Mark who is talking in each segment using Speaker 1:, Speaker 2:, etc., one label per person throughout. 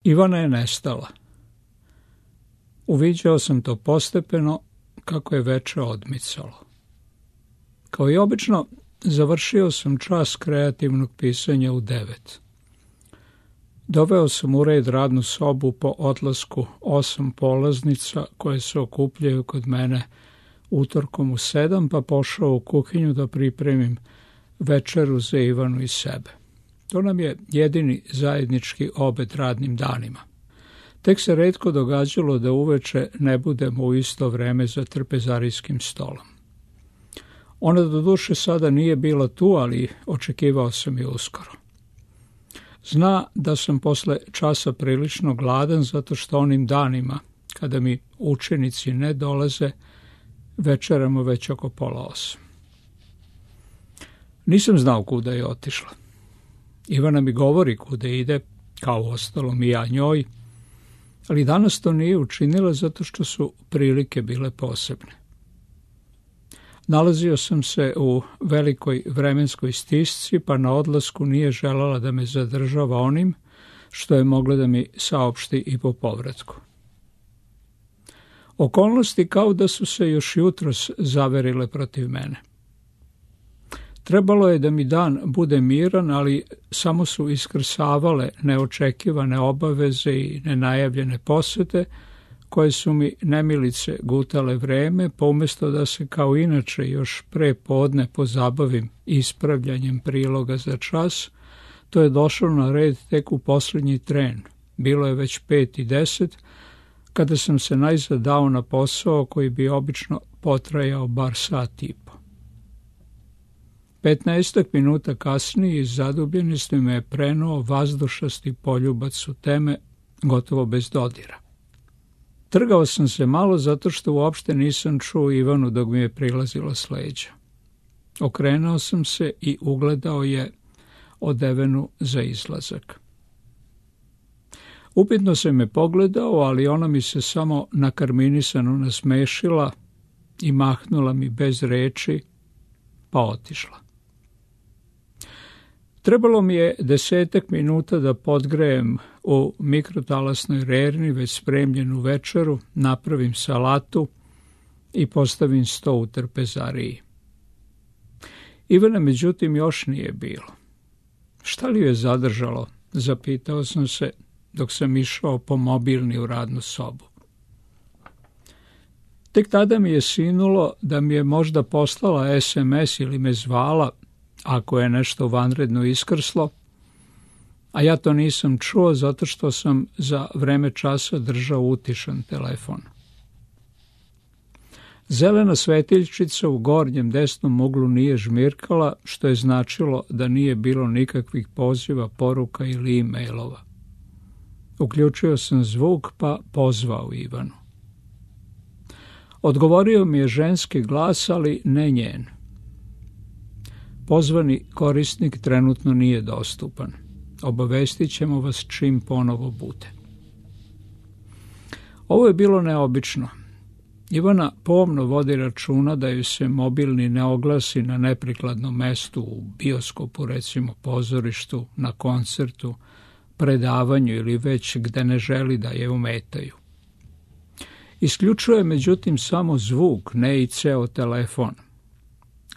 Speaker 1: Ivana je nestala. Uviđao sam to postepeno kako je veče odmicalo. Kao i obično, završio sam čas kreativnog pisanja u 9. Doveo sam u red radnu sobu po odlasku 8 polaznica koje se okupljaju kod mene utorkom u 7, pa pošao u kuhinju da pripremim večeru za Ivanu i sebe. To nam je jedini zajednički obed radnim danima. Tek se retko događalo da uveče ne budemo u isto vreme za trpezarijskim stolom. Ona doduše sada nije bila tu, ali očekivao sam je uskoro. Zna da sam posle časa prilično gladan zato što onim danima, kada mi učenici ne dolaze, večeramo već oko 7:30. Nisam znao kuda je otišla. Ivana mi govori kuda ide, kao ostalom i ja njoj, ali danas to nije učinila zato što su prilike bile posebne. Nalazio sam se u velikoj vremenskoj stisci, pa na odlasku nije želela da me zadržava onim što je mogla da mi saopšti i po povratku. Okolnosti kao da su se još jutros zaverile protiv mene. Trebalo je da mi dan bude miran, ali samo su iskrsavale neočekivane obaveze i nenajavljene posete, koje su mi nemilice gutale vreme, pa umjesto da se kao inače još pre podne pozabavim ispravljanjem priloga za čas, to je došlo na red tek u posljednji tren. Bilo je već 5:10, kada sam se najzad dao na posao koji bi obično potrajao bar sat i po. 15 minuta kasnije iz zadubljenosti me je prenuo vazdušasti poljubac u teme, gotovo bez dodira. Trgao sam se malo zato što uopšte nisam čuo Ivanu dok mi je prilazila s leđa. Okrenuo sam se i ugledao je odevenu za izlazak. Upitno se me pogledao, ali ona mi se samo nakarminisano nasmešila i mahnula mi bez reči, pa otišla. Trebalo mi je 10 minuta da podgrejem u mikrotalasnoj rerni već spremljenu večeru, napravim salatu i postavim sto u trpezariji. Ivana međutim još nije bilo. Šta li je zadržalo, zapitao sam se dok sam išao po mobilni u radnu sobu. Tek tada mi je sinulo da mi je možda poslala SMS ili me zvala, ako je nešto vanredno iskrslo, a ja to nisam čuo zato što sam za vreme časa držao utišan telefon. Zelena svetiljčica u gornjem desnom uglu nije žmirkala, što je značilo da nije bilo nikakvih poziva, poruka ili e-mailova. Uključio sam zvuk pa pozvao Ivanu. Odgovorio mi je ženski glas, ali ne njen. Pozvani korisnik trenutno nije dostupan. Obavestit ćemo vas čim ponovo bude. Ovo je bilo neobično. Ivana pomno vodi računa da ju se mobilni ne oglasi na neprikladnom mestu, u bioskopu, recimo pozorištu, na koncertu, predavanju ili već gde ne želi da je ometaju. Isključuje međutim samo zvuk, ne i ceo telefon.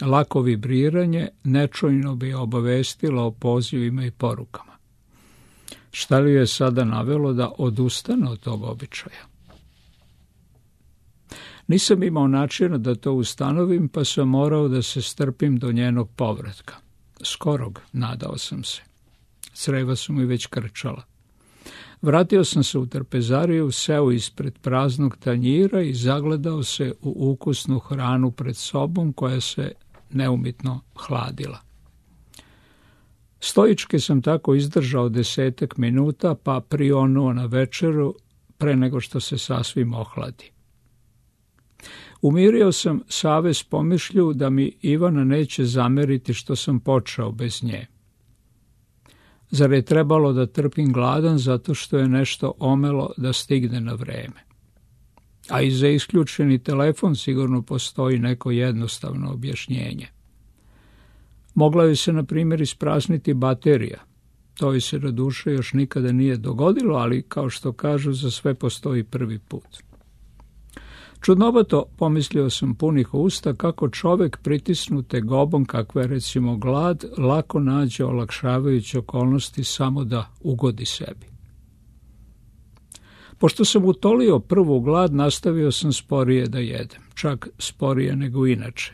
Speaker 1: Lako vibriranje nečujno bi obavestilo o pozivima i porukama. Šta li je sada navelo da odustane od tog običaja? Nisam imao načina da to ustanovim, pa sam morao da se strpim do njenog povratka. Skorog, nadao sam se. Creva su mi već krčala. Vratio sam se u trpezariju, seo ispred praznog tanjira i zagledao se u ukusnu hranu pred sobom koja se neumitno hladila. Stoički sam tako izdržao 10 minuta, pa prionuo na večeru pre nego što se sasvim ohladi. Umirio sam savez pomišlju da mi Ivana neće zameriti što sam počeo bez nje. Zar je trebalo da trpim gladan zato što je nešto omelo da stigne na vreme? A i za isključeni telefon sigurno postoji neko jednostavno objašnjenje. Mogla je se, na primjer, isprazniti baterija, To joj se na duše još nikada nije dogodilo, ali kao što kažu, za sve postoji prvi put. Čudnovato, pomislio sam punih usta, kako čovek pritisnut tegobom kakva je recimo glad, lako nađe olakšavajuće okolnosti samo da ugodi sebi. Pošto sam utolio prvu glad, nastavio sam sporije da jedem, čak sporije nego inače.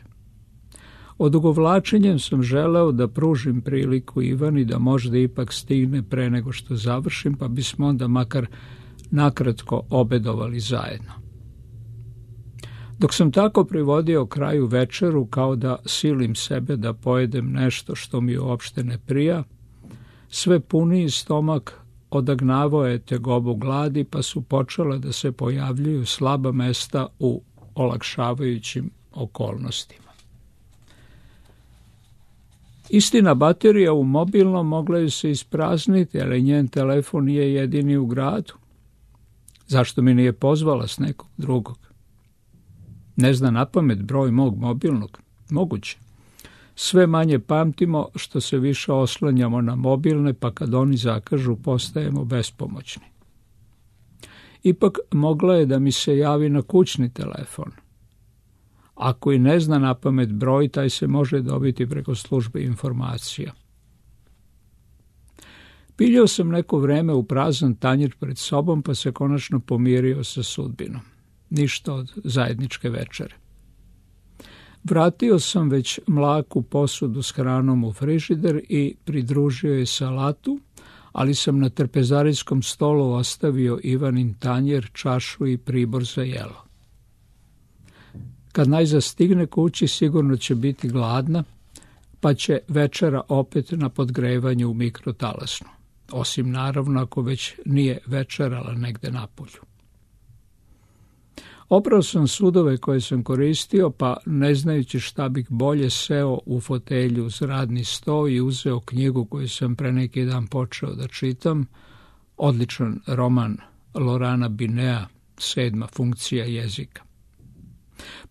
Speaker 1: Odugovlačenjem sam želeo da pružim priliku Ivani da možda ipak stigne pre nego što završim, pa bismo onda makar nakratko obedovali zajedno. Dok sam tako privodio kraju večeru, kao da silim sebe da pojedem nešto što mi uopšte ne prija, sve puniji stomak odagnavao je tegobu gladi, pa su počela da se pojavljuju slaba mesta u olakšavajućim okolnostima. Istina, baterija u mobilnom mogla je se isprazniti, ali njen telefon nije jedini u gradu. Zašto mi nije pozvala s nekog drugog? Ne zna napamet broj mog mobilnog? Moguće. Sve manje pamtimo što se više oslanjamo na mobilne, pa kad oni zakažu postajemo bespomoćni. Ipak mogla je da mi se javi na kućni telefon. Ako i ne zna napamet broj, taj se može dobiti preko službe informacija. Piljao sam neko vreme u prazan tanjir pred sobom, pa se konačno pomirio sa sudbinom. Ništa od zajedničke večere. Vratio sam već mlaku posudu s hranom u frižider i pridružio je salatu, ali sam na trpezarijskom stolu ostavio Ivanin tanjer, čašu i pribor za jelo. Kad najzad stigne kući, sigurno će biti gladna, pa će večera opet na podgrevanju u mikrotalasnu, osim naravno ako već nije večerala negde napolju. Oprao sam sudove koje sam koristio, pa ne znajući šta bih bolje seo u fotelju uz radni sto i uzeo knjigu koju sam pre neki dan počeo da čitam, odličan roman Lorana Binea, 7. funkcija jezika.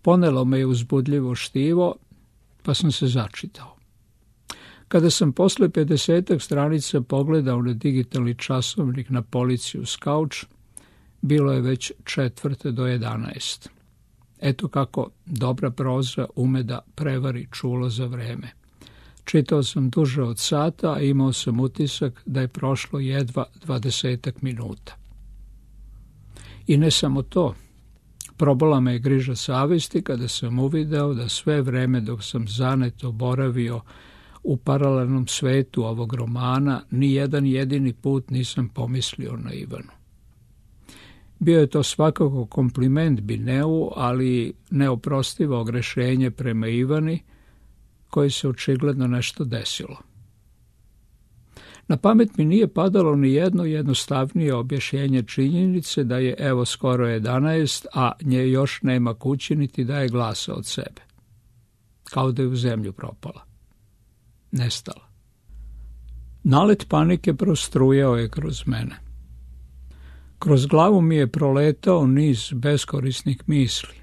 Speaker 1: Ponelo me je uzbudljivo štivo, pa sam se začitao. Kada sam posle 50 stranica pogledao na digitalni časovnik na polici uz kauč, bilo je već 9:45. Eto kako dobra proza ume da prevari čulo za vreme. Čitao sam duže od sata, a imao sam utisak da je prošlo jedva 20 minuta. I ne samo to. Probola me je griža savesti kada sam uvideo da sve vreme dok sam zaneto boravio u paralelnom svetu ovog romana, ni jedan jedini put nisam pomislio na Ivanu. Bio je to svakako kompliment Bineu, ali neoprostivo ogrešenje prema Ivani, koji se očigledno nešto desilo. Na pamet mi nije padalo ni jedno jednostavnije objašnjenje činjenice da je evo skoro 11, a nje još nema kući niti daje glasa od sebe. Kao da je u zemlju propala. Nestala. Nalet panike prostrujao je kroz mene. Kroz glavu mi je proletao niz beskorisnih misli.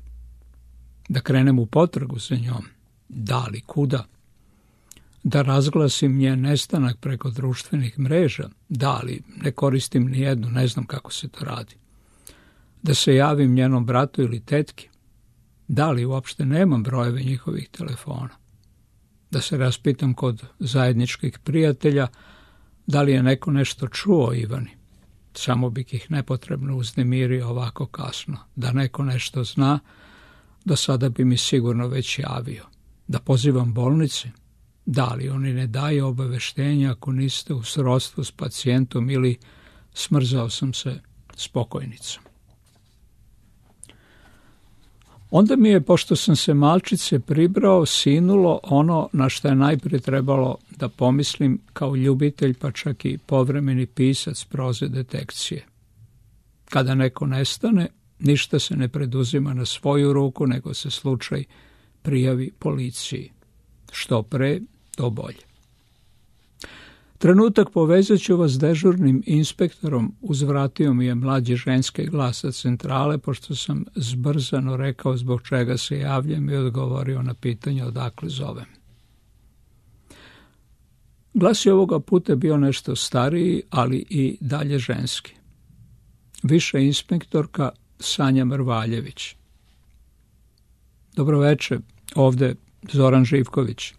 Speaker 1: Da krenem u potragu za njom. Da li kuda? Da razglasim njen nestanak preko društvenih mreža. Da li ne koristim ni jednu, ne znam kako se to radi. Da se javim njenom bratu ili tetki. Da li uopšte nemam brojeve njihovih telefona. Da se raspitam kod zajedničkih prijatelja da li je neko nešto čuo o Ivani. Samo bih ih nepotrebno uznemirio ovako kasno. Da neko nešto zna, do sada bi mi sigurno već javio. Da pozivam bolnice? Da li oni ne daju obaveštenja ako niste u srodstvu s pacijentom ili smrzao sam se s pokojnicom. Onda mi je, pošto sam se malčice pribrao, sinulo ono na što je najprije trebalo da pomislim kao ljubitelj, pa čak i povremeni pisac proze detekcije. Kada neko nestane, ništa se ne preduzima na svoju ruku, nego se slučaj prijavi policiji. Što pre, to bolje. Trenutak povezat ću vas s dežurnim inspektorom, uzvratio mi je mlađi ženski glas sa centrale, pošto sam zbrzano rekao zbog čega se javljam i odgovorio na pitanje odakle zovem. Glas je ovoga puta bio nešto stariji, ali i dalje ženski. Viša inspektorka Sanja Mrvaljević. Dobro večer, ovde Zoran Živković.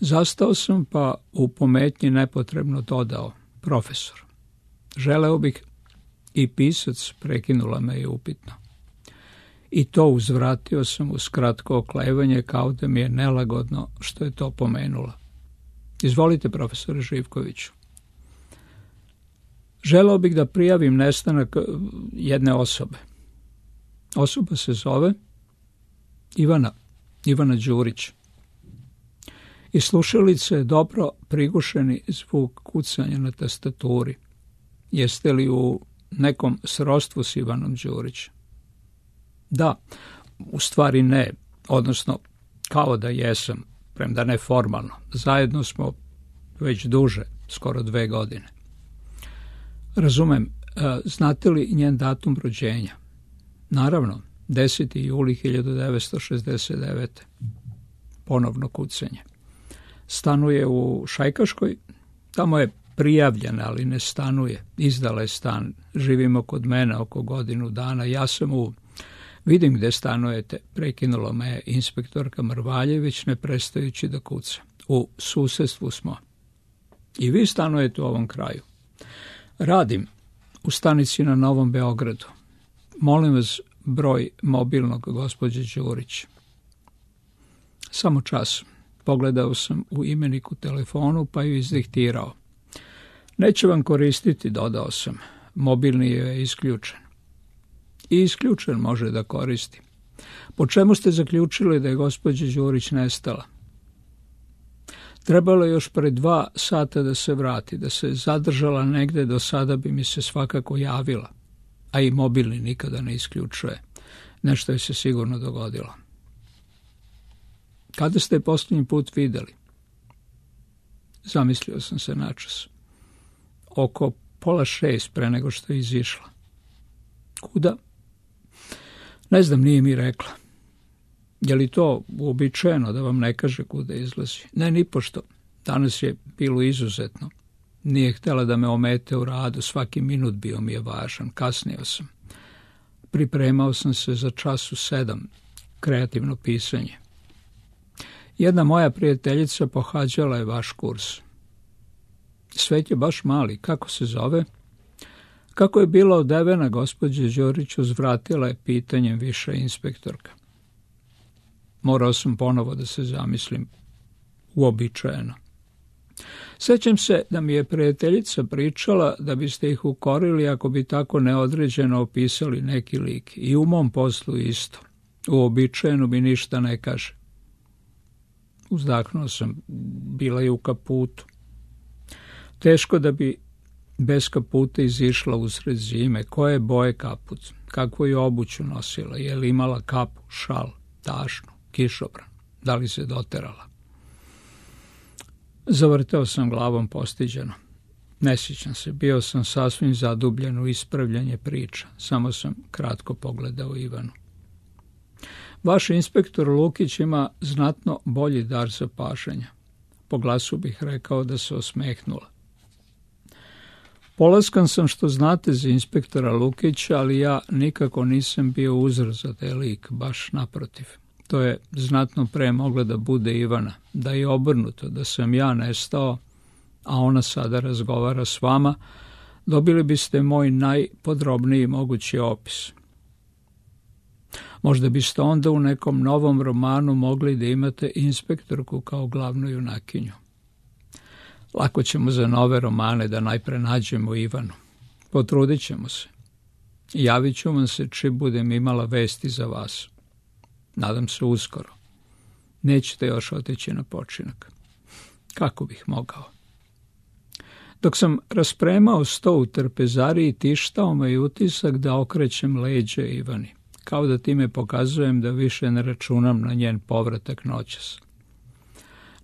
Speaker 1: Zastao sam pa u pometnji nepotrebno dodao, profesor. Želeo bih i pisac, prekinula me je upitno. I to uzvratio sam uz kratko oklevanje kao da mi je nelagodno što je to pomenula. Izvolite, profesore Živkoviću. Želeo bih da prijavim nestanak jedne osobe. Osoba se zove Ivana Đurić. Iz slušalice je dobro prigušeni zvuk kucanja na tastaturi. Jeste li u nekom srodstvu s Ivanom Đurić? Da, u stvari ne, odnosno kao da jesam, premda ne formalno. Zajedno smo već duže, skoro 2 godine. Razumem, znate li njen datum rođenja? Naravno, 10. juli 1969. Ponovno kucanje. Stanuje u Šajkaškoj, tamo je prijavljena, ali ne stanuje. Izdala je stan, živimo kod mene oko godinu dana. Ja sam vidim gde stanujete, prekinula me inspektorka Mrvaljević ne prestajući da kuca. U susedstvu smo. I vi stanujete u ovom kraju. Radim u stanici na Novom Beogradu. Molim vas broj mobilnog gospođe Đurić. Samo čas. Pogledao sam u imeniku telefonu pa ju izdiktirao. Neće vam koristiti, dodao sam. Mobilni je isključen. I isključen može da koristi. Po čemu ste zaključili da je gospođa Đurić nestala? Trebalo je još pre 2 sata da se vrati, da se zadržala negde, do sada bi mi se svakako javila. A i mobilni nikada ne isključuje. Nešto je se sigurno dogodilo. Kada ste je posljednji put videli? Zamislio sam se načas. Oko 5:30 pre nego što je izišla. Kuda? Ne znam, nije mi rekla. Je li to uobičajeno da vam ne kaže kuda izlazi? Ne, nipošto. Danas je bilo izuzetno. Nije htjela da me omete u radu, svaki minut bio mi je važan. Kasnio sam. Pripremao sam se za čas u 7, kreativno pisanje. Jedna moja prijateljica pohađala je vaš kurs. Svet je baš mali, kako se zove? Kako je bila odevena, gospođa Đurić uzvratila je pitanjem viša inspektorka. Morao sam ponovo da se zamislim. Uobičajeno. Sećam se da mi je prijateljica pričala da biste ih ukorili ako bi tako neodređeno opisali neki lik. I u mom poslu isto. Uobičajeno mi ništa ne kaže. Uzdahnuo sam. Bila je u kaputu. Teško da bi bez kaputa izišla usred zime. Koje boje kaput? Kakvu je obuću nosila? Je li imala kapu, šal, tašnu, kišobran? Da li se doterala? Zavrteo sam glavom postiđeno. Ne sjećam se, bio sam sasvim zadubljen u ispravljanje priča. Samo sam kratko pogledao Ivanu. Vaš inspektor Lukić ima znatno bolji dar za pažanja. Po glasu bih rekao da se osmehnula. Polaskan sam što znate za inspektora Lukića, ali ja nikako nisam bio uzor za taj lik, baš naprotiv. To je znatno pre mogla da bude Ivana, da je obrnuto, da sam ja nestao, a ona sada razgovara s vama, dobili biste moj najpodrobniji mogući opis. Možda biste onda u nekom novom romanu mogli da imate inspektorku kao glavnu junakinju. Lako ćemo za nove romane da najpre nađemo Ivanu. Potrudit ćemo se. Javit ću vam se čim budem imala vesti za vas. Nadam se uskoro. Nećete još otići na počinak. Kako bih mogao? Dok sam raspremao sto u trpezariji, tištao me i utisak da okrećem leđe Ivani. Kao da time pokazujem da više ne računam na njen povratak noćas.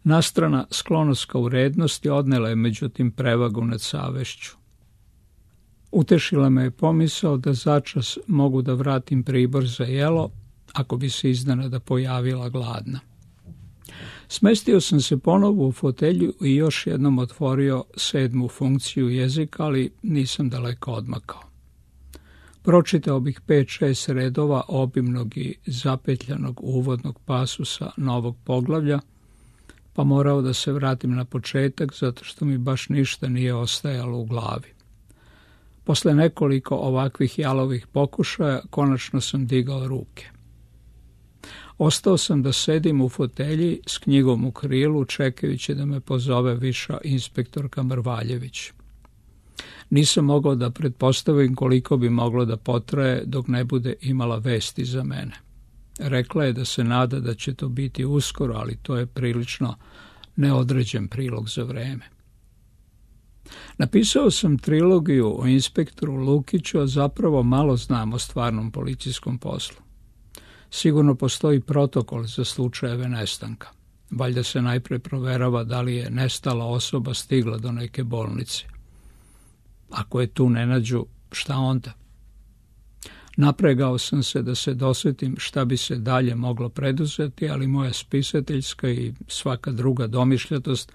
Speaker 1: Nastrana sklonost ka urednosti odnela je međutim prevagu nad savešću. Utešila me je pomisao da začas mogu da vratim pribor za jelo, ako bi se iznenada pojavila gladna. Smestio sam se ponovo u fotelju i još jednom otvorio 7. funkciju jezika, ali nisam daleko odmakao. Pročitao bih 5-6 redova obimnog i zapetljanog uvodnog pasusa novog poglavlja, pa morao da se vratim na početak, zato što mi baš ništa nije ostajalo u glavi. Posle nekoliko ovakvih jalovih pokušaja, konačno sam digao ruke. Ostao sam da sedim u fotelji s knjigom u krilu, čekajući da me pozove viša inspektorka Mrvaljević. Nisam mogao da pretpostavim koliko bi moglo da potraje dok ne bude imala vesti za mene. Rekla je da se nada da će to biti uskoro, ali to je prilično neodređen prilog za vreme. Napisao sam trilogiju o inspektoru Lukiću, a zapravo malo znam o stvarnom policijskom poslu. Sigurno postoji protokol za slučajeve nestanka. Valjda se najpre proverava da li je nestala osoba stigla do neke bolnice. Ako je tu ne nađu, šta onda? Napregao sam se da se dosjetim šta bi se dalje moglo preduzeti, ali moja spisateljska i svaka druga domišljatost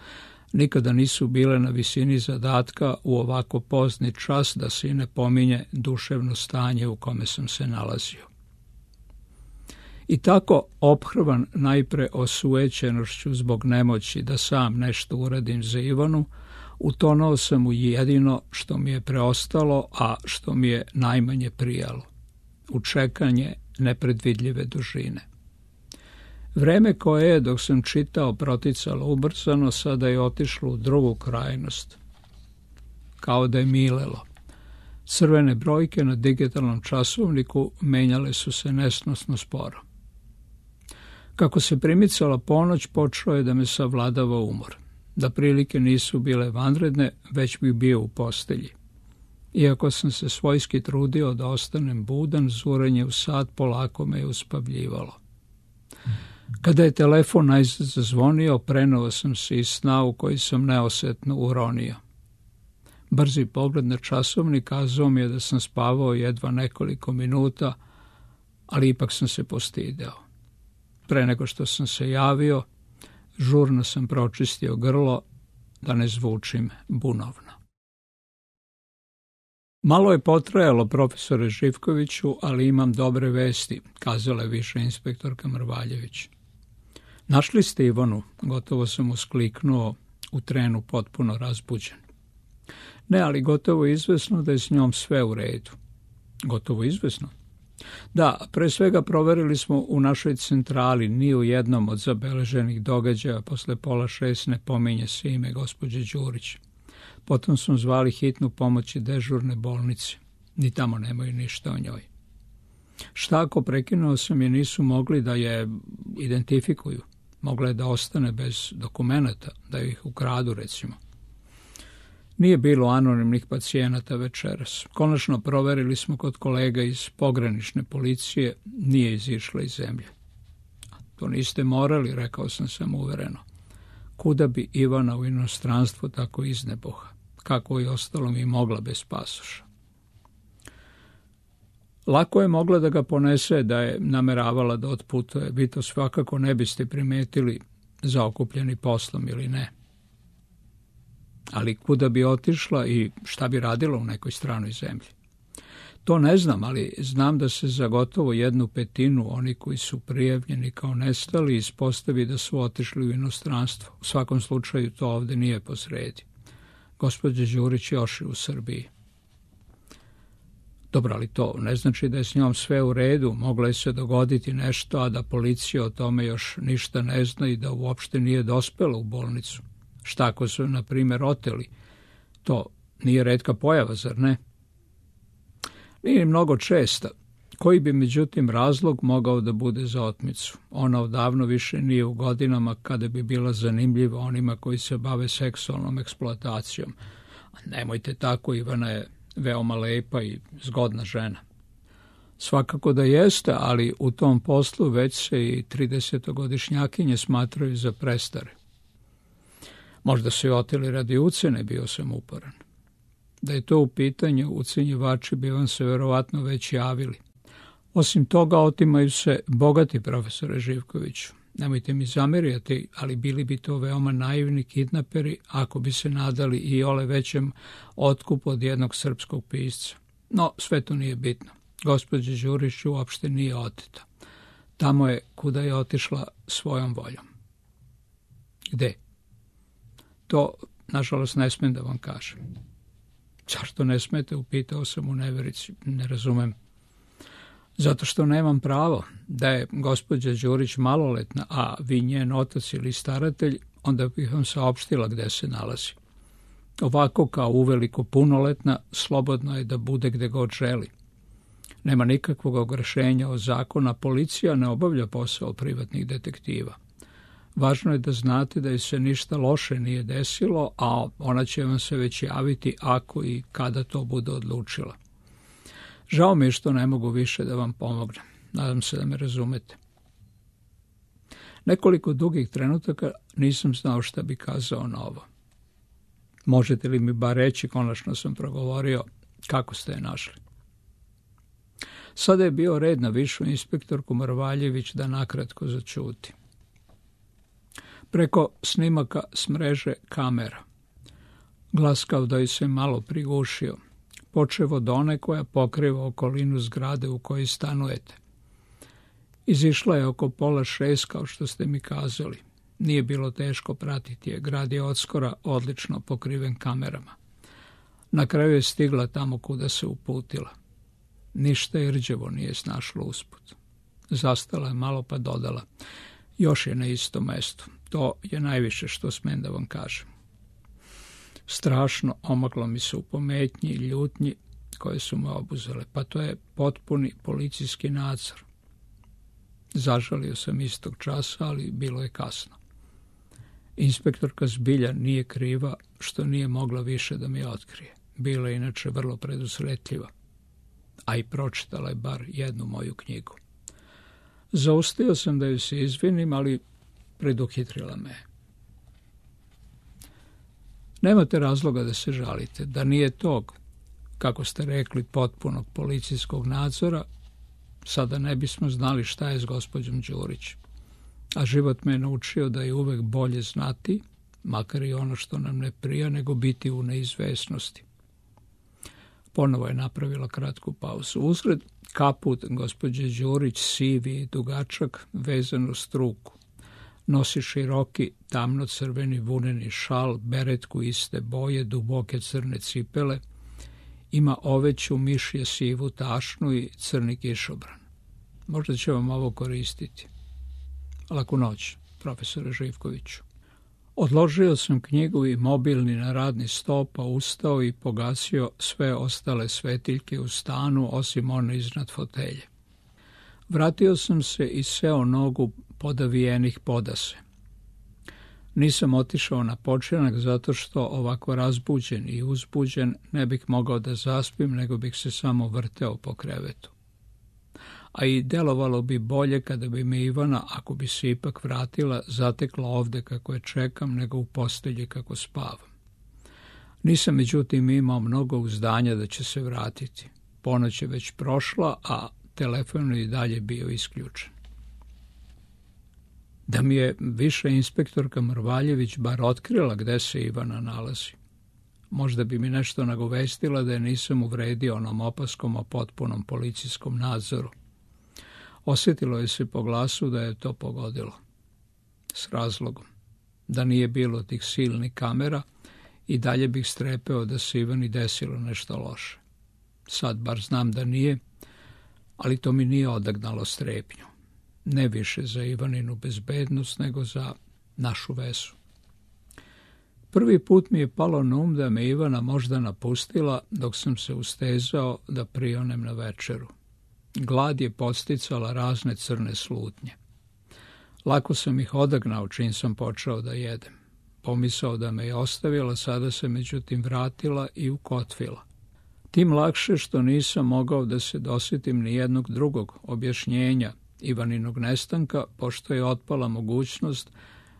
Speaker 1: nikada nisu bile na visini zadatka u ovako pozni čas da se i ne pominje duševno stanje u kome sam se nalazio. I tako, ophrvan najpre osujećenošću zbog nemoći da sam nešto uradim za Ivanu, utonao sam u jedino što mi je preostalo, a što mi je najmanje prijalo, u čekanje nepredvidljive dužine. Vreme koje je, dok sam čitao, proticalo ubrzano, sada je otišlo u drugu krajnost, kao da je milelo. Crvene brojke na digitalnom časovniku menjale su se nesnosno sporo. Kako se primicala ponoć, počeo je da me savladava umor. Da prilike nisu bile vanredne, već bih bio u postelji. Iako sam se svojski trudio da ostanem budan, zurenje u sat polako me je uspavljivalo. Kada je telefon najzad zazvonio, prenuo sam se iz sna u koji sam neosetno uronio. Brzi pogled na časovnik kazao mi je da sam spavao jedva nekoliko minuta, ali ipak sam se postideo. Pre nego što sam se javio, žurno sam pročistio grlo da ne zvučim bunovno. Malo je potrajalo, profesore Živkoviću, ali imam dobre vesti, kazala je viša inspektorka Mrvaljević. Našli ste Ivanu, gotovo sam uskliknuo u trenu potpuno razbuđen. Ne, ali gotovo izvesno da je s njom sve u redu. Gotovo izvesno? Da, pre svega proverili smo u našoj centrali, ni u jednom od zabeleženih događaja posle 5:30 ne pominje se ime gospođe Đurić. Potom smo zvali hitnu pomoć i dežurne bolnice. Ni tamo nemaju ništa o njoj. Šta ako, prekinuo sam, je nisu mogli da je identifikuju? Mogla je da ostane bez dokumenata, da ih ukradu, recimo. Nije bilo anonimnih pacijenata večeras. Konačno proverili smo kod kolega iz pogranične policije, nije izišla iz zemlje. To niste morali, rekao sam samouvereno. Kuda bi Ivana u inostranstvu tako izneboha? Kako i ostalo mi mogla bez pasoša? Lako je mogla da ga ponese da je nameravala da otputuje. Vi to svakako ne biste primetili, zaokupljeni poslom ili ne. Ali kuda bi otišla i šta bi radila u nekoj stranoj zemlji? To ne znam, ali znam da se za gotovo 1/5 oni koji su prijavljeni kao nestali ispostavi da su otišli u inostranstvo. U svakom slučaju to ovde nije posredi. Gospođa Đurić još je u Srbiji. Dobro, ali to ne znači da je s njom sve u redu. Moglo je se dogoditi nešto, a da policija o tome još ništa ne zna i da uopšte nije dospela u bolnicu. Šta ako su, na primjer, oteli? To nije retka pojava, zar ne? Nije mnogo česta. Koji bi, međutim, razlog mogao da bude za otmicu? Ona odavno više nije u godinama kada bi bila zanimljiva onima koji se bave seksualnom eksploatacijom. Nemojte tako, Ivana je veoma lepa i zgodna žena. Svakako da jeste, ali u tom poslu već se i 30-godišnjakinje smatraju za prestare. Možda su je oteli radi ucene, bio sam uporan. Da je to u pitanju, ucenjivači bi vam se verovatno već javili. Osim toga, otimaju se bogati, profesore Živkoviću. Nemojte mi zameriti, ali bili bi to veoma naivni kidnaperi ako bi se nadali i ole većem otkupu od jednog srpskog pisca. No, sve to nije bitno. Gospođa Đurić uopšte nije oteta. Tamo je kuda je otišla svojom voljom. Gde? To, nažalost, ne smem da vam kažem. Zašto ne smete, upitao sam u neverici, ne razumem. Zato što nemam pravo. Da je gospođa Đurić maloletna, a vi njen otac ili staratelj, onda bih vam saopštila gde se nalazi. Ovako kao uveliko punoletna, slobodno je da bude gde god želi. Nema nikakvog ogrešenja od zakona, policija ne obavlja posao privatnih detektiva. Važno je da znate da je se ništa loše nije desilo, a ona će vam se već javiti ako i kada to bude odlučila. Žao mi je što ne mogu više da vam pomognem. Nadam se da me razumete. Nekoliko dugih trenutaka nisam znao šta bi kazao na ovo. Možete li mi bar reći, konačno sam progovorio, kako ste je našli? Sada je bio red na višu inspektorku Mrvaljević da nakratko začuti. Preko snimaka s mreže kamera. Glas kao da ju se malo prigušio, počev od one koja pokriva okolinu zgrade u kojoj stanujete. Izišla je oko 5:30, kao što ste mi kazali. Nije bilo teško pratiti je, grad je odskora odlično pokriven kamerama. Na kraju je stigla tamo kuda se uputila. Ništa je rđevo nije snašlo usput. Zastala je malo pa dodala. Još je na istom mestu. To je najviše što smem da vam kažem. Strašno omaklo mi se u pometnji i ljutnji koje su me obuzele. Pa to je potpuni policijski nadzor. Zažalio sam istog časa, ali bilo je kasno. Inspektorka zbilja nije kriva što nije mogla više da mi otkrije. Bila je inače vrlo predusretljiva. A i pročitala je bar jednu moju knjigu. Zaustio sam da ju se izvinim, ali preduhitrila me. Nemate razloga da se žalite. Da nije tog, kako ste rekli, potpunog policijskog nadzora, sada ne bismo znali šta je s gospođom Đurić. A život me je naučio da je uvek bolje znati, makar i ono što nam ne prija, nego biti u neizvesnosti. Ponovo je napravila kratku pauzu. Uzgred kaput gospođe Đurić, sivi i dugačak, vezan uz struku. Nosi široki, tamno-crveni vuneni šal, beretku iste boje, duboke crne cipele, ima oveću mišje sivu tašnu i crni kišobran. Možda će vam ovo koristiti. Laku noć, profesore Živkoviću. Odložio sam knjigu i mobilni na radni sto, pa ustao i pogasio sve ostale svetiljke u stanu, osim one iznad fotelje. Vratio sam se i seo nogu podavijenih podase. Nisam otišao na počinak zato što ovako razbuđen i uzbuđen ne bih mogao da zaspim, nego bih se samo vrteo po krevetu. A i delovalo bi bolje kada bi me Ivana, ako bi se ipak vratila, zatekla ovde kako je čekam, nego u postelji kako spavam. Nisam međutim imao mnogo uzdanja da će se vratiti. Ponoć je već prošla, a telefon je i dalje bio isključen. Da mi je viša inspektorka Mrvaljević bar otkrila gde se Ivana nalazi. Možda bi mi nešto nagovestila da je nisam uvredio onom opaskom o potpunom policijskom nadzoru. Osjetilo je se po glasu da je to pogodilo. S razlogom. Da nije bilo tih silnih kamera i dalje bih strepeo da se Ivani desilo nešto loše. Sad bar znam da nije, ali to mi nije odagnalo strepnju. Ne više za Ivaninu bezbednost, nego za našu vezu. Prvi put mi je palo na um da me Ivana možda napustila dok sam se ustezao da prionem na večeru. Glad je podsticala razne crne slutnje. Lako sam ih odagnao čim sam počeo da jedem. Pomisao da me je ostavila, sada se međutim vratila i ukotvila. Tim lakše što nisam mogao da se dosjetim ni jednog drugog objašnjenja Ivaninog nestanka, pošto je otpala mogućnost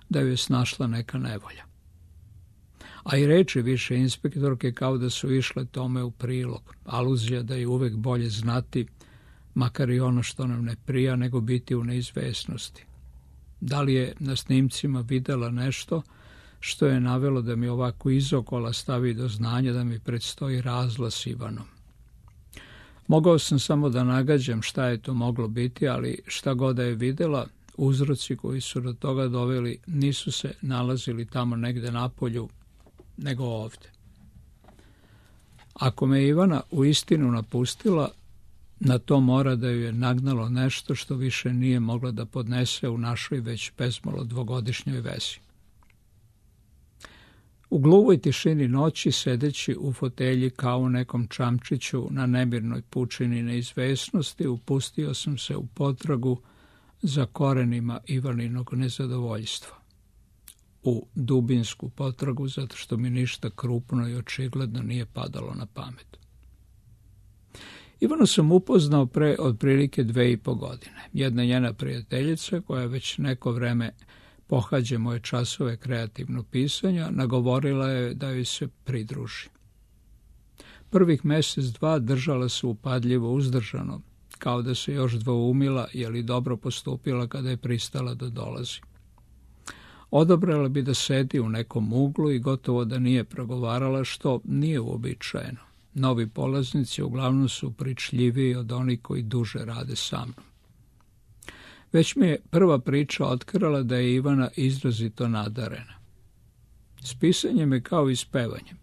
Speaker 1: da ju je snašla neka nevolja. A i reči više inspektorke kao da su išle tome u prilog. Aluzija da je uvek bolje znati, makar i ono što nam ne prija, nego biti u neizvesnosti. Da li je na snimcima videla nešto što je navelo da mi ovako izokola stavi do znanja da mi predstoji razlaz s Ivanom? Mogao sam samo da nagađam šta je to moglo biti, ali šta god da je videla, uzroci koji su do toga doveli nisu se nalazili tamo negde napolju, nego ovde. Ako me Ivana u istinu napustila, na to mora da ju je nagnalo nešto što više nije mogla da podnese u našoj već bezmalo dvogodišnjoj vezi. U gluvoj tišini noći, sedeći u fotelji kao u nekom čamčiću na nemirnoj pučini neizvesnosti, upustio sam se u potragu za korenima Ivaninog nezadovoljstva. U dubinsku potragu, zato što mi ništa krupno i očigledno nije padalo na pamet. Ivanu sam upoznao pre otprilike 2,5 godine. Jedna njena prijateljica, koja već neko vreme pohađa moje časove kreativnog pisanja, nagovorila je da joj se pridruži. Prvih mesec, dva držala se upadljivo uzdržano, kao da se još dvoumila je li dobro postupila kada je pristala da dolazi. Odabrala bi da sedi u nekom uglu i gotovo da nije progovarala, što nije uobičajeno. Novi polaznici uglavnom su pričljiviji od onih koji duže rade sa mnom. Već mi je prva priča otkrala da je Ivana izrazito nadarena. S pisanjem je kao i s pevanjem.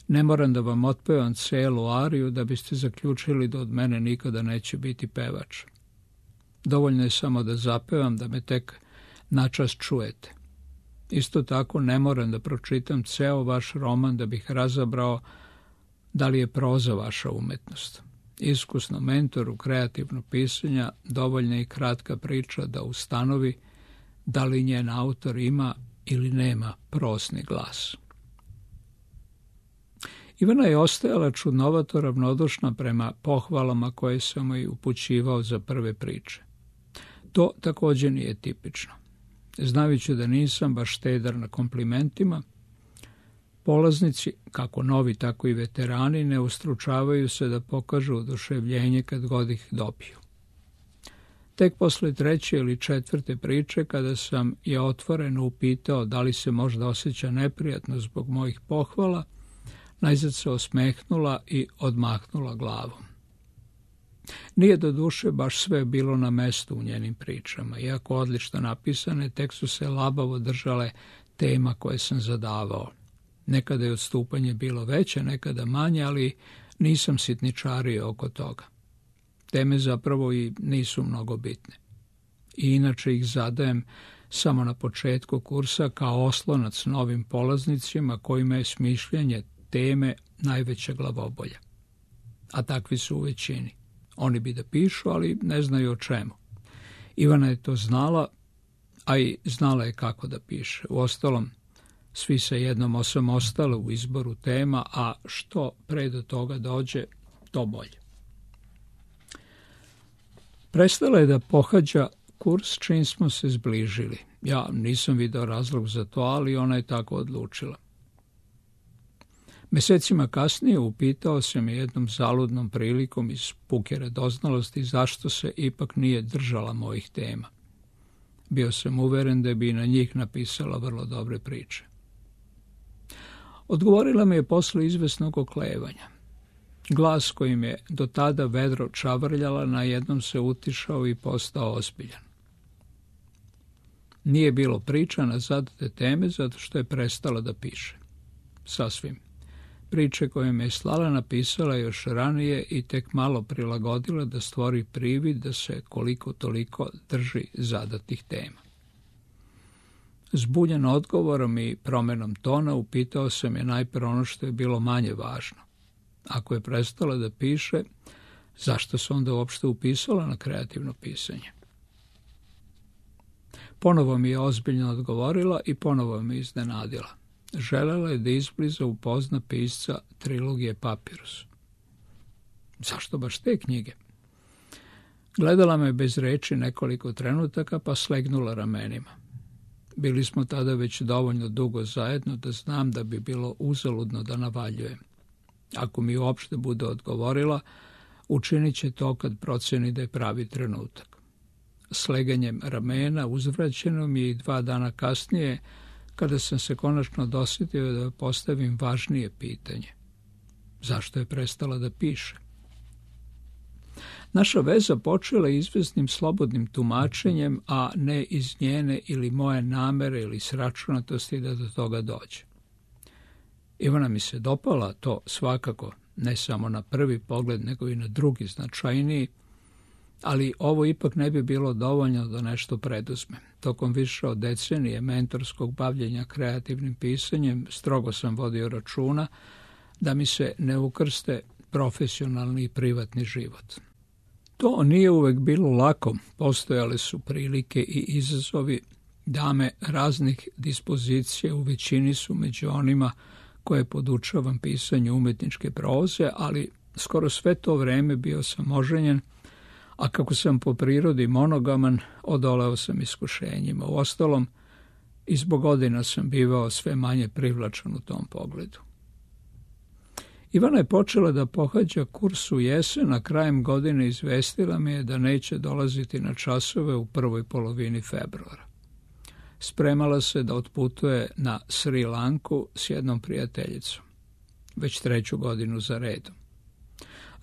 Speaker 1: Ne moram da vam otpevam celu ariju da biste zaključili da od mene nikada neće biti pevač. Dovoljno je samo da zapevam, da me tek načas čujete. Isto tako ne moram da pročitam ceo vaš roman da bih razabrao da li je proza vaša umetnost. Iskusnom mentoru kreativnog pisanja dovoljna je i kratka priča da ustanovi da li njen autor ima ili nema prosni glas. Ivana je ostajala čudnovato ravnodušna prema pohvalama koje sam joj upućivao za prve priče. To također nije tipično. Znajući da nisam baš štedar na komplimentima, polaznici, kako novi, tako i veterani, ne ustručavaju se da pokažu oduševljenje kad god ih dobiju. Tek posle 3. ili 4. priče, kada sam je otvoreno upitao da li se možda osjeća neprijatno zbog mojih pohvala, najzad se osmehnula i odmahnula glavom. Nije do duše baš sve bilo na mestu u njenim pričama. Iako odlično napisane, tek su se labavo držale tema koje sam zadavao. Nekada je odstupanje bilo veće, nekada manje, ali nisam sitničario oko toga. Teme zapravo i nisu mnogo bitne. I inače ih zadajem samo na početku kursa kao oslonac novim polaznicima kojima je smišljanje teme najveća glavobolja. A takvi su u većini. Oni bi da pišu, ali ne znaju o čemu. Ivana je to znala, a i znala je kako da piše. Uostalom, svi se jednom osamostale u izboru tema, a što pre do toga dođe, to bolje. Prestala je da pohađa kurs čim smo se zbližili. Ja nisam video razlog za to, ali ona je tako odlučila. Mesecima kasnije upitao sam je jednom zaludnom prilikom iz puke radoznalosti zašto se ipak nije držala mojih tema. Bio sam uveren da bi i na njih napisala vrlo dobre priče. Odgovorila mi je posle izvesnog oklevanja. Glas kojim je do tada vedro čavrljala na jednom se utišao i postao ozbiljan. Nije bilo priča na zadate teme zato što je prestala da piše. Sasvim. Priče koje me je slala napisala još ranije i tek malo prilagodila da stvori privid da se koliko toliko drži zadatih tema. Zbunjen odgovorom i promenom tona upitao sam je najprve ono što je bilo manje važno. Ako je prestala da piše, zašto se onda uopšte upisala na kreativno pisanje? Ponovo mi je ozbiljno odgovorila i ponovo me iznenadila. Želela je da izbliza upozna pisca trilogije Papirus. Zašto baš te knjige? Gledala me bez reči nekoliko trenutaka, pa slegnula ramenima. Bili smo tada već dovoljno dugo zajedno da znam da bi bilo uzaludno da navaljujem. Ako mi uopšte bude odgovorila, učinit će to kad proceni da je pravi trenutak. sleganjem ramena uzvraćeno mi je i 2 dana kasnije, kada sam se konačno dosjetio da postavim važnije pitanje. Zašto je prestala da piše? Naša veza počela izvesnim slobodnim tumačenjem, a ne iz njene ili moje namere ili sračunatosti da do toga dođe. Ivana mi se dopala, to svakako, ne samo na prvi pogled, nego i na drugi značajniji, ali ovo ipak ne bi bilo dovoljno da nešto preduzmem. Tokom više od decenije mentorskog bavljenja kreativnim pisanjem strogo sam vodio računa da mi se ne ukrste profesionalni i privatni život. To nije uvek bilo lako, postojale su prilike i izazovi, dame raznih dispozicija u većini su među onima koje podučavam pisanju umetničke proze, ali skoro sve to vreme bio sam oženjen, a kako sam po prirodi monogaman, odoleo sam iskušenjima. Uostalom, i zbog godina sam bivao sve manje privlačan u tom pogledu. Ivana je počela da pohađa kurs u jesen, a krajem godine izvestila me je da neće dolaziti na časove u prvoj polovini februara. Spremala se da otputuje na Sri Lanku s jednom prijateljicom, već 3. godinu za redom.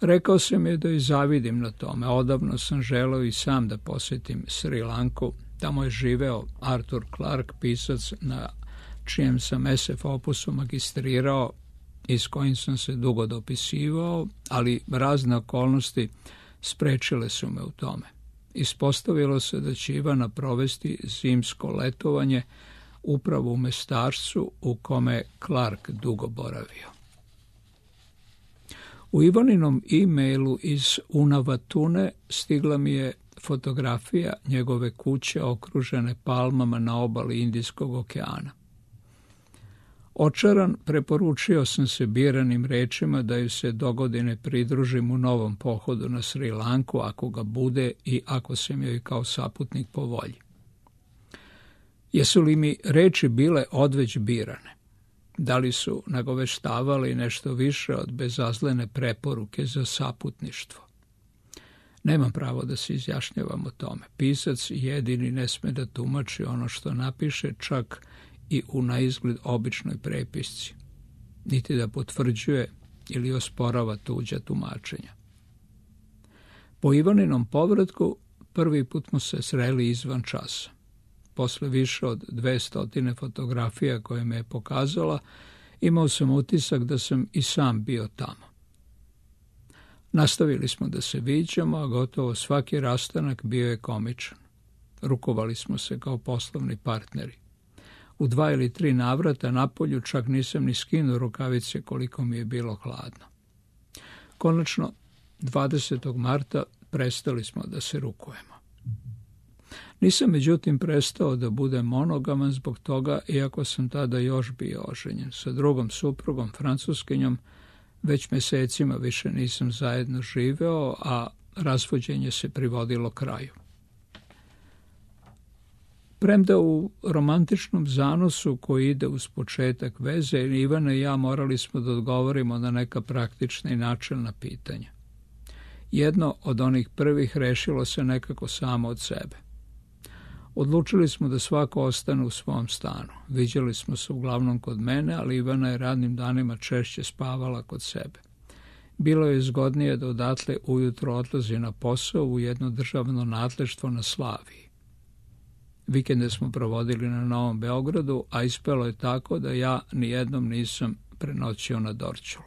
Speaker 1: Rekao sam je da joj zavidim na tome. Odavno sam želeo i sam da posjetim Sri Lanku. Tamo je živeo Arthur Clarke, pisac na čijem sam SF opusu magistrirao i s kojim sam se dugo dopisivao, ali razne okolnosti sprečile su me u tome. Ispostavilo se da će Ivana provesti zimsko letovanje upravo u mjestarcu u kome Clarke dugo boravio. U Ivaninom e-mailu iz Unavatune stigla mi je fotografija njegove kuće okružene palmama na obali Indijskog okeana. Očaran, preporučio sam se biranim rečima da ju se dogodine pridružim u novom pohodu na Sri Lanku, ako ga bude i ako sam joj kao saputnik po volji. Jesu li mi reči bile odveć birane? Da li su nagoveštavali nešto više od bezazlene preporuke za saputništvo? Nemam pravo da se izjašnjavam o tome. Pisac jedini ne sme da tumači ono što napiše, čak i u naizgled običnoj prepisci, niti da potvrđuje ili osporava tuđa tumačenja. Po Ivaninom povratku prvi put smo se sreli izvan časa. Posle više od 200 fotografija koje me je pokazala, imao sam utisak da sam i sam bio tamo. Nastavili smo da se viđamo, a gotovo svaki rastanak bio je komičan. Rukovali smo se kao poslovni partneri. U 2 ili 3 navrata napolju čak nisam ni skinuo rukavice koliko mi je bilo hladno. Konačno, 20. marta prestali smo da se rukujemo. Nisam međutim prestao da budem monogaman zbog toga, iako sam tada još bio oženjen. Sa drugom suprugom, Francuskinjom, već mjesecima više nisam zajedno živeo, a razvođenje se privodilo kraju. Premda u romantičnom zanosu koji ide uz početak veze, Ivana i ja morali smo da odgovorimo na neka praktična i načelna pitanja. Jedno od onih prvih rešilo se nekako samo od sebe. Odlučili smo da svako ostane u svom stanu. Viđali smo se uglavnom kod mene, ali Ivana je radnim danima češće spavala kod sebe. Bilo je zgodnije da odatle ujutro odlazi na posao u jedno državno nadleštvo na Slaviji. Vikende smo provodili na Novom Beogradu, a ispelo je tako da ja nijednom nisam prenoćio na Dorćolu.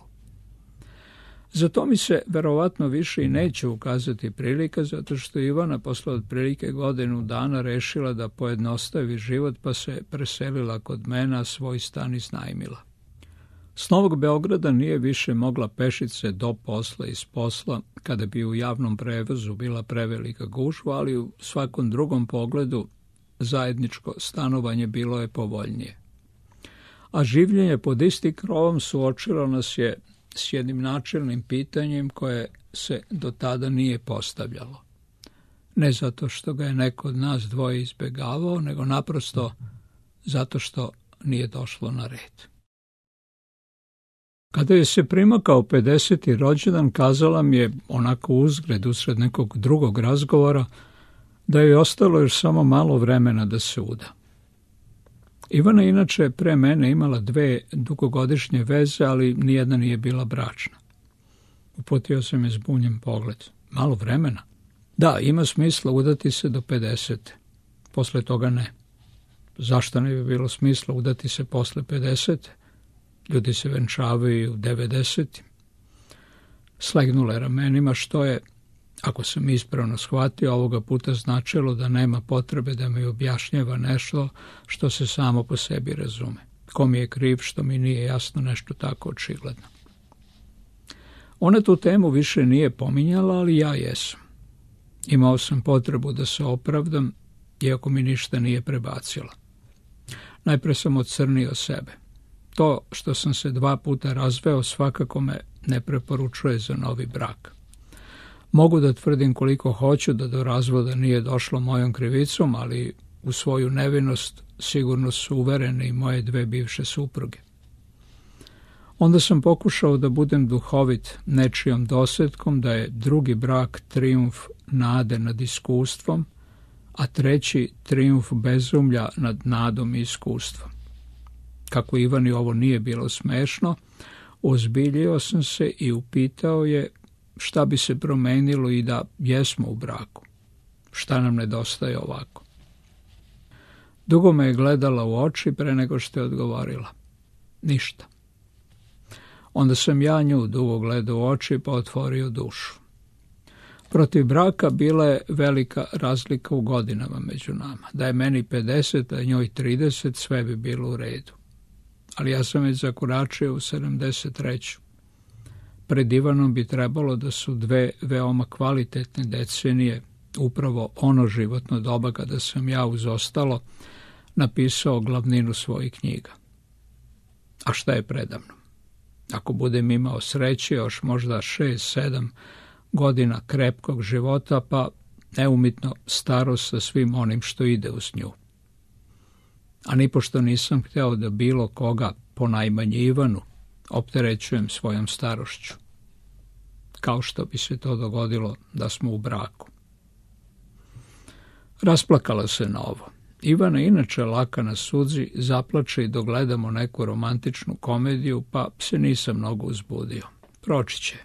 Speaker 1: Za to mi se verovatno više i neće ukazati prilika, zato što Ivana posle otprilike godinu dana rešila da pojednostavi život, pa se preselila kod mene, a svoj stan iznajmila. S Novog Beograda nije više mogla pešice do posla i s posla, kada bi u javnom prevozu bila prevelika gužva, ali u svakom drugom pogledu zajedničko stanovanje bilo je povoljnije. A življenje pod istim krovom suočilo nas je s jednim načelnim pitanjem koje se do tada nije postavljalo. Ne zato što ga je neko od nas dvoje izbegavao, nego naprosto zato što nije došlo na red. Kada je se primakao 50. rođendan, kazala mi je, onako uzgred usred nekog drugog razgovora, da je ostalo još samo malo vremena da se uda. Ivana inače pre mene imala 2 dugogodišnje veze, ali nijedna nije bila bračna. Uputio sam je zbunjen pogled. Malo vremena? Da, ima smisla udati se do 50. Posle toga ne. Zašto ne bi bilo smisla udati se posle 50? Ljudi se venčavaju u 90. Slegnula je ramenima, što je, ako sam ispravno shvatio, ovoga puta značilo da nema potrebe da mi objašnjava nešto što se samo po sebi razume. Ko mi je kriv što mi nije jasno nešto tako očigledno. Ona tu temu više nije pominjala, ali ja jesam. Imao sam potrebu da se opravdam, iako mi ništa nije prebacila. Najpre sam ocrnio sebe. To što sam se 2 puta razveo svakako me ne preporučuje za novi brak. Mogu da tvrdim koliko hoću da do razvoda nije došlo mojom krivicom, ali u svoju nevinost sigurno su uverene i moje 2 bivše supruge. Onda sam pokušao da budem duhovit nečijom dosjetkom da je drugi brak trijumf nade nad iskustvom, a 3. trijumf bezumlja nad nadom i iskustvom. Kako Ivani ovo nije bilo smešno, ozbiljio sam se i upitao je šta bi se promenilo i da jesmo u braku. Šta nam nedostaje ovako? Dugo me je gledala u oči pre nego što je odgovorila. Ništa. Onda sam ja nju dugo gledao u oči pa otvorio dušu. Protiv braka bila je velika razlika u godinama među nama. Da je meni 50, a njoj 30, sve bi bilo u redu. Ali ja sam već zakoračio u 73. Pred Ivanom bi trebalo da su 2 veoma kvalitetne decenije, upravo ono životno doba kada sam ja uz ostalo napisao glavninu svojih knjiga. A šta je predamno? Ako budem imao sreće, još možda 6-7 godina krepkog života, pa neumitno starost sa svim onim što ide uz nju. A nipošto nisam hteo da bilo koga, ponajmanje Ivanu, opterećujem svojom starošću. Kao što bi se to dogodilo da smo u braku. Rasplakala se na ovo. Ivana inače laka na suzi, zaplače i dogledamo neku romantičnu komediju, pa se nisam mnogo uzbudio. Proći će.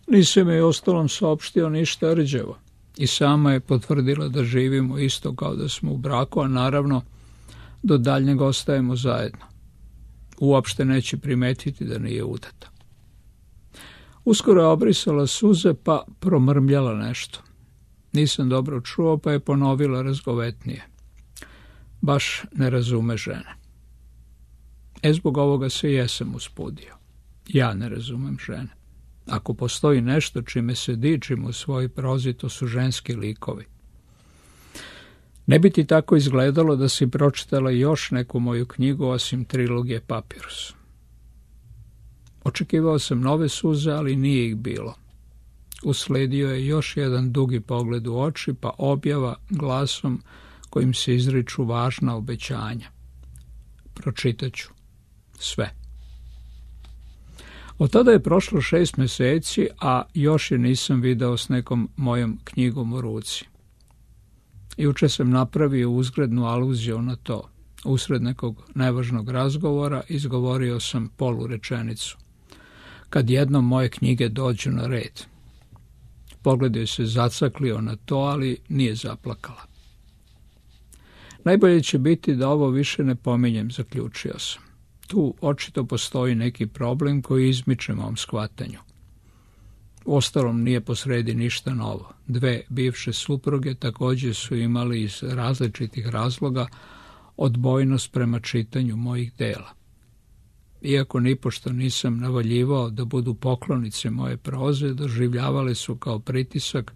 Speaker 1: Nisam joj ostalom saopštio ništa rđevo. I sama je potvrdila da živimo isto kao da smo u braku, a naravno do daljnjeg ostajemo zajedno. Uopšte neće primetiti da nije udata. Uskoro je obrisala suze pa promrmljala nešto. Nisam dobro čuo pa je ponovila razgovetnije. Baš ne razume žene. Zbog ovoga se jesam uspudio. Ja ne razumem žene. Ako postoji nešto čime se dičim u svojoj prozi, to su ženski likovi. Ne bi ti tako izgledalo da si pročitala još neku moju knjigu osim trilogije Papirus. Očekivao sam nove suze, ali nije ih bilo. Usledio je još jedan dugi pogled u oči, pa objava glasom kojim se izriču važna obećanja. Pročitaću sve. Od tada je prošlo 6 meseci, a još je nisam video s nekom mojom knjigom u ruci. Juče sam napravio uzgrednu aluziju na to. Usred nekog nevažnog razgovora izgovorio sam polurečenicu. Kad jednom moje knjige dođu na red. Pogled joj se zacaklio na to, ali nije zaplakala. Najbolje će biti da ovo više ne pominjem, zaključio sam. Tu očito postoji neki problem koji izmiče mom shvatanju. Uostalom nije posredi ništa novo. 2 bivše supruge također su imali iz različitih razloga odbojnost prema čitanju mojih dela. Iako nipošto nisam navaljivao da budu poklonice moje proze, doživljavale su kao pritisak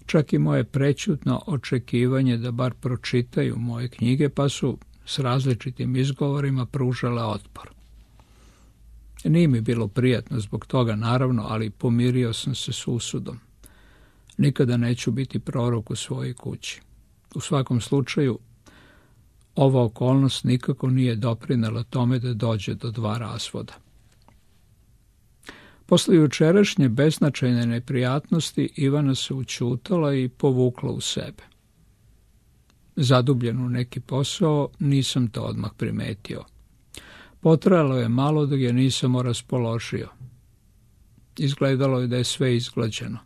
Speaker 1: čak i moje prećutno očekivanje da bar pročitaju moje knjige, pa su s različitim izgovorima pružale otpor. Nije mi bilo prijatno zbog toga, naravno, ali pomirio sam se s usudom. Nikada neću biti prorok u svojoj kući. U svakom slučaju, ova okolnost nikako nije doprinela tome da dođe do 2 razvoda. Posle jučerašnje beznačajne neprijatnosti Ivana se ućutala i povukla u sebe. zadubljen u neki posao, nisam to odmah primetio. Potrajalo je malo dok je nisam raspoložio. Izgledalo je da je sve izglađeno.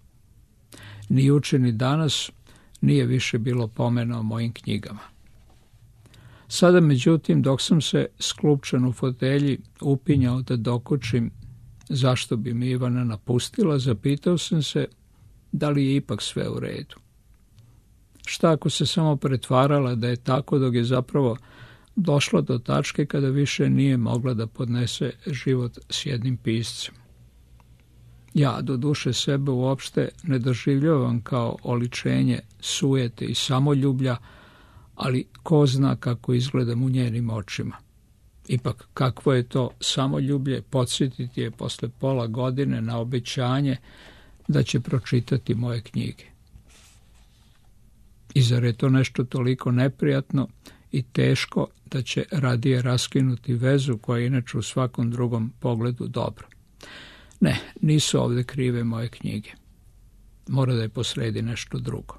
Speaker 1: Ni juče ni danas nije više bilo pomena o mojim knjigama. Sada, međutim, dok sam se sklupčan u fotelji upinjao da dokučim zašto bi mi Ivana napustila, zapitao sam se da li je ipak sve u redu. Šta ako se samo pretvarala da je tako, dok je zapravo došla do tačke kada više nije mogla da podnese život s jednim piscem. Ja, do duše, sebe uopšte ne doživljavam kao oličenje sujete i samoljublja, ali ko zna kako izgledam u njenim očima. Ipak, kakvo je to samoljublje podsjetiti je posle pola godine na obećanje da će pročitati moje knjige. I zar je to nešto toliko neprijatno i teško da će radije raskinuti vezu koja je inače u svakom drugom pogledu dobra? Ne, nisu ovde krive moje knjige. Mora da je posredi nešto drugo.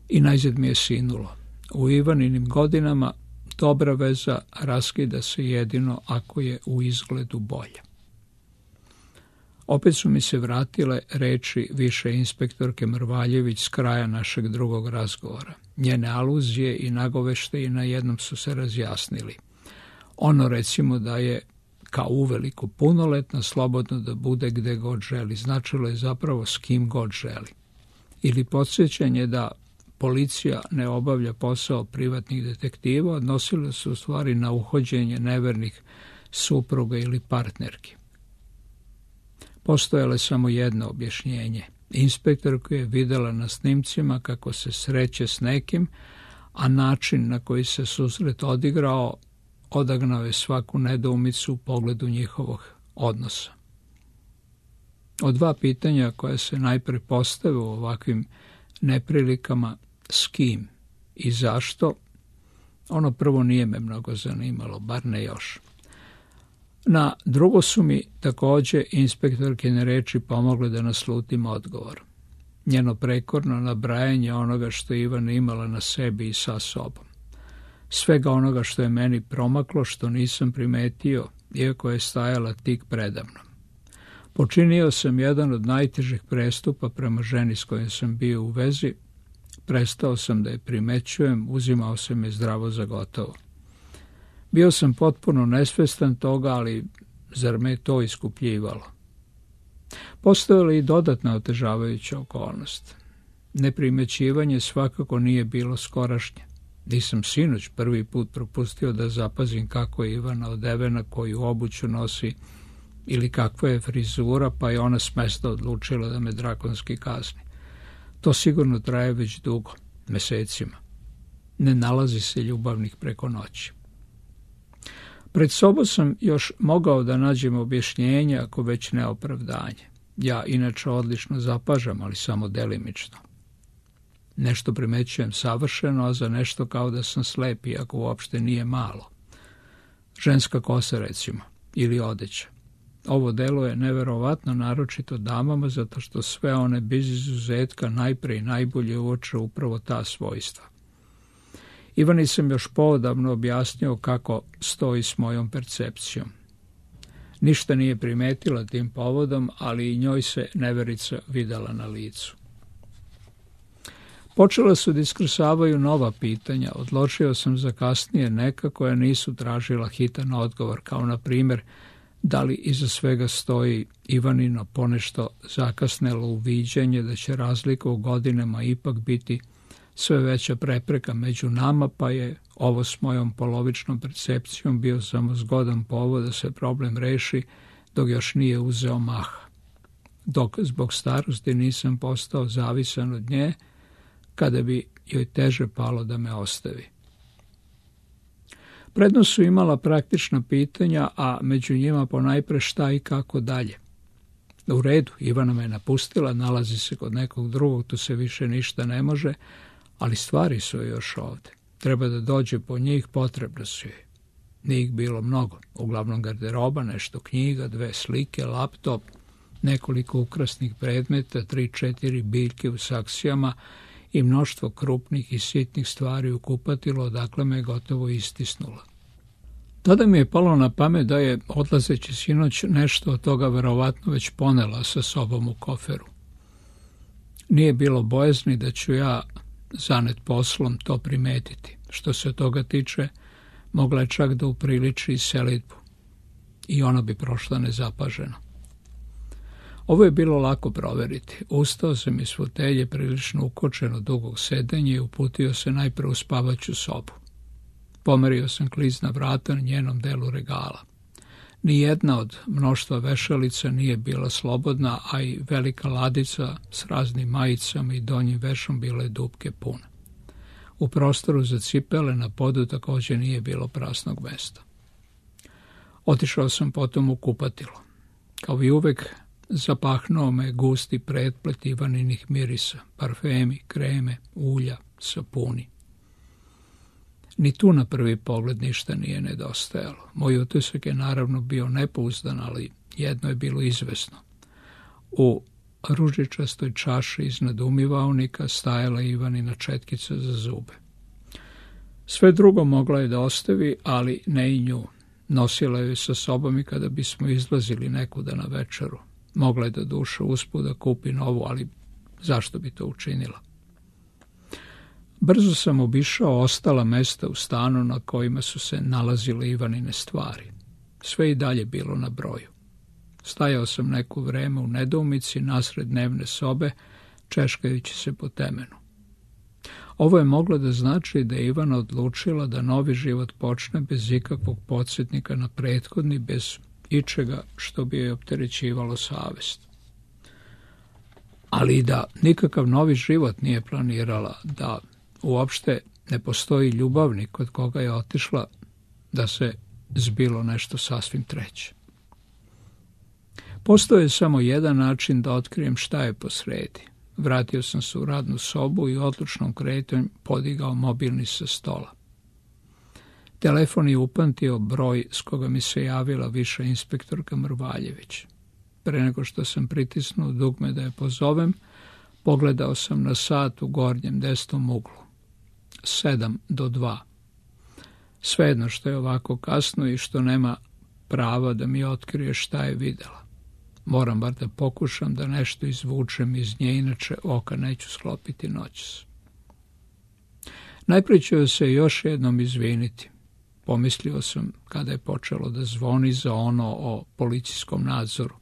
Speaker 1: I najzad mi je sinulo. U Ivaninim godinama dobra veza raskida se jedino ako je u izgledu bolja. Opet su mi se vratile reči više inspektorke Mrvaljević s kraja našeg drugog razgovora. Njene aluzije i nagoveštaji na jednom su se razjasnili. Ono, recimo, da je kao uveliko punoletna, slobodno da bude gde god želi, značilo je zapravo s kim god želi. Ili podsjećanje da policija ne obavlja posao privatnih detektiva, odnosilo se u stvari na uhođenje nevernih supruga ili partnerki. Postojalo je samo jedno objašnjenje. Inspektorku je videla na snimcima kako se sreće s nekim, a način na koji se susret odigrao odagnao je svaku nedoumicu u pogledu njihovog odnosa. Od dva pitanja koja se najpre postave u ovakvim neprilikama, s kim i zašto, ono prvo nije me mnogo zanimalo, bar ne još. Na drugo su mi takođe inspektorkine reči pomogle da naslutim odgovor. Njeno prekorno nabrajanje onoga što je Ivana imala na sebi i sa sobom. Svega onoga što je meni promaklo, što nisam primetio, iako je stajala tik predamnom. Počinio sam jedan od najtežih prestupa prema ženi s kojom sam bio u vezi, prestao sam da je primećujem, uzimao sam je zdravo za gotovo. Bio sam potpuno nesvestan toga, ali zar me to iskupljivalo? Postojala i dodatna otežavajuća okolnost. Neprimećivanje svakako nije bilo skorašnje. Nisam sinoć prvi put propustio da zapazim kako je Ivana odevena, koju obuću nosi, ili kakva je frizura, pa je ona smesta odlučila da me drakonski kazni. To sigurno traje već dugo, mesecima. Ne nalazi se ljubavnih preko noći. Pred sobom sam još mogao da nađem objašnjenje, ako već ne opravdanje. Ja inače odlično zapažam, ali samo delimično. Nešto primećujem savršeno, a za nešto kao da sam slep, iako uopšte nije malo. Ženska kosa, recimo, ili odeća. Ovo delo je neverovatno naročito damama, zato što sve one bez izuzetka najpre i najbolje uoče upravo ta svojstva. Ivani sam još poodavno objasnio kako stoji s mojom percepcijom. Ništa nije primetila tim povodom, ali i njoj se neverica videla na licu. Počela su da iskrsavaju nova pitanja, odločio sam za kasnije neka koja nisu tražila hitan odgovor, kao na primjer da li iza svega stoji Ivanino ponešto zakasnelo uviđanje da će razlika u godinama ipak biti sve veća prepreka među nama, pa je ovo s mojom polovičnom percepcijom bio samo zgodan povod da se problem reši dok još nije uzeo maha. Dok zbog starosti nisam postao zavisan od nje, kada bi joj teže palo da me ostavi. Prednost su imala praktična pitanja, a među njima ponajpre šta i kako dalje. U redu, Ivana me napustila, nalazi se kod nekog drugog, tu se više ništa ne može, ali stvari su još ovde. Treba da dođe po njih, potrebno su joj. Nije ih bilo mnogo, uglavnom garderoba, nešto knjiga, 2 slike, laptop, nekoliko ukrasnih predmeta, 3-4 biljke u saksijama i mnoštvo krupnih i sitnih stvari u kupatilu, odakle me gotovo istisnula. Tada mi je palo na pamet da je, odlazeći sinoć, nešto od toga verovatno već ponela sa sobom u koferu. Nije bilo bojazni da ću ja, zanet poslom, to primetiti. Što se toga tiče, mogla je čak da upriliči i selidbu. I ona bi prošla nezapaženo. Ovo je bilo lako proveriti. Ustao sam iz fotelje prilično ukočen od dugog sedenja i uputio se najpre u spavaću sobu. Pomerio sam klizna vrata na njenom delu regala. Nijedna od mnoštva vešalica nije bila slobodna, a i velika ladica s raznim majicama i donjim vešom bila je dupke pune. U prostoru za cipele na podu također nije bilo prasnog mesta. Otišao sam potom u kupatilo. Kao i uvek, zapahnuo me gusti pretplet Ivaninih mirisa, parfemi, kreme, ulja, sapuni. Ni tu na prvi pogled ništa nije nedostajalo. Moj utisak je naravno bio nepouzdan, ali jedno je bilo izvesno. U ružičastoj čaši iznad umivaonika stajala Ivanina četkica za zube. Sve drugo mogla je da ostavi, ali ne i nju. Nosila je sa sobom i kada bismo izlazili nekuda na večeru. Mogla je da duša usput da kupi novu, ali zašto bi to učinila? Brzo sam obišao ostala mesta u stanu na kojima su se nalazile Ivanine stvari. Sve i dalje bilo na broju. Stajao sam neko vreme u nedoumici nasred dnevne sobe, češkajući se po temenu. Ovo je moglo da znači da je Ivana odlučila da novi život počne bez ikakvog podsjetnika na prethodni, bez ičega što bi joj opterećivalo savest. Ali i da nikakav novi život nije planirala, da uopšte ne postoji ljubavnik kod koga je otišla, da se zbilo nešto sasvim treće. Postoji samo jedan način da otkrijem šta je posredi. Vratio sam se u radnu sobu i odlučnom kretanjem podigao mobilni sa stola. Telefon je upamtio broj s koga mi se javila viša inspektorka Mrvaljević. Pre nego što sam pritisnuo dugme da je pozovem, pogledao sam na sat u gornjem desnom uglu. 1:57. Svejedno što je ovako kasno i što nema prava da mi otkrije šta je videla. Moram bar da pokušam da nešto izvučem iz nje, inače oka neću sklopiti noćas. Najprije ću se još jednom izviniti. Pomislio sam kada je počelo da zvoni za ono o policijskom nadzoru.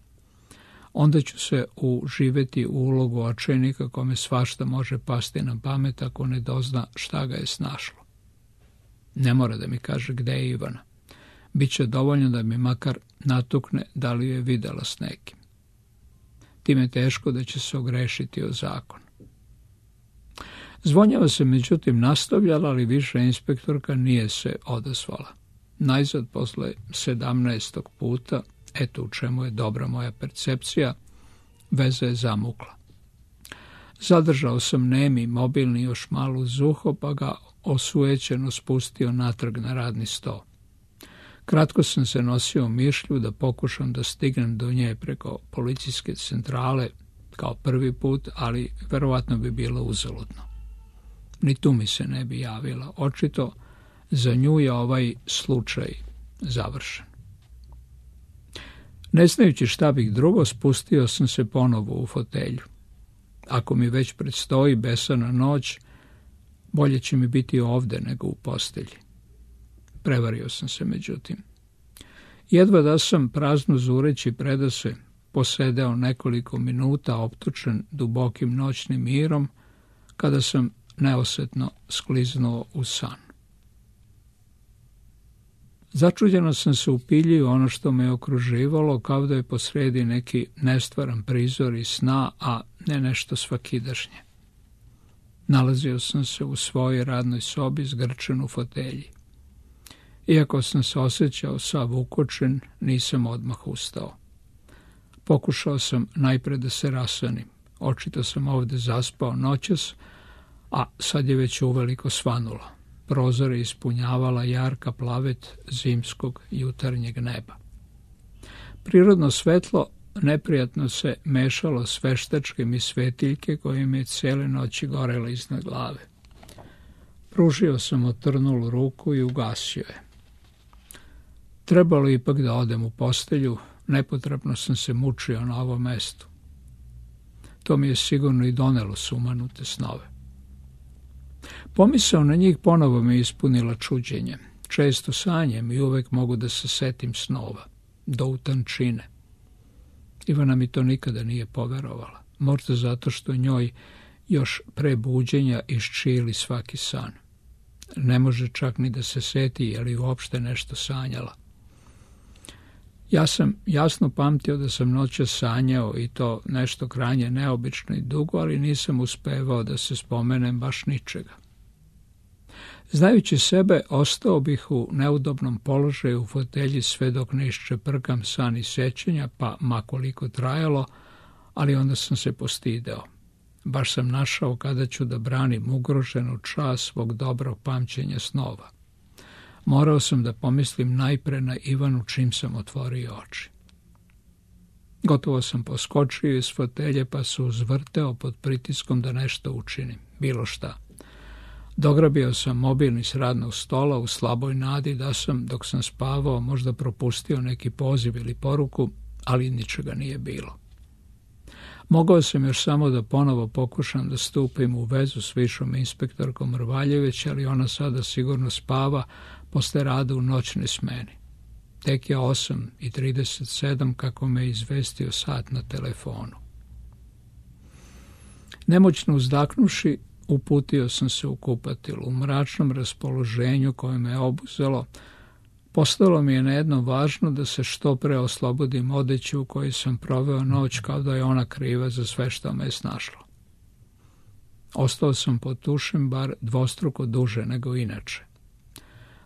Speaker 1: Onda ću se uživeti u ulogu očajnika kome svašta može pasti na pamet ako ne dozna šta ga je snašlo. Ne mora da mi kaže gde je Ivana. Biće dovoljno da mi makar natukne da li je videla s nekim. Time teško da će se ogrešiti o zakon. Zvonjava se međutim nastavljala, ali više inspektorka nije se odazvala. Najzad posle 17. puta, eto u čemu je dobra moja percepcija, veza je zamukla. Zadržao sam nemi mobilni još malo uz uho, pa ga osujećeno spustio natrag na radni sto. Kratko sam se nosio mišlju da pokušam da stignem do nje preko policijske centrale kao prvi put, ali verovatno bi bilo uzaludno. Ni tu mi se ne bi javila. Očito za nju je ovaj slučaj završen. Ne znajući šta bih drugo, spustio sam se ponovo u fotelju. Ako mi već predstoji besana noć, bolje će mi biti ovde nego u postelji. Prevario sam se međutim. Jedva da sam prazno zureći predase posedeo nekoliko minuta optučen dubokim noćnim mirom, kada sam neosetno skliznuo u san. Začuđeno sam se upiljio ono što me okruživalo, kao da je posredi neki nestvaran prizor iz sna, a ne nešto svakidašnje. Nalazio sam se u svojoj radnoj sobi zgrčen u fotelji. Iako sam se osjećao sav ukočen, nisam odmah ustao. Pokušao sam najpre da se rasanim. Očito sam ovde zaspao noćas, a sad je već uveliko svanulo. Prozore ispunjavala jarka plavet zimskog jutarnjeg neba. Prirodno svetlo neprijatno se mešalo s veštačkim i svetiljke koje mi je cijele noći gorele iznad glave. Pružio sam otrnulu ruku i ugasio je. Trebalo ipak da odem u postelju, nepotrebno sam se mučio na ovom mestu. To mi je sigurno i donelo sumanute snove. Pomisao na njih ponovo me ispunila čuđenjem. Često sanjem i uvek mogu da se setim snova, do utančine. Ivana mi to nikada nije poverovala, možda zato što njoj još pre buđenja iščili svaki san. Ne može čak ni da se seti je li uopšte nešto sanjala. Ja sam jasno pamtio da sam noćas sanjao i to nešto krajnje neobično i dugo, ali nisam uspevao da se spomenem baš ničega. Znajući sebe, ostao bih u neudobnom položaju u fotelji sve dok ne iščeprkam san i sećanja, pa makoliko trajalo, ali onda sam se postideo. Baš sam našao kada ću da branim ugroženu čast svog dobrog pamćenja snova. Morao sam da pomislim najpre na Ivanu čim sam otvorio oči. Gotovo sam poskočio iz fotelje pa se uzvrteo pod pritiskom da nešto učinim, bilo šta. Dograbio sam mobilni s radnog stola u slaboj nadi da sam, dok sam spavao, možda propustio neki poziv ili poruku, ali ničega nije bilo. Mogao sam još samo da ponovo pokušam da stupim u vezu s višom inspektorkom Rvaljeveć, ali ona sada sigurno spava posle rada u noćnoj smeni. Tek je 8:37 kako me izvestio sat na telefonu. Nemoćno uzdahnuši, uputio sam se u kupatilu. U mračnom raspoloženju koje me obuzelo, postalo mi je nejedno važno da se što pre oslobodim odeće u kojoj sam proveo noć, kao da je ona kriva za sve što me je snašlo. Ostao sam pod tušem bar dvostruko duže nego inače.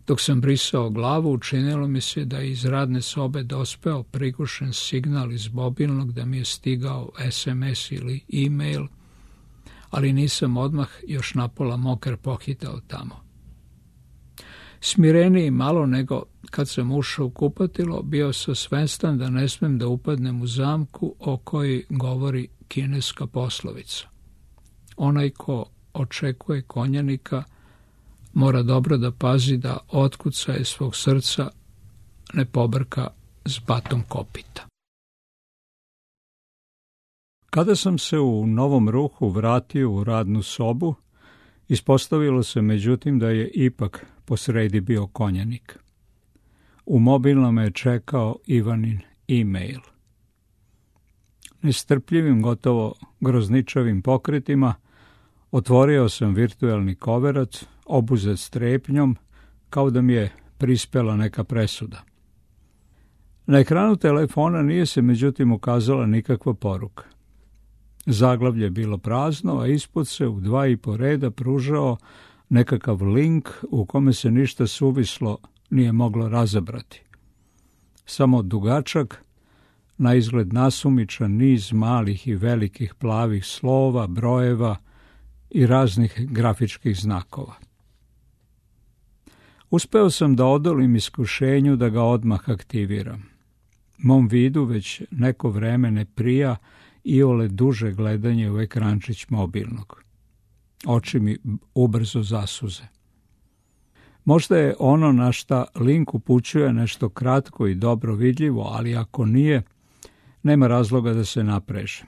Speaker 1: Dok sam brisao glavu, učinilo mi se da je iz radne sobe dospeo prigušen signal iz mobilnog da mi je stigao SMS ili e-mail, ali nisam odmah još napola mokar pohitao tamo. Smireniji malo nego kad sam ušao u kupatilo, bio sam svestan da ne smem da upadnem u zamku o kojoj govori kineska poslovica. Onaj ko očekuje konjanika mora dobro da pazi da otkucaje svog srca ne pobrka s batom kopita. Kada sam se u novom ruhu vratio u radnu sobu, ispostavilo se međutim da je ipak posredi bio konjanik. U mobilnom je čekao Ivanin e-mail. Nestrpljivim, gotovo grozničavim pokretima otvorio sam virtuelni koverac, obuzet strepnjom, kao da mi je prispela neka presuda. Na ekranu telefona nije se međutim ukazala nikakva poruka. Zaglavlje je bilo prazno, a ispod se u 2,5 reda pružao nekakav link u kome se ništa suvislo nije moglo razabrati. Samo dugačak, na izgled nasumičan niz malih i velikih plavih slova, brojeva i raznih grafičkih znakova. Uspeo sam da odolim iskušenju da ga odmah aktiviram. Mom vidu već neko vreme ne prija iole duže gledanje u ekrančić mobilnog. Oči mi ubrzo zasuze. Možda je ono na šta link upućuje nešto kratko i dobro vidljivo, ali ako nije, nema razloga da se naprežem.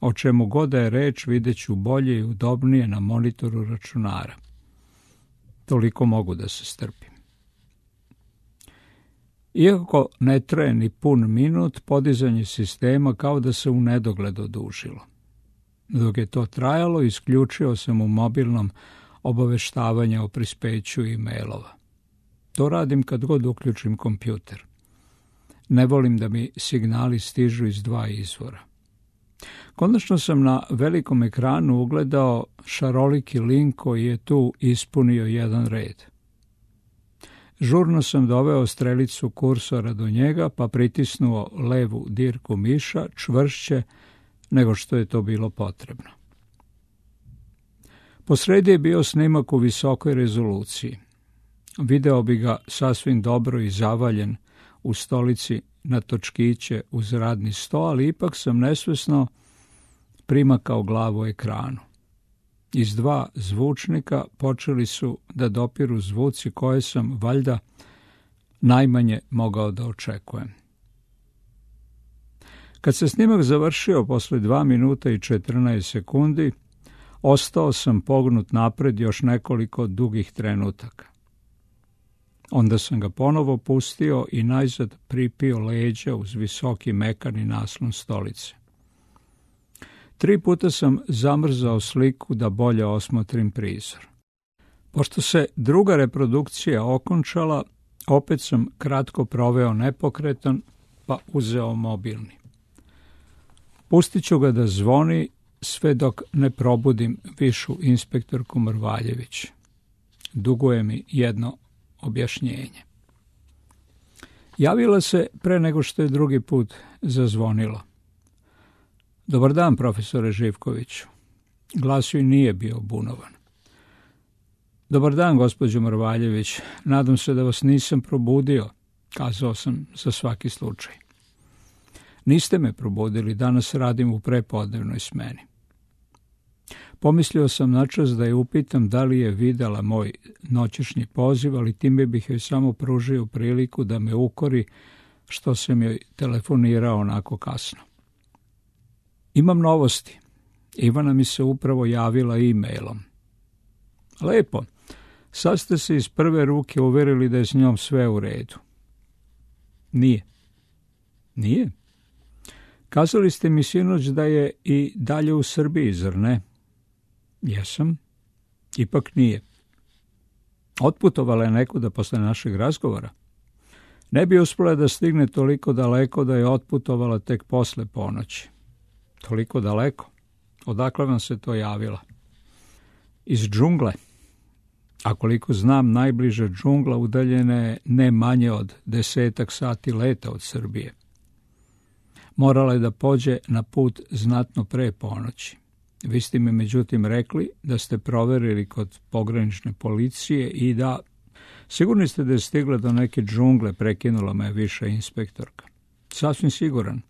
Speaker 1: O čemu god da je reč, vidjet ću bolje i udobnije na monitoru računara. Toliko mogu da se strpim. Iako ne traje ni pun minut, podizanje sistema kao da se u nedogled odužilo. Dok je to trajalo, isključio sam u mobilnom obaveštavanje o prispeću e-mailova. To radim kad god uključim kompjuter. Ne volim da mi signali stižu iz 2 izvora. Konačno sam na velikom ekranu ugledao šaroliki link koji je tu ispunio jedan red. Žurno sam doveo strelicu kursora do njega, pa pritisnuo levu dirku miša čvršće nego što je to bilo potrebno. Posredi je bio snimak u visokoj rezoluciji. Video bi ga sasvim dobro i zavaljen u stolici na točkiće uz radni sto, ali ipak sam nesvesno primakao glavu ekranu. Iz dva zvučnika počeli su da dopiru zvuci koje sam, valjda, najmanje mogao da očekujem. Kad se snimak završio posle 2 minuta i 14 sekundi, ostao sam pognut napred još nekoliko dugih trenutaka. Onda sam ga ponovo pustio i najzad pripio leđa uz visoki mekani naslon stolice. 3 puta sam zamrzao sliku da bolje osmotrim prizor. Pošto se druga reprodukcija okončala, opet sam kratko proveo nepokretan, pa uzeo mobilni. Pustit ću ga da zvoni sve dok ne probudim višu inspektorku Mrvaljević. Duguje mi jedno objašnjenje. Javila se pre nego što je drugi put zazvonilo. Dobar dan, profesore Živkoviću. Glas joj nije bio bunovan. Dobar dan, gospođo Mrvaljević. Nadam se da vas nisam probudio, kazao sam za svaki slučaj. Niste me probudili, danas radim u prepodnevnoj smeni. Pomislio sam načas da je upitam da li je videla moj noćešnji poziv, ali time bih joj samo pružio priliku da me ukori što sam joj telefonirao onako kasno. Imam novosti. Ivana mi se upravo javila e-mailom. Lepo. Sad ste se iz prve ruke uverili da je s njom sve u redu. Nije. Nije? Kazali ste mi sinoć da je i dalje u Srbiji, zar ne? Jesam. Ipak nije. Otputovala je nekuda posle našeg razgovora. Ne bi uspela da stigne toliko daleko da je otputovala tek posle ponoći. Toliko daleko? Odakle vam se to javila? Iz džungle. A koliko znam, najbliža džungla udaljena je ne manje od 10 sati leta od Srbije. Morala je da pođe na put znatno pre ponoći. Vi ste mi međutim rekli da ste proverili kod pogranične policije i da... Sigurni ste da je stigla do neke džungle, prekinula me viša inspektorka. Sasvim siguran.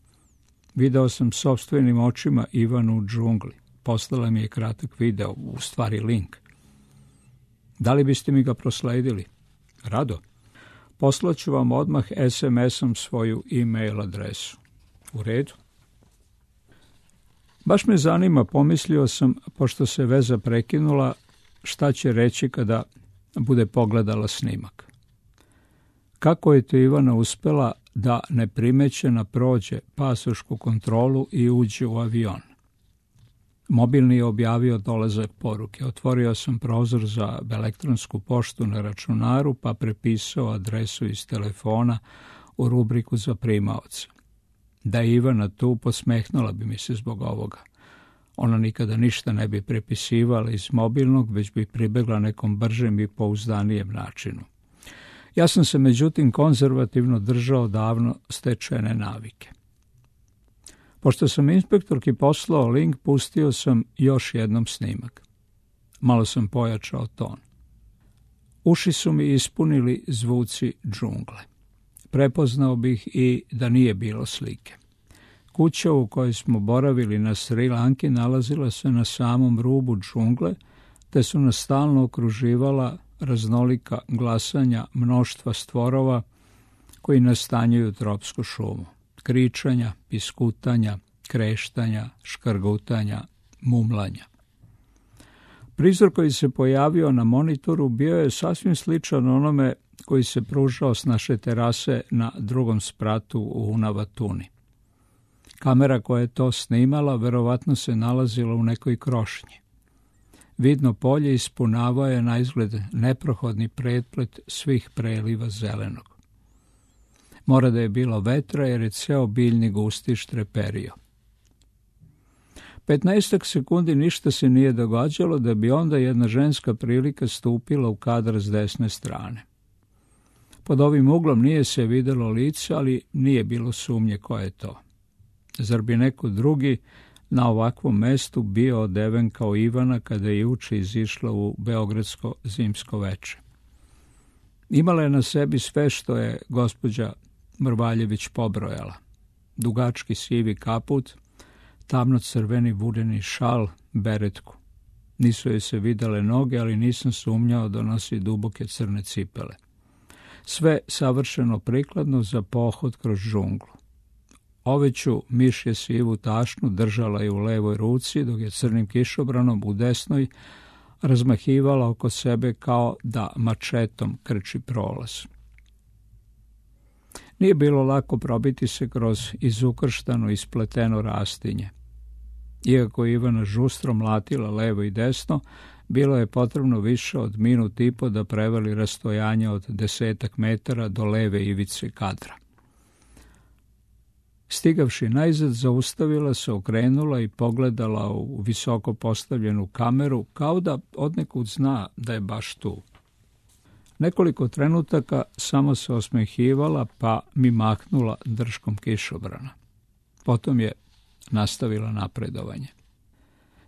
Speaker 1: Video sam sopstvenim očima Ivanu u džungli. Poslala mi je kratak video, u stvari link. Da li biste mi ga prosledili? Rado. Poslaću vam odmah SMS-om svoju e-mail adresu. U redu. Baš me zanima, pomislio sam, pošto se veza prekinula, šta će reći kada bude pogledala snimak. Kako je to Ivana uspela da neprimećena prođe pasošku kontrolu i uđe u avion? Mobilni je objavio dolazak poruke. Otvorio sam prozor za elektronsku poštu na računaru, pa prepisao adresu iz telefona u rubriku za primaoca. Da je Ivana tu, posmehnula bi mi se zbog ovoga. Ona nikada ništa ne bi prepisivala iz mobilnog, već bi pribegla nekom bržem i pouzdanijem načinu. Ja sam se međutim konzervativno držao davno stečene navike. Pošto sam inspektorki poslao link, pustio sam još jednom snimak. Malo sam pojačao ton. Uši su mi ispunili zvuci džungle. Prepoznao bih i da nije bilo slike. Kuća u kojoj smo boravili na Sri Lanki nalazila se na samom rubu džungle, te su nas stalno okruživala raznolika glasanja mnoštva stvorova koji nastanjuju tropsku šumu. Kričanja, piskutanja, kreštanja, škrgutanja, mumlanja. Prizor koji se pojavio na monitoru bio je sasvim sličan onome koji se pružao s naše terase na drugom spratu u Unavatuni. Kamera koja je to snimala verovatno se nalazila u nekoj krošnji. Vidno polje ispunavao je na izgled neprohodni pretplet svih preliva zelenog. Mora da je bilo vetra jer je ceo biljni gustiš treperio. 15 sekundi ništa se nije događalo da bi onda jedna ženska prilika stupila u kadar s desne strane. Pod ovim uglom nije se videlo lice, ali nije bilo sumnje ko je to. Zar bi neko drugi na ovakvom mestu bio odeven kao Ivana kada je juče izišla u beogradsko zimsko veče? Imala je na sebi sve što je gospođa Mrvaljević pobrojala. Dugački sivi kaput, tamno-crveni vudeni šal, beretku. Nisu joj se videle noge, ali nisam sumnjao da nosi duboke crne cipele. Sve savršeno prikladno za pohod kroz džunglu. Oveću mišje sivu tašnu držala je u levoj ruci, dok je crnim kišobranom u desnoj razmahivala oko sebe kao da mačetom krči prolaz. Nije bilo lako probiti se kroz izukrštano i spleteno rastinje. Iako je Ivana žustro mlatila levo i desno, bilo je potrebno više od minut i po da prevali rastojanje od 10 metara do leve ivice kadra. Stigavši najzad, zaustavila se, okrenula i pogledala u visoko postavljenu kameru, kao da odnekud zna da je baš tu. Nekoliko trenutaka samo se osmehivala, pa mi mahnula drškom kišobrana. Potom je nastavila napredovanje.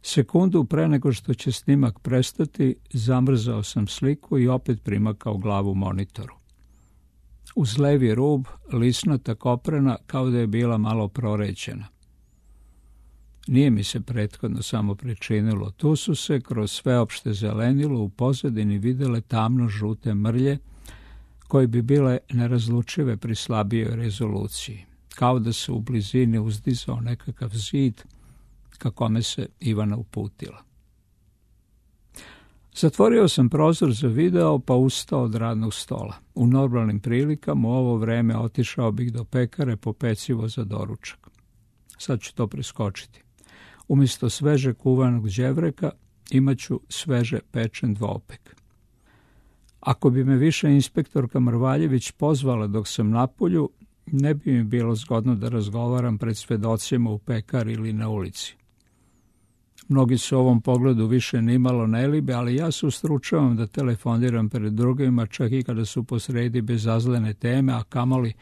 Speaker 1: Sekundu pre nego što će snimak prestati, zamrzao sam sliku i opet primakao glavu monitoru. Uz levi rub lisnata koprena kao da je bila malo prorećena. Nije mi se prethodno samo pričinilo. Tu su se kroz sveopšte zelenilo u pozadini videle tamno-žute mrlje koje bi bile nerazlučive pri slabijoj rezoluciji. Kao da se u blizini uzdizao nekakav zid ka kome se Ivana uputila. Zatvorio sam prozor za video pa ustao od radnog stola. U normalnim prilikama u ovo vreme otišao bih do pekare po pecivo za doručak. Sad ću to preskočiti. Umjesto sveže kuvanog đevreka imat ću sveže pečen dvopek. Ako bi me više inspektorka Mrvaljević pozvala dok sam napolju, ne bi mi bilo zgodno da razgovaram pred svedocima u pekari ili na ulici. Mnogi se u ovom pogledu više nimalo ne libe, ali ja se ustručavam da telefoniram pred drugima, čak i kada su posredi bezazlene teme, a kamoli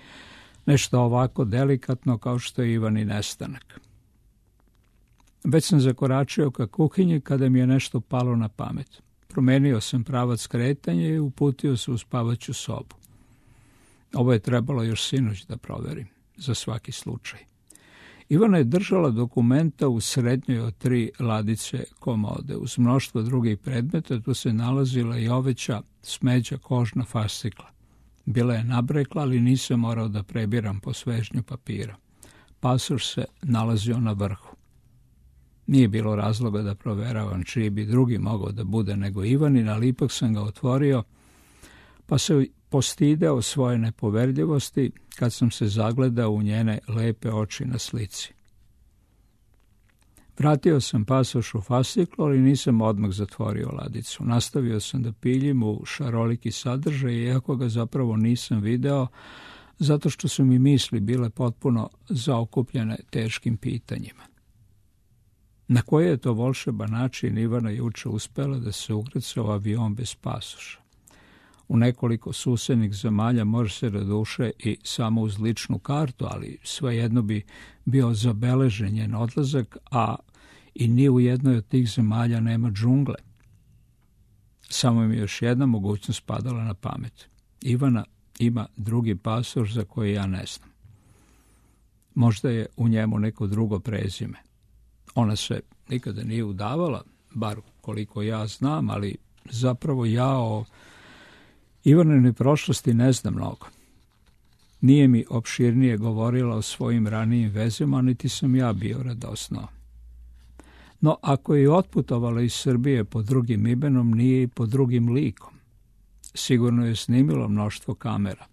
Speaker 1: nešto ovako delikatno kao što je Ivani nestanak. Već sam zakoračio ka kuhinji kada mi je nešto palo na pamet. Promenio sam pravac kretanja i uputio se u spavaću sobu. Ovo je trebalo još sinoć da proverim, za svaki slučaj. Ivana je držala dokumenta u srednjoj od 3 ladice komode. Uz mnoštvo drugih predmeta tu se nalazila i oveća smeđa kožna fascikla. Bila je nabrekla, ali nisam morao da prebiram po svežnju papira. Pasoš se nalazio na vrhu. Nije bilo razloga da proveravam čiji bi drugi mogao da bude nego Ivanin, ali ipak sam ga otvorio, pa se postideo svoje nepoverljivosti kad sam se zagledao u njene lepe oči na slici. Vratio sam pasoš u fasciklu, ali nisam odmah zatvorio ladicu. Nastavio sam da piljim u šaroliki sadržaj, iako ga zapravo nisam video, zato što su mi misli bile potpuno zaokupljene teškim pitanjima. Na koji je to volšeban način Ivana juče uspela da se ukrca u avion bez pasoša? U nekoliko susednih zemalja može se raduše i samo uz ličnu kartu, ali svejedno bi bio zabeležen njen odlazak, a i ni u jednoj od tih zemalja nema džungle. Samo mi još jedna mogućnost padala na pamet. Ivana ima drugi pasoš za koji ja ne znam. Možda je u njemu neko drugo prezime. Ona se nikada nije udavala, bar koliko ja znam, ali zapravo ja o Ivaninoj prošlosti ne znam mnogo. Nije mi opširnije govorila o svojim ranijim vezama, niti sam ja bio radosno. No, ako je otputovala iz Srbije pod drugim imenom, nije i pod drugim likom. Sigurno je snimilo mnoštvo kamera.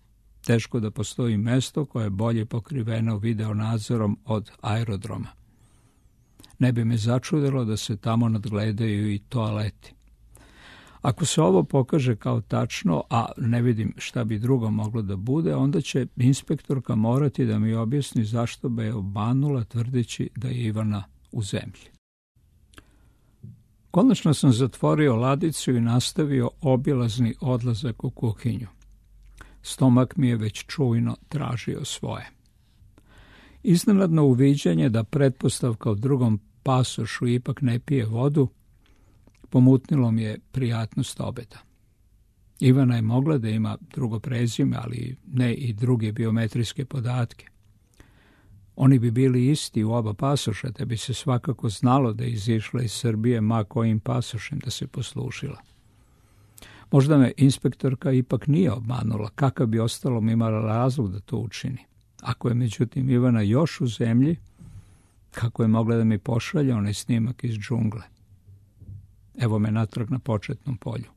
Speaker 1: Teško da postoji mesto koje je bolje pokriveno video nadzorom od aerodroma. Ne bi me začudilo da se tamo nadgledaju i toaleti. Ako se ovo pokaže kao tačno, a ne vidim šta bi drugo moglo da bude, onda će inspektorka morati da mi objasni zašto bi je obmanula tvrdeći da je Ivana u zemlji. Konačno sam zatvorio ladicu i nastavio obilazni odlazak u kuhinju. Stomak mi je već čujno tražio svoje. Iznenadno uviđanje da pretpostavka u drugom pasošu ipak ne pije vodu, pomutnilo mi je prijatnost obeda. Ivana je mogla da ima drugo prezime, ali ne i druge biometrijske podatke. Oni bi bili isti u oba pasoša, te bi se svakako znalo da je izišla iz Srbije ma kojim pasošem da se poslužila. Možda me inspektorka ipak nije obmanula, kakav bi ostalom imala razlog da to učini. Ako je međutim Ivana još u zemlji, kako je mogla da mi pošalje onaj snimak iz džungle? Evo me natrag na početnom polju.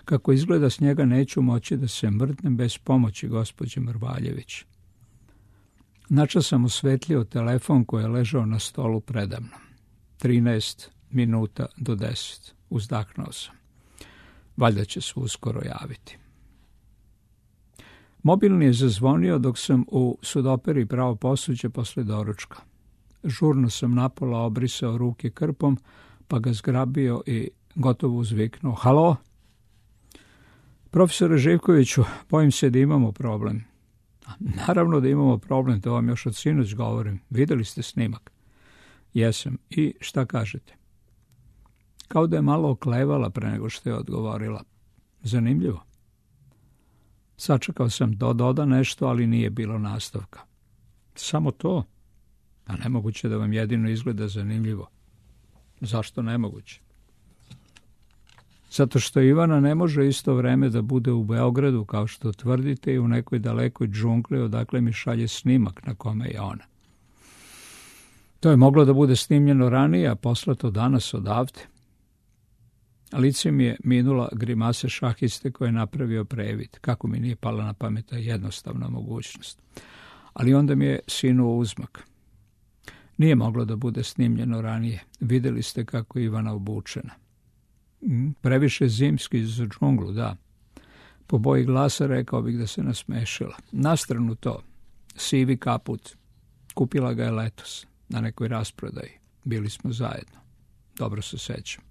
Speaker 1: Kako izgleda, s njega neću moći da se mrdnem bez pomoći gospođe Mrvaljević. Načas sam osvetlio telefon koji je ležao na stolu predamnom. 13 minuta do 10. Uzdahnuo sam. Valjda će se uskoro javiti. Mobilni je zazvonio dok sam u sudoperi pravo posuđe posle doručka. Žurno sam napola obrisao ruke krpom, pa ga zgrabio i gotovo uzviknuo. Halo? Profesore Živkoviću, bojim se da imamo problem. Naravno da imamo problem, to vam još od sinoć govorim. Videli ste snimak? Jesam. I šta kažete? Kao da je malo oklevala pre nego što je odgovorila. Zanimljivo. Sačekao sam da doda nešto, ali nije bilo nastavka. Samo to? A nemoguće da vam jedino izgleda zanimljivo. Zašto nemoguće? Zato što Ivana ne može isto vreme da bude u Beogradu, kao što tvrdite, i u nekoj dalekoj džungli odakle mi šalje snimak na kome je ona. To je moglo da bude snimljeno ranije, a poslato danas odavde. Lice mi je minula grimase šahiste koje je napravio previd. Kako mi nije pala na pamet ta jednostavna mogućnost. Ali onda mi je sinuo uzmak. Nije moglo da bude snimljeno ranije. Videli ste kako je Ivana obučena. Previše zimski za džunglu, da. Po boji glasa rekao bih da se nasmešila. Na stranu to. Sivi kaput. Kupila ga je letos na nekoj rasprodaji. Bili smo zajedno. Dobro se sećam.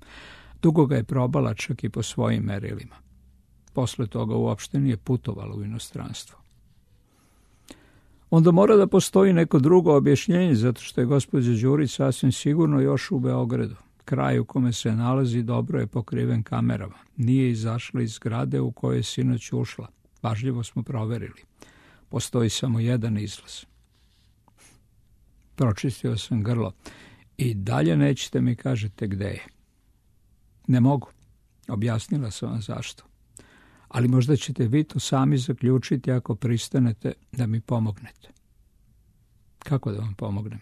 Speaker 1: Dugo ga je probala čak i po svojim merilima. Posle toga uopšte nije putovala u inostranstvo. Onda mora da postoji neko drugo objašnjenje, zato što je gospođa Đurić sasvim sigurno još u Beogradu. Kraj u kome se nalazi dobro je pokriven kamerama. Nije izašla iz zgrade u kojoj je sinoć ušla. Pažljivo smo proverili. Postoji samo jedan izlaz. Pročistio sam grlo. I dalje nećete mi kažete gde je. Ne mogu. Objasnila sam vam zašto. Ali možda ćete vi to sami zaključiti ako pristanete da mi pomognete. Kako da vam pomognem?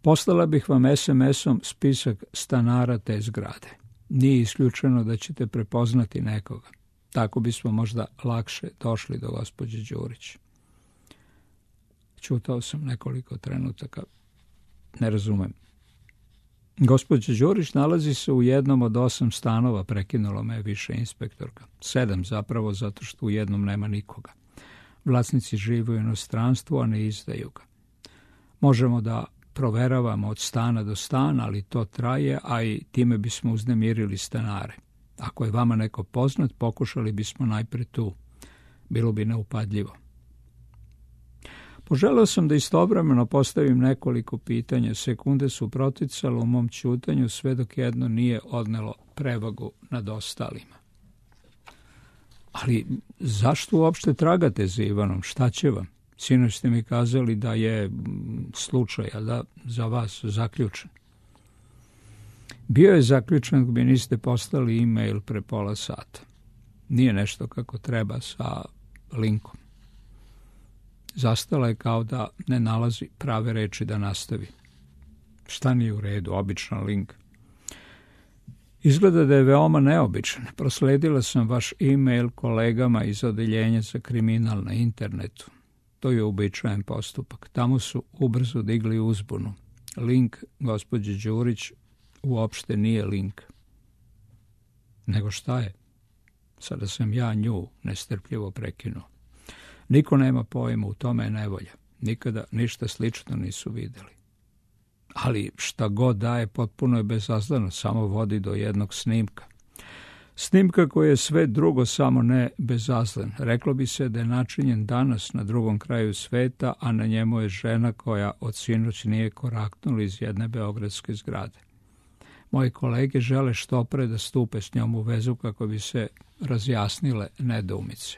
Speaker 1: Poslala bih vam SMS-om spisak stanara te zgrade. Nije isključeno da ćete prepoznati nekoga. Tako bismo možda lakše došli do gospođe Đurić. Ćutao sam nekoliko trenutaka. Ne razumem. Gospođa Đurić nalazi se u jednom od 8 stanova, prekinulo me više inspektorka. 7 zapravo, zato što u jednom nema nikoga. Vlasnici žive u inostranstvu, a ne izdaju ga. Možemo da proveravamo od stana do stana, ali to traje, a i time bismo uznemirili stanare. Ako je vama neko poznat, pokušali bismo najpre tu. Bilo bi neupadljivo. Poželeo sam da istovremeno postavim nekoliko pitanja. Sekunde su proticale u mom ćutanju, sve dok jedno nije odnelo prevagu nad ostalima. Ali zašto uopšte tragate za Ivanom? Šta će vam? Sinoć ste mi kazali da je slučaj, a da za vas zaključen. Bio je zaključen, bi niste poslali e-mail pre pola sata. Nije nešto kako treba sa linkom. Zastala je kao da ne nalazi prave reči da nastavi. Šta nije u redu, običan link. Izgleda da je veoma neobičan. Prosledila sam vaš e-mail kolegama iz odeljenja za kriminal na internetu. To je uobičajen postupak. Tamo su ubrzo digli uzbunu. Link gospođe Đurić uopšte nije link. Nego šta je? Sada sam ja nju nestrpljivo prekinuo. Niko nema pojma, u tome je nevolja. Nikada ništa slično nisu videli. Ali šta god daje, potpuno je bezazleno, samo vodi do jednog snimka. Snimka koji je sve drugo, samo ne bezazlen. Reklo bi se da je načinjen danas na drugom kraju sveta, a na njemu je žena koja od sinoć nije koraknula iz jedne beogradske zgrade. Moji kolege žele što pre da stupe s njom u vezu kako bi se razjasnile nedoumice.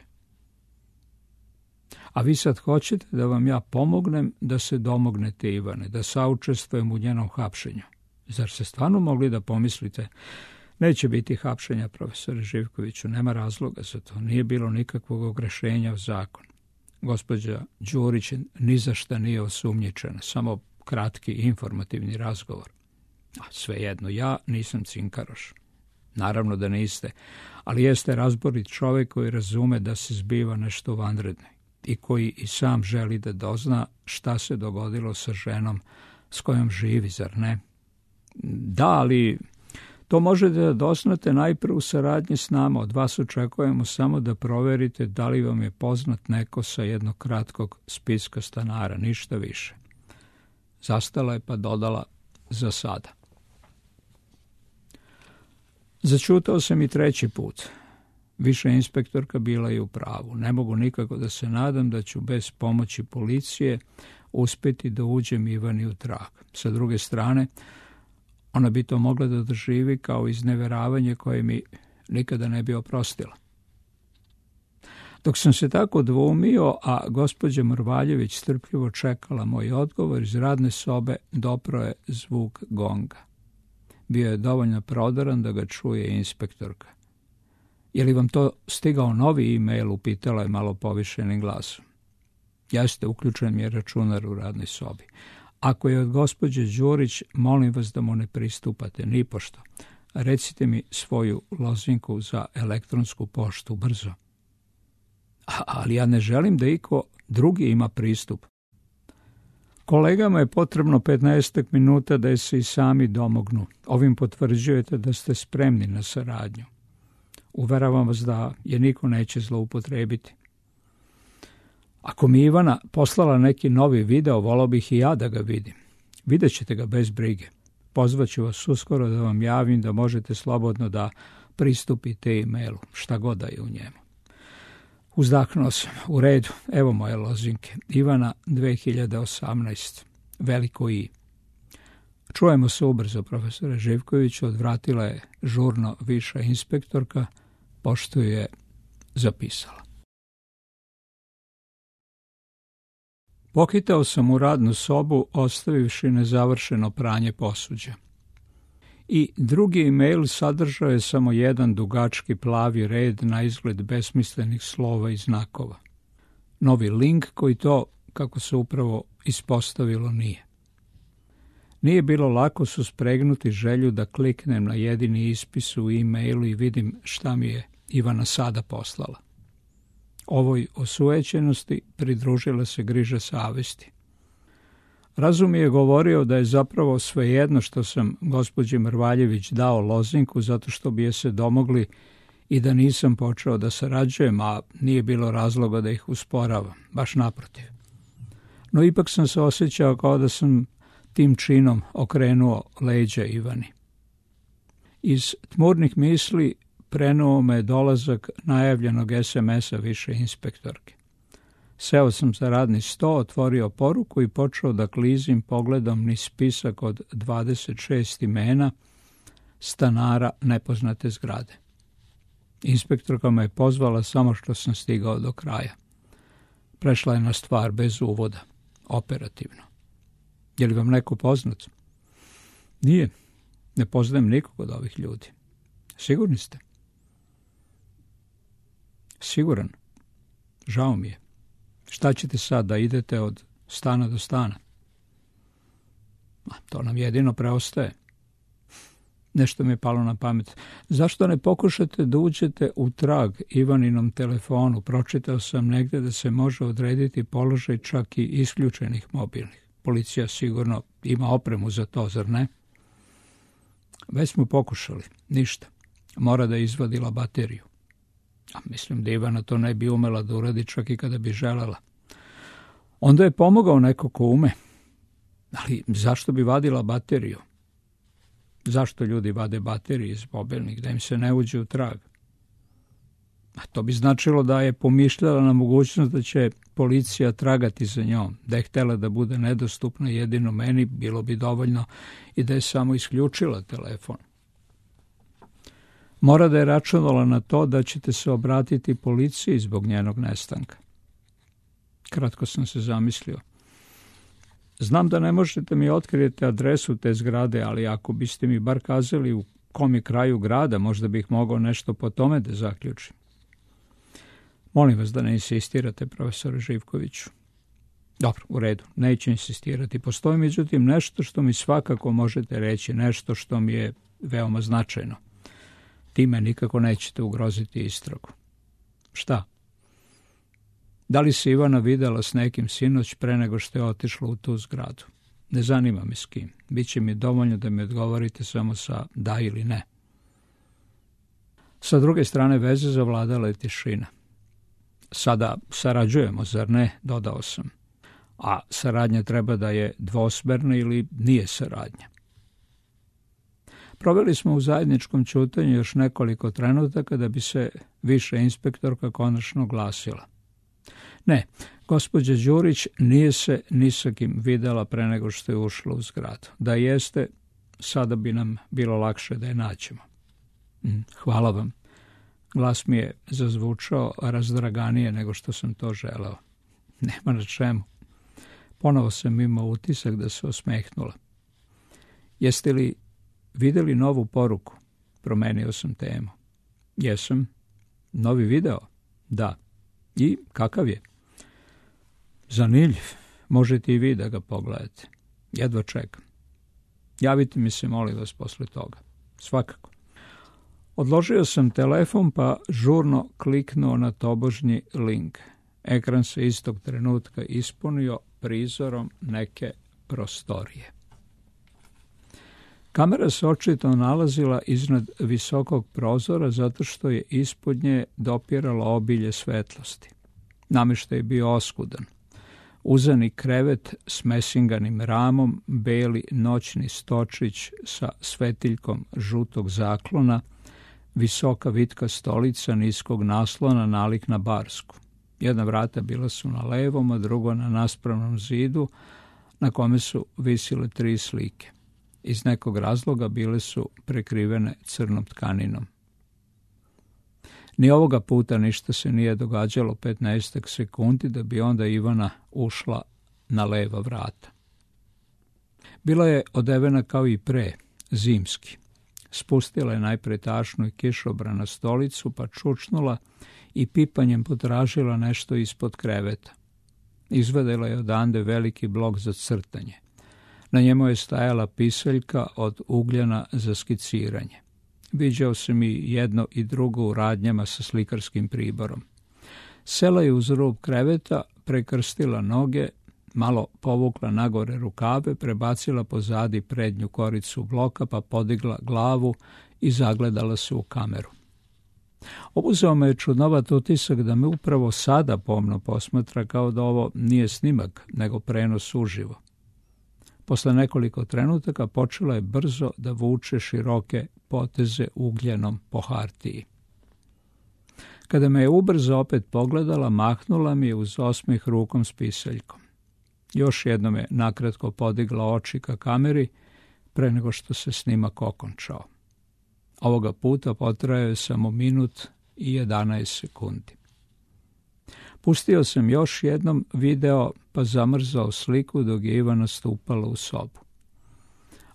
Speaker 1: A vi sad hoćete da vam ja pomognem da se domognete Ivane, da saučestvujem u njenom hapšenju. Zar se stvarno mogli da pomislite? Neće biti hapšenja, profesore Živkoviću, nema razloga za to. Nije bilo nikakvog ogrešenja u zakon. Gospođa Đurić ni za šta nije osumnjičena, samo kratki informativni razgovor. A svejedno, ja nisam cinkaroš. Naravno da niste, ali jeste razborit čovjek koji razume da se zbiva nešto vanredno i koji i sam želi da dozna šta se dogodilo sa ženom s kojom živi, zar ne? Da, ali to možete da doznate najprije u saradnji s nama. Od vas očekujemo samo da proverite da li vam je poznat neko sa jednog kratkog spiska stanara, ništa više. Zastala je pa dodala za sada. Začutao sam i treći put. Više inspektorka bila je u pravu. Ne mogu nikako da se nadam da ću bez pomoći policije uspjeti da uđem Ivani u trag. Sa druge strane, ona bi to mogla da doživi kao izneveravanje koje mi nikada ne bi oprostila. Dok sam se tako dvoumio, a gospođa Mrvaljević strpljivo čekala moj odgovor, iz radne sobe dopro je zvuk gonga. Bio je dovoljno prodoran da ga čuje inspektorka. Je li vam to stigao novi e-mail, upitala je malo povišenim glasom. Jeste, uključen mi je računar u radnoj sobi. Ako je od gospođe Đurić, molim vas da mu ne pristupate, nipošto. Recite mi svoju lozinku za elektronsku poštu, brzo. Ali ja ne želim da iko drugi ima pristup. Kolegama je potrebno 15 minuta da se i sami domognu. Ovim potvrđujete da ste spremni na saradnju. Uveravam vas da je niko neće zloupotrebiti. Ako mi Ivana poslala neki novi video, volao bih i ja da ga vidim. Vidjet ćete ga bez brige. Pozvaću vas uskoro da vam javim da možete slobodno da pristupite e-mailu, šta god da je u njemu. Uzdahnuo sam. U redu, evo moje lozinke. Ivana 2018. Veliko I. Čujemo se ubrzo, profesore Živkoviću, odvratila je žurno viša inspektorka, pošto je zapisala. Pokitao sam u radnu sobu, ostavivši nezavršeno pranje posuđa. I drugi e-mail sadržao je samo jedan dugački plavi red na izgled besmislenih slova i znakova. Novi link koji to, kako se upravo ispostavilo, nije. Nije bilo lako suspregnuti želju da kliknem na jedini ispis u e-mailu i vidim šta mi je Ivana sada poslala. Ovoj osujećenosti pridružila se griža savesti. Razum je govorio da je zapravo svejedno što sam gospođi Mrvaljević dao lozinku zato što bi je se domogli i da nisam počeo da sarađujem, a nije bilo razloga da ih usporavam, baš naprotiv. No ipak sam se osjećao kao da sam tim činom okrenuo leđa Ivani. Iz tmurnih misli prenuo me dolazak najavljenog SMS-a više inspektorke. Seo sam za radni sto, otvorio poruku i počeo da klizim pogledom niz spisak od 26 imena stanara nepoznate zgrade. Inspektorka me je pozvala samo što sam stigao do kraja. Prešla je na stvar bez uvoda, operativno. Je li vam neko poznat? Nije, ne poznajem nikog od ovih ljudi. Sigurni ste? Siguran. Žao mi je. Šta ćete sad, da idete od stana do stana? To nam jedino preostaje. Nešto mi je palo na pamet. Zašto ne pokušate da uđete u trag Ivaninom telefonu? Pročitao sam negdje da se može odrediti položaj čak i isključenih mobilnih. Policija sigurno ima opremu za to, zar ne? Već smo pokušali. Ništa. Mora da je izvadila bateriju. A mislim da Ivana to ne bi umela da uradi čak i kada bi želela. Onda je pomogao neko ko ume. Ali zašto bi vadila bateriju? Zašto ljudi vade baterije iz mobilnih? Da im se ne uđe u trag. A to bi značilo da je pomišljala na mogućnost da će policija tragati za njom. Da je htjela da bude nedostupna jedino meni, bilo bi dovoljno i da je samo isključila telefon. Mora da je računala na to da ćete se obratiti policiji zbog njenog nestanka. Kratko sam se zamislio. Znam da ne možete mi otkrijeti adresu te zgrade, ali ako biste mi bar kazali u kom je kraju grada, možda bih mogao nešto po tome da zaključim. Molim vas da ne insistirate, profesore Živkoviću. Dobro, u redu, neću insistirati. Postoji međutim nešto što mi svakako možete reći, nešto što mi je veoma značajno. Time nikako nećete ugroziti istragu. Šta? Da li se Ivana videla s nekim sinoć pre nego što je otišla u tu zgradu? Ne zanima me s kim. Biće mi dovoljno da mi odgovorite samo sa da ili ne. Sa druge strane veze zavladala je tišina. Sada sarađujemo, zar ne? Dodao sam. A saradnja treba da je dvosmerna ili nije saradnja. Proveli smo u zajedničkom ćutanju još nekoliko trenutaka da bi se više inspektorka konačno glasila. Ne, gospođa Đurić nije se ni sa kim videla pre nego što je ušla u zgradu. Da jeste, sada bi nam bilo lakše da je nađemo. Hvala vam. Glas mi je zazvučao razdraganije nego što sam to želeo. Nema na čemu. Ponovo sam imao utisak da se osmehnula. Jeste li vidjeli novu poruku? Promenio sam temu. Jesam. Novi video? Da. I kakav je? Zanimljiv. Možete i vi da ga pogledate. Jedva čekam. Javite mi se, molim vas, posle toga. Svakako. Odložio sam telefon pa žurno kliknuo na tobožnji link. Ekran se istog trenutka ispunio prizorom neke prostorije. Kamera se očito nalazila iznad visokog prozora zato što je ispod nje dopiralo obilje svetlosti. Namještaj je bio oskudan. Uzani krevet s mesinganim ramom, beli noćni stočić sa svetiljkom žutog zaklona, visoka vitka stolica niskog naslona nalik na barsku. Jedna vrata bila su na levom, a drugo na naspravnom zidu, na kome su visile 3 slike. Iz nekog razloga bile su prekrivene crnom tkaninom. Ni ovoga puta ništa se nije događalo 15 sekundi da bi onda Ivana ušla na leva vrata. Bila je odevena kao i pre, zimski. Spustila je najpre tašnu i kišobran na stolicu, pa čučnula i pipanjem potražila nešto ispod kreveta. Izvadila je odande veliki blok za crtanje. Na njemu je stajala pisaljka od ugljena za skiciranje. Viđao sam i jedno i drugo u radnjama sa slikarskim priborom. Sela je uz rub kreveta, prekrstila noge, malo povukla nagore rukave, prebacila pozadi prednju koricu bloka, pa podigla glavu i zagledala se u kameru. Obuzeo me je čudnovat utisak da me upravo sada pomno posmatra, kao da ovo nije snimak, nego prenos uživo. Posle nekoliko trenutaka počela je brzo da vuče široke poteze ugljenom po hartiji. Kada me je ubrzo opet pogledala, mahnula mi je uz osmeh rukom s pisaljkom. Još jednom je nakratko podigla oči ka kameri pre nego što se snimak okončao. Ovoga puta potrajao je samo 1 minut i 11 sekundi. Pustio sam još jednom video pa zamrzao sliku dok je Ivana stupala u sobu.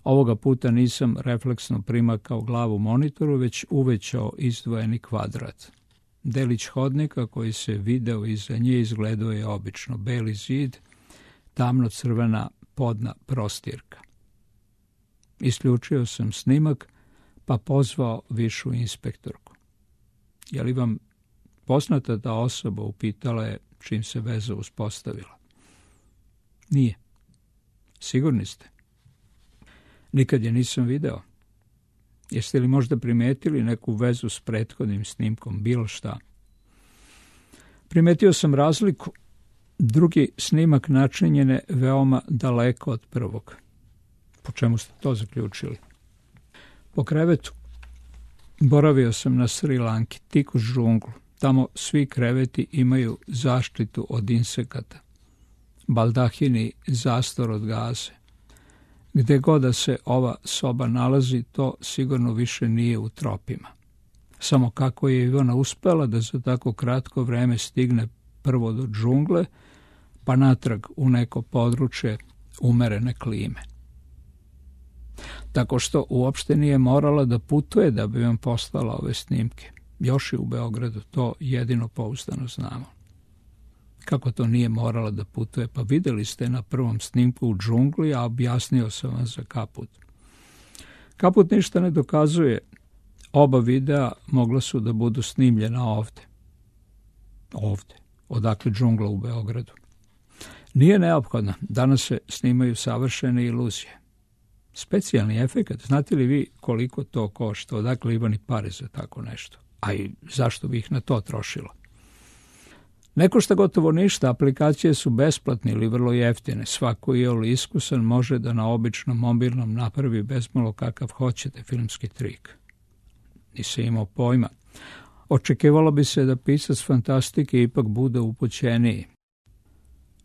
Speaker 1: Ovoga puta nisam refleksno primakao glavu monitoru, već uvećao izdvojeni kvadrat. Delić hodnika koji se video iza nje izgledao je obično beli zid, tamno-crvena podna prostirka. Isključio sam snimak pa pozvao višu inspektorku. Je li vam poznata ta osoba? Upitala je čim se veza uspostavila. Nije. Sigurni ste? Nikad je nisam video. Jeste li možda primetili neku vezu s prethodnim snimkom, bilo šta? Primetio sam razliku. Drugi snimak načinjen je veoma daleko od prvog. Po čemu ste to zaključili? Po krevetu. Boravio sam na Sri Lanki, tik uz džunglu. Tamo svi kreveti imaju zaštitu od insekata. Baldahini zastor od gaze. Gde god da se ova soba nalazi, to sigurno više nije u tropima. Samo kako je Ivana uspela da za tako kratko vreme stigne prvo do džungle, pa natrag u neko područje umerene klime. Tako što uopšte nije morala da putuje da bi vam poslala ove snimke. Još je u Beogradu, to jedino pouzdano znamo. Kako to nije morala da putuje? Pa videli ste na prvom snimku u džungli, a objasnio sam vam za Kaput. Kaput ništa ne dokazuje. Oba videa mogla su da budu snimljena ovde. Ovde. Odakle džungla u Beogradu. Nije neophodno. Danas se snimaju savršene iluzije. Specijalni efekat. Znate li vi koliko to košta? Odakle Ivani pare za tako nešto? A i zašto bi ih na to trošilo? Ne košta gotovo ništa, aplikacije su besplatne ili vrlo jeftine. Svako iole iskusan može da na običnom mobilnom napravi bezmalo kakav hoćete filmski trik. Nisam imao pojma. Očekivalo bi se da pisac fantastike ipak bude upućeniji.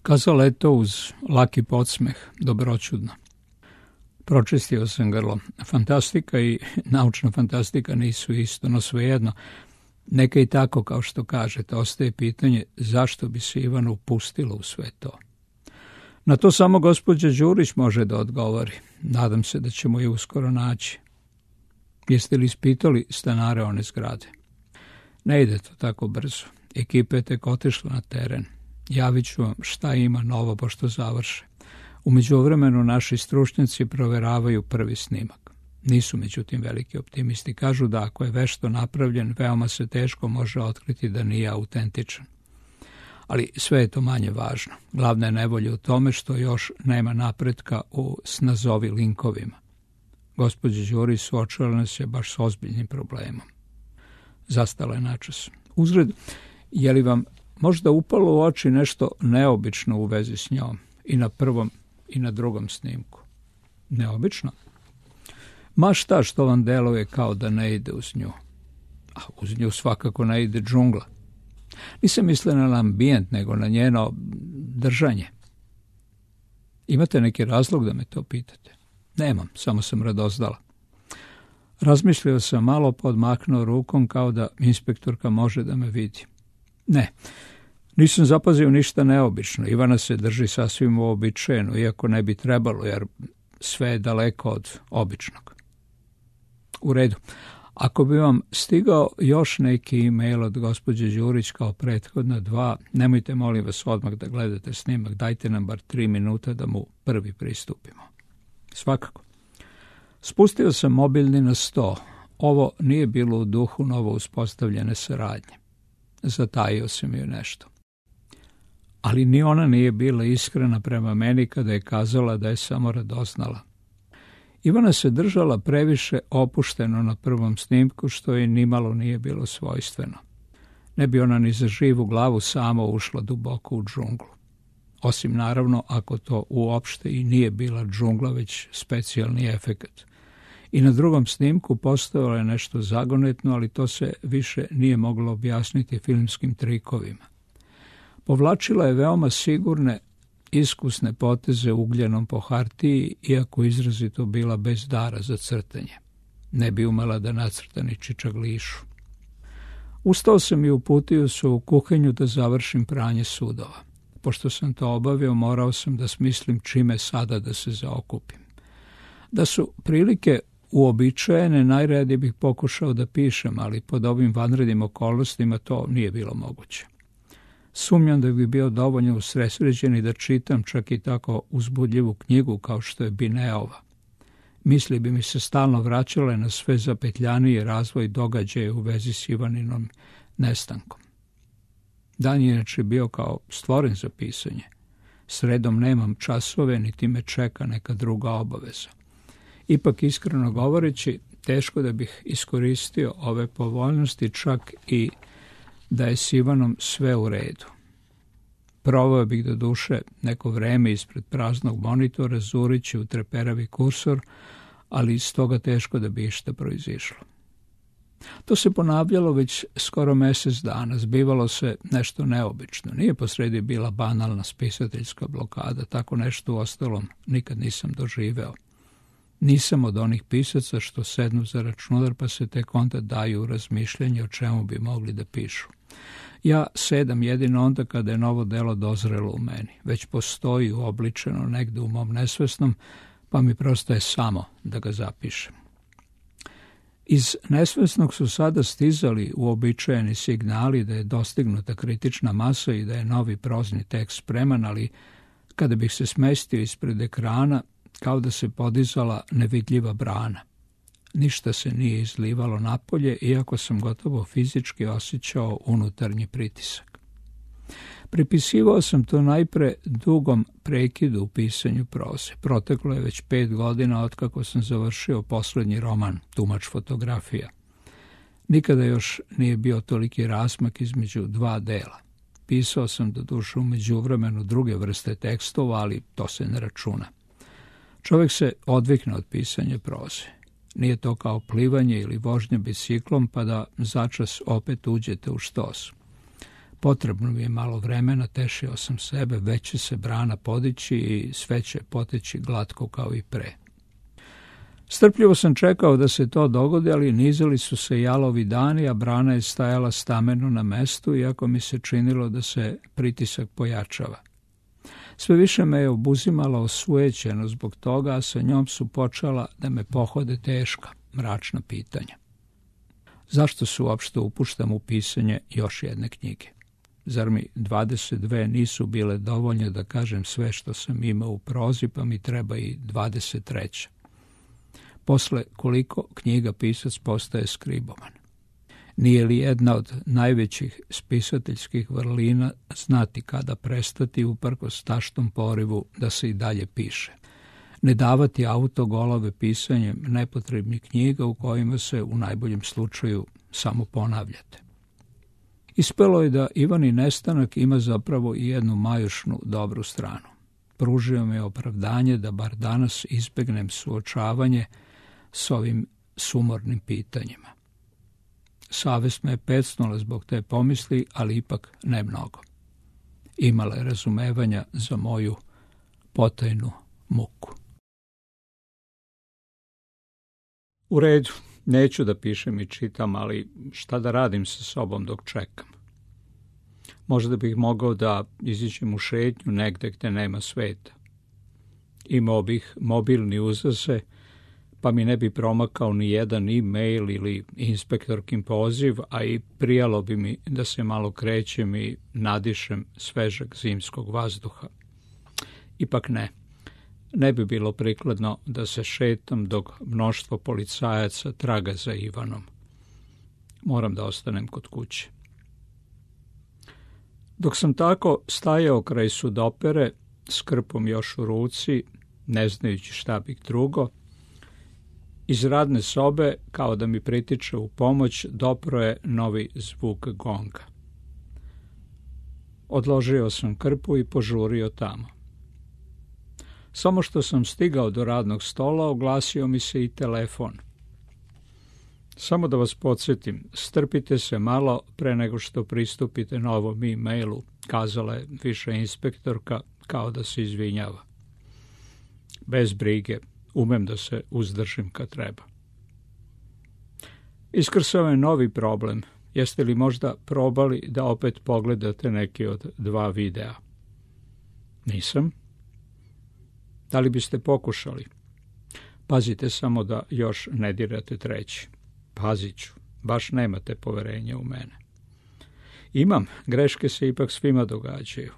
Speaker 1: Kazala je to uz laki podsmeh, dobroćudno. Pročistio sam grlo. Fantastika i naučna fantastika nisu isto, no svejedno. Neka i tako, kao što kažete, ostaje pitanje zašto bi se Ivana upustila u sve to. Na to samo gospođa Đurić može da odgovori. Nadam se da ćemo je uskoro naći. Jeste li ispitali stanare one zgrade? Ne ide to tako brzo. Ekipa je tek otišla na teren. Javit ću vam šta ima novo pošto završe. U međuvremenu naši stručnjaci proveravaju prvi snimak. Nisu međutim veliki optimisti. Kažu da ako je vešto napravljen, veoma se teško može otkriti da nije autentičan. Ali sve je to manje važno. Glavna je nevolja u tome što još nema napretka u snazovi linkovima. Gospođa Đurić suočila nas je baš s ozbiljnim problemom. Zastala je načas. Uzgred, je li vam možda upalo u oči nešto neobično u vezi s njom? I na prvom i na drugom snimku. Neobično? Ma šta što vam deluje kao da ne ide uz nju? A uz nju svakako ne ide džungla. Nisam mislila na ambijent, nego na njeno držanje. Imate neki razlog da me to pitate? Nemam, samo sam radoznala. Razmišljao sam malo, podmaknuo rukom kao da inspektorka može da me vidi. Ne, nisam zapazio ništa neobično. Ivana se drži sasvim uobičajeno, iako ne bi trebalo, jer sve je daleko od običnog. U redu. Ako bi vam stigao još neki e-mail od gospođe Đurić kao prethodna dva, nemojte molim vas odmah da gledate snimak, dajte nam bar 3 minuta da mu prvi pristupimo. Svakako. Spustio sam mobilni na 100. Ovo nije bilo u duhu novo uspostavljene saradnje. Zatajio sam joj nešto. Ali ni ona nije bila iskrena prema meni kada je kazala da je samo radoznala. Ivana se držala previše opušteno na prvom snimku, što je nimalo nije bilo svojstveno. Ne bi ona ni za živu glavu sama ušla duboko u džunglu. Osim naravno ako to uopšte i nije bila džungla, već specijalni efekat. I na drugom snimku postojalo je nešto zagonetno, ali to se više nije moglo objasniti filmskim trikovima. Povlačila je veoma sigurne, iskusne poteze ugljenom po hartiji, iako izrazito bila bez dara za crtanje. Ne bi umela da nacrta ni čičaglišu. Ustao sam i uputio se u kuhinju da završim pranje sudova. Pošto sam to obavio, morao sam da smislim čime sada da se zaokupim. Da su prilike uobičajene, najradije bih pokušao da pišem, ali pod ovim vanrednim okolnostima to nije bilo moguće. Sumnjam da bi bio dovoljno usredsređen i da čitam čak i tako uzbudljivu knjigu kao što je Bineova. Misli bi mi se stalno vraćale na sve zapetljaniji razvoj događaja u vezi s Ivaninom nestankom. Dan je inače bio kao stvoren za pisanje. Sredom nemam časove, niti me čeka neka druga obaveza. Ipak, iskreno govoreći, teško da bih iskoristio ove povoljnosti, čak i da je s Ivanom sve u redu. Provao bih do duše neko vreme ispred praznog monitora, zurići u treperavi kursor, ali iz toga teško da bi išta proizišlo. To se ponavljalo već skoro mjesec dana, zbivalo se nešto neobično. Nije posredi bila banalna spisateljska blokada, tako nešto uostalom nikad nisam doživeo. Nisam od onih pisaca što sednu za računar pa se tek onda daju razmišljanje o čemu bi mogli da pišu. Ja sedam jedino onda kada je novo delo dozrelo u meni. Već postoji uobličeno negde u mom nesvesnom, pa mi prosto je samo da ga zapišem. Iz nesvesnog su sada stizali uobičajeni signali da je dostignuta kritična masa i da je novi prozni tekst spreman, ali kada bih se smestio ispred ekrana, kao da se podizala nevidljiva brana. Ništa se nije izlivalo napolje, iako sam gotovo fizički osjećao unutarnji pritisak. Pripisivao sam to najpre dugom prekidu u pisanju proze. Proteklo je već 5 godina otkako sam završio poslednji roman, Tumač fotografija. Nikada još nije bio toliki razmak između 2 dela. Pisao sam doduše u međuvremenu druge vrste tekstova, ali to se ne računa. Čovjek se odvikne od pisanja proze. Nije to kao plivanje ili vožnja biciklom pa da začas opet uđete u štos. Potrebno mi je malo vremena, tešio sam sebe, već će se brana podići i sve će poteći glatko kao i pre. Strpljivo sam čekao da se to dogodi, ali nizali su se jalovi dani, a brana je stajala stameno na mestu, iako mi se činilo da se pritisak pojačava. Sve više me je obuzimala osujećeno zbog toga, a sa njom su počela da me pohode teška, mračna pitanja. Zašto se uopšte upuštam u pisanje još jedne knjige? Zar mi 22 nisu bile dovoljne da kažem sve što sam imao u prozi, pa mi treba i 23. Posle koliko knjiga pisac postaje skriboman? Nije li jedna od najvećih spisateljskih vrlina znati kada prestati uprkos taštom porivu da se i dalje piše? Ne davati autogolove pisanjem nepotrebnih knjiga u kojima se u najboljem slučaju samo ponavljate. Ispelo je da Ivani nestanak ima zapravo i jednu majušnu dobru stranu. Pružio mi je opravdanje da bar danas izbegnem suočavanje s ovim sumornim pitanjima. Savest me je pecnula zbog te pomisli, ali ipak ne mnogo. Imala je razumevanja za moju potajnu muku. U redu, neću da pišem i čitam, ali šta da radim sa sobom dok čekam? Možda bih mogao da iziđem u šetnju negde gde nema sveta. Imao bih mobilni uzdase, pa mi ne bi promakao ni jedan e-mail ili inspektorkin poziv, a i prijalo bi mi da se malo krećem i nadišem svežeg zimskog vazduha. Ipak ne bi bilo prikladno da se šetam dok mnoštvo policajaca traga za Ivanom. Moram da ostanem kod kuće. Dok sam tako stajao kraj sudopere, s krpom još u ruci, ne znajući šta bih drugo, iz radne sobe, kao da mi pritiče u pomoć, dopro je novi zvuk gonga. Odložio sam krpu i požurio tamo. Samo što sam stigao do radnog stola, oglasio mi se i telefon. Samo da vas podsjetim, strpite se malo pre nego što pristupite novom e-mailu, kazala je viša inspektorka kao da se izvinjava. Bez brige, umem da se uzdržim kad treba. Iskrsao je novi problem. Jeste li možda probali da opet pogledate neki od 2 videa? Nisam. Da li biste pokušali? Pazite samo da još ne dirate 3. Pazit ću, baš nemate poverenja u mene. Imam, greške se ipak svima događaju.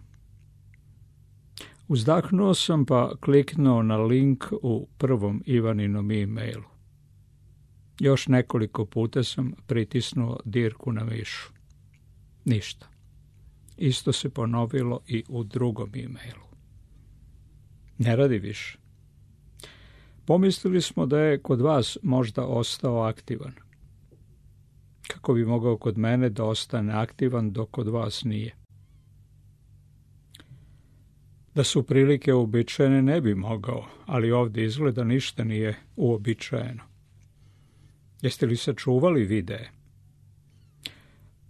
Speaker 1: Uzdahnuo sam pa kliknuo na link u prvom Ivaninom e-mailu. Još nekoliko puta sam pritisnuo dirku na mišu. Ništa. Isto se ponovilo i u drugom e-mailu. Ne radi više. Pomislili smo da je kod vas možda ostao aktivan. Kako bi mogao kod mene da ostane aktivan dok kod vas nije? Da su prilike uobičajene ne bi mogao, ali ovdje izgleda ništa nije uobičajeno. Jeste li sačuvali videe?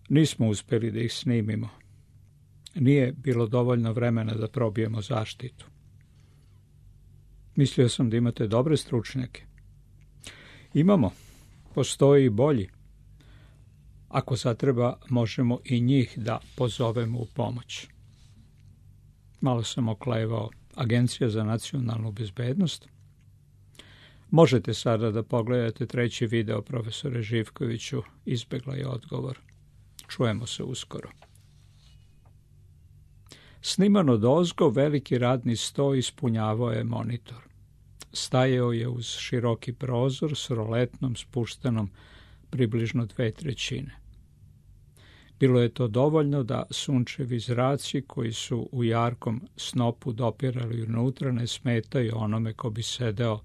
Speaker 1: Nismo uspjeli da ih snimimo. Nije bilo dovoljno vremena da probijemo zaštitu. Mislio sam da imate dobre stručnjake. Imamo. Postoji i bolji. Ako zatreba, možemo i njih da pozovemo u pomoć. Malo sam oklevao. Agencija za nacionalnu bezbednost? Možete sada da pogledate 3. video, profesore Živkoviću, izbegla je odgovor. Čujemo se uskoro. Snimano dozgo, veliki radni sto ispunjavao je monitor. Stajao je uz široki prozor s roletnom spuštenom približno 2/3. Bilo je to dovoljno da sunčevi zraci koji su u jarkom snopu dopirali unutra ne smetaju onome ko bi sedeo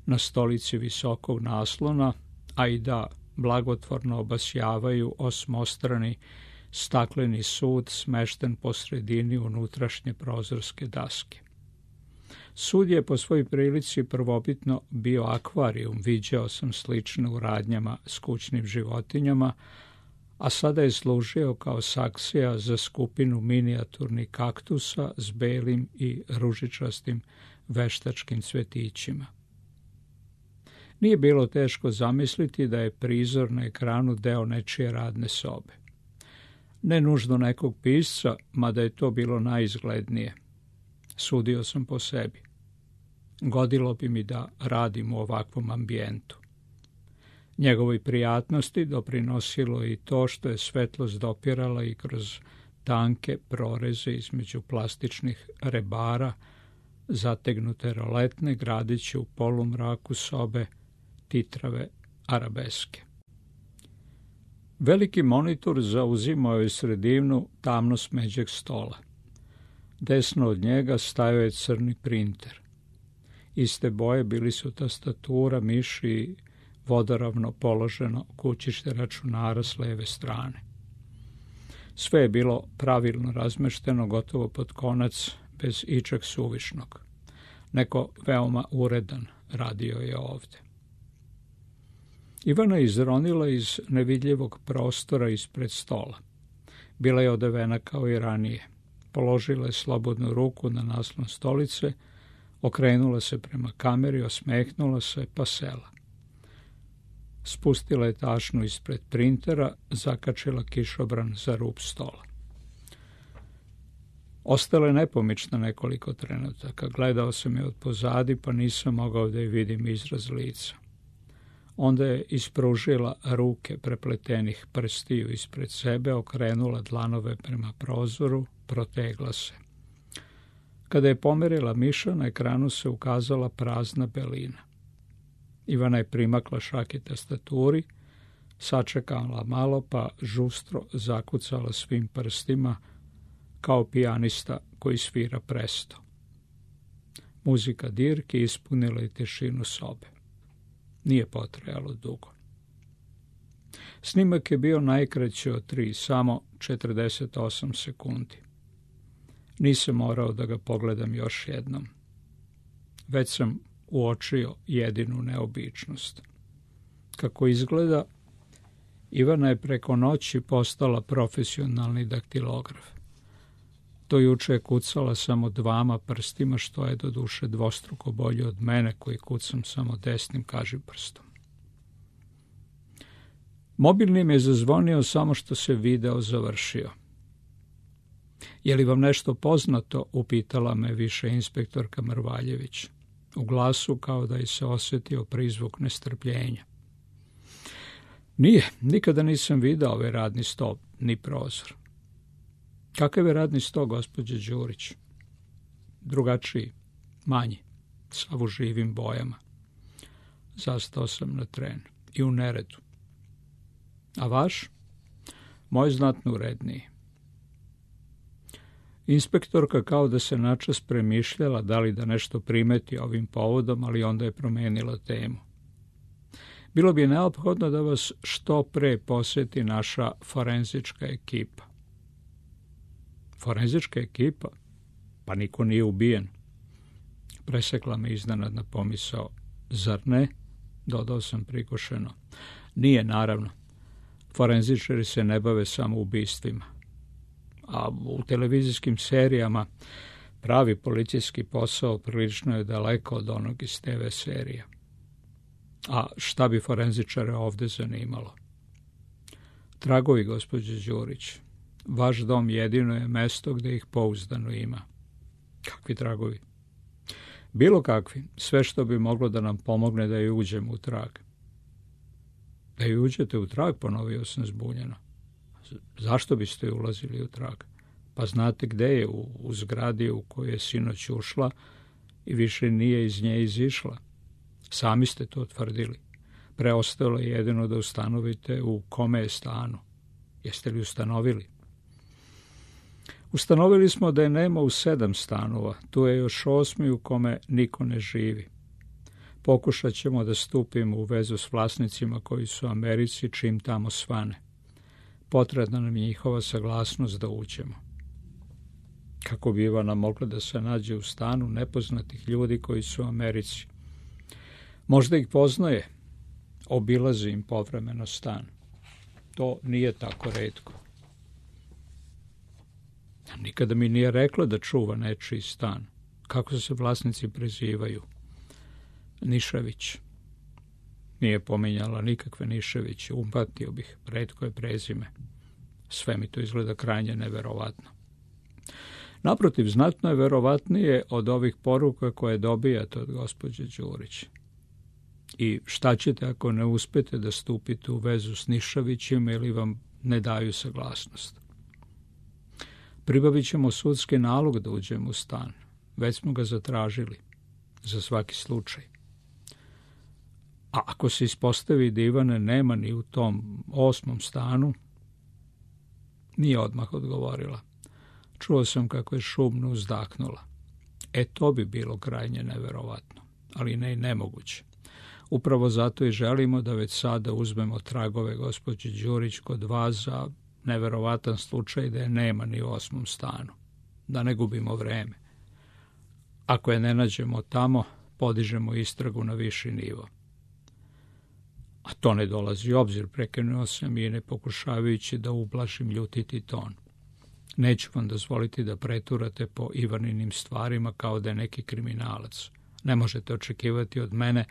Speaker 1: na stolici visokog naslona, a i da blagotvorno obasjavaju osmostrani stakleni sud smešten po sredini unutrašnje prozorske daske. Sud je po svojoj prilici prvobitno bio akvarijum, viđao sam slične u radnjama s kućnim životinjama, a sada je služio kao saksija za skupinu minijaturnih kaktusa s belim i ružičastim veštačkim cvetićima. Nije bilo teško zamisliti da je prizor na ekranu deo nečije radne sobe. Ne nužno nekog pisca, mada je to bilo najizglednije. Sudio sam po sebi. Godilo bi mi da radim u ovakvom ambijentu. Njegovoj prijatnosti doprinosilo i to što je svetlost dopirala i kroz tanke proreze između plastičnih rebara, zategnute roletne, gradići u polumraku sobe titrave arabeske. Veliki monitor zauzimao je sredinu tamno smeđeg stola. Desno od njega stajao je crni printer. Iste boje bili su tastatura, miš i vodoravno položeno kućište računara s leve strane. Sve je bilo pravilno razmešteno, gotovo pod konac, bez ičeg suvišnog. Neko veoma uredan radio je ovde. Ivana je izronila iz nevidljivog prostora ispred stola. Bila je odevena kao i ranije. Položila je slobodnu ruku na naslon stolice, okrenula se prema kameri, osmehnula se, pa sela. Spustila je tašnu ispred printera, zakačila kišobran za rub stola. Ostala je nepomična nekoliko trenutaka. Gledao sam je od pozadi, pa nisam mogao da je vidim izraz lica. Onda je ispružila ruke prepletenih prstiju ispred sebe, okrenula dlanove prema prozoru, protegla se. Kada je pomerila miša, na ekranu se ukazala prazna belina. Ivana je primakla šake tastaturi, sačekala malo, pa žustro zakucala svim prstima, kao pijanista koji svira presto. Muzika dirke ispunila je tišinu sobe. Nije potrajalo dugo. Snimak je bio najkraći od 3, samo 48 sekundi. Nisam morao da ga pogledam još jednom. Već sam uočio jedinu neobičnost. Kako izgleda, Ivana je preko noći postala profesionalni daktilograf. Do juče je kucala samo 2 prstima, što je doduše dvostruko bolje od mene koji kucam samo desnim kažiprstom. Mobilni mi je zazvonio samo što se video završio. Je li vam nešto poznato, upitala me više inspektorka Mrvaljević. U glasu kao da je se osjetio prizvuk nestrpljenja. Nije, nikada nisam video ovaj radni sto, ni prozor. Kakav je radni sto, gospođe Đurić? Drugačiji, manji, sav u živim bojama. Zastao sam na tren i u neredu. A vaš? Moj znatno uredniji. Inspektorka kao da se načas premišljala da li da nešto primeti ovim povodom, ali onda je promenila temu. Bilo bi neophodno da vas što pre poseti naša forenzička ekipa. Forenzička ekipa? Pa niko nije ubijen. Presekla me iznenadna pomisao. Zar ne? Dodao sam prikošeno. Nije, naravno. Forenzičari se ne bave samo ubistvima. A u televizijskim serijama pravi policijski posao prilično je daleko od onog iz TV serija. A šta bi forenzičare ovde zanimalo? Tragovi, gospođo Đurić. Vaš dom jedino je mesto gde ih pouzdano ima. Kakvi tragovi? Bilo kakvi, sve što bi moglo da nam pomogne da ju uđemo u trag. Da ju uđete u trag, ponovio sam zbunjeno. Zašto biste ju ulazili u trag? Pa znate gde je, u zgradi u koju je sinoć ušla i više nije iz nje izišla. Sami ste to tvrdili. Preostalo je jedino da ustanovite u kome je stanu. Jeste li ustanovili? Ustanovili smo da je nema u 7 stanova. Tu je još 8. u kome niko ne živi. Pokušat ćemo da stupimo u vezu s vlasnicima koji su u Americi čim tamo svane. Potrebna nam je njihova saglasnost da uđemo. Kako bi Ivana mogla da se nađe u stanu nepoznatih ljudi koji su u Americi? Možda ih poznaje, obilazi im povremeno stan. To nije tako retko. Nikada mi nije rekla da čuva nečiji stan. Kako se vlasnici prezivaju? Nišević. Nije pominjala nikakve Niševiće, upatio bih, retko je prezime. Sve mi to izgleda krajnje neverovatno. Naprotiv, znatno je verovatnije od ovih poruka koje dobijate od gospođe Đurić. I šta ćete ako ne uspete da stupite u vezu s Niševićima ili vam ne daju saglasnost? Pribavit ćemo sudski nalog da uđemo u stan. Već smo ga zatražili, za svaki slučaj. A ako se ispostavi da Ivane nema ni u tom 8. stanu, nije odmah odgovorila. Čuo sam kako je šumno uzdahnula. To bi bilo krajnje neverovatno, ali ne i nemoguće. Upravo zato i želimo da već sada uzmemo tragove gospođe Đurić kod vas za neverovatan slučaj da je nema ni u 8. stanu. Da ne gubimo vreme. Ako je ne nađemo tamo, podižemo istragu na viši nivo. A to ne dolazi u obzir, prekinuo sam i ne pokušavajući da ublažim ljutiti ton. Neću vam dozvoliti da preturate po Ivaninim stvarima kao da je neki kriminalac. Ne možete očekivati od mene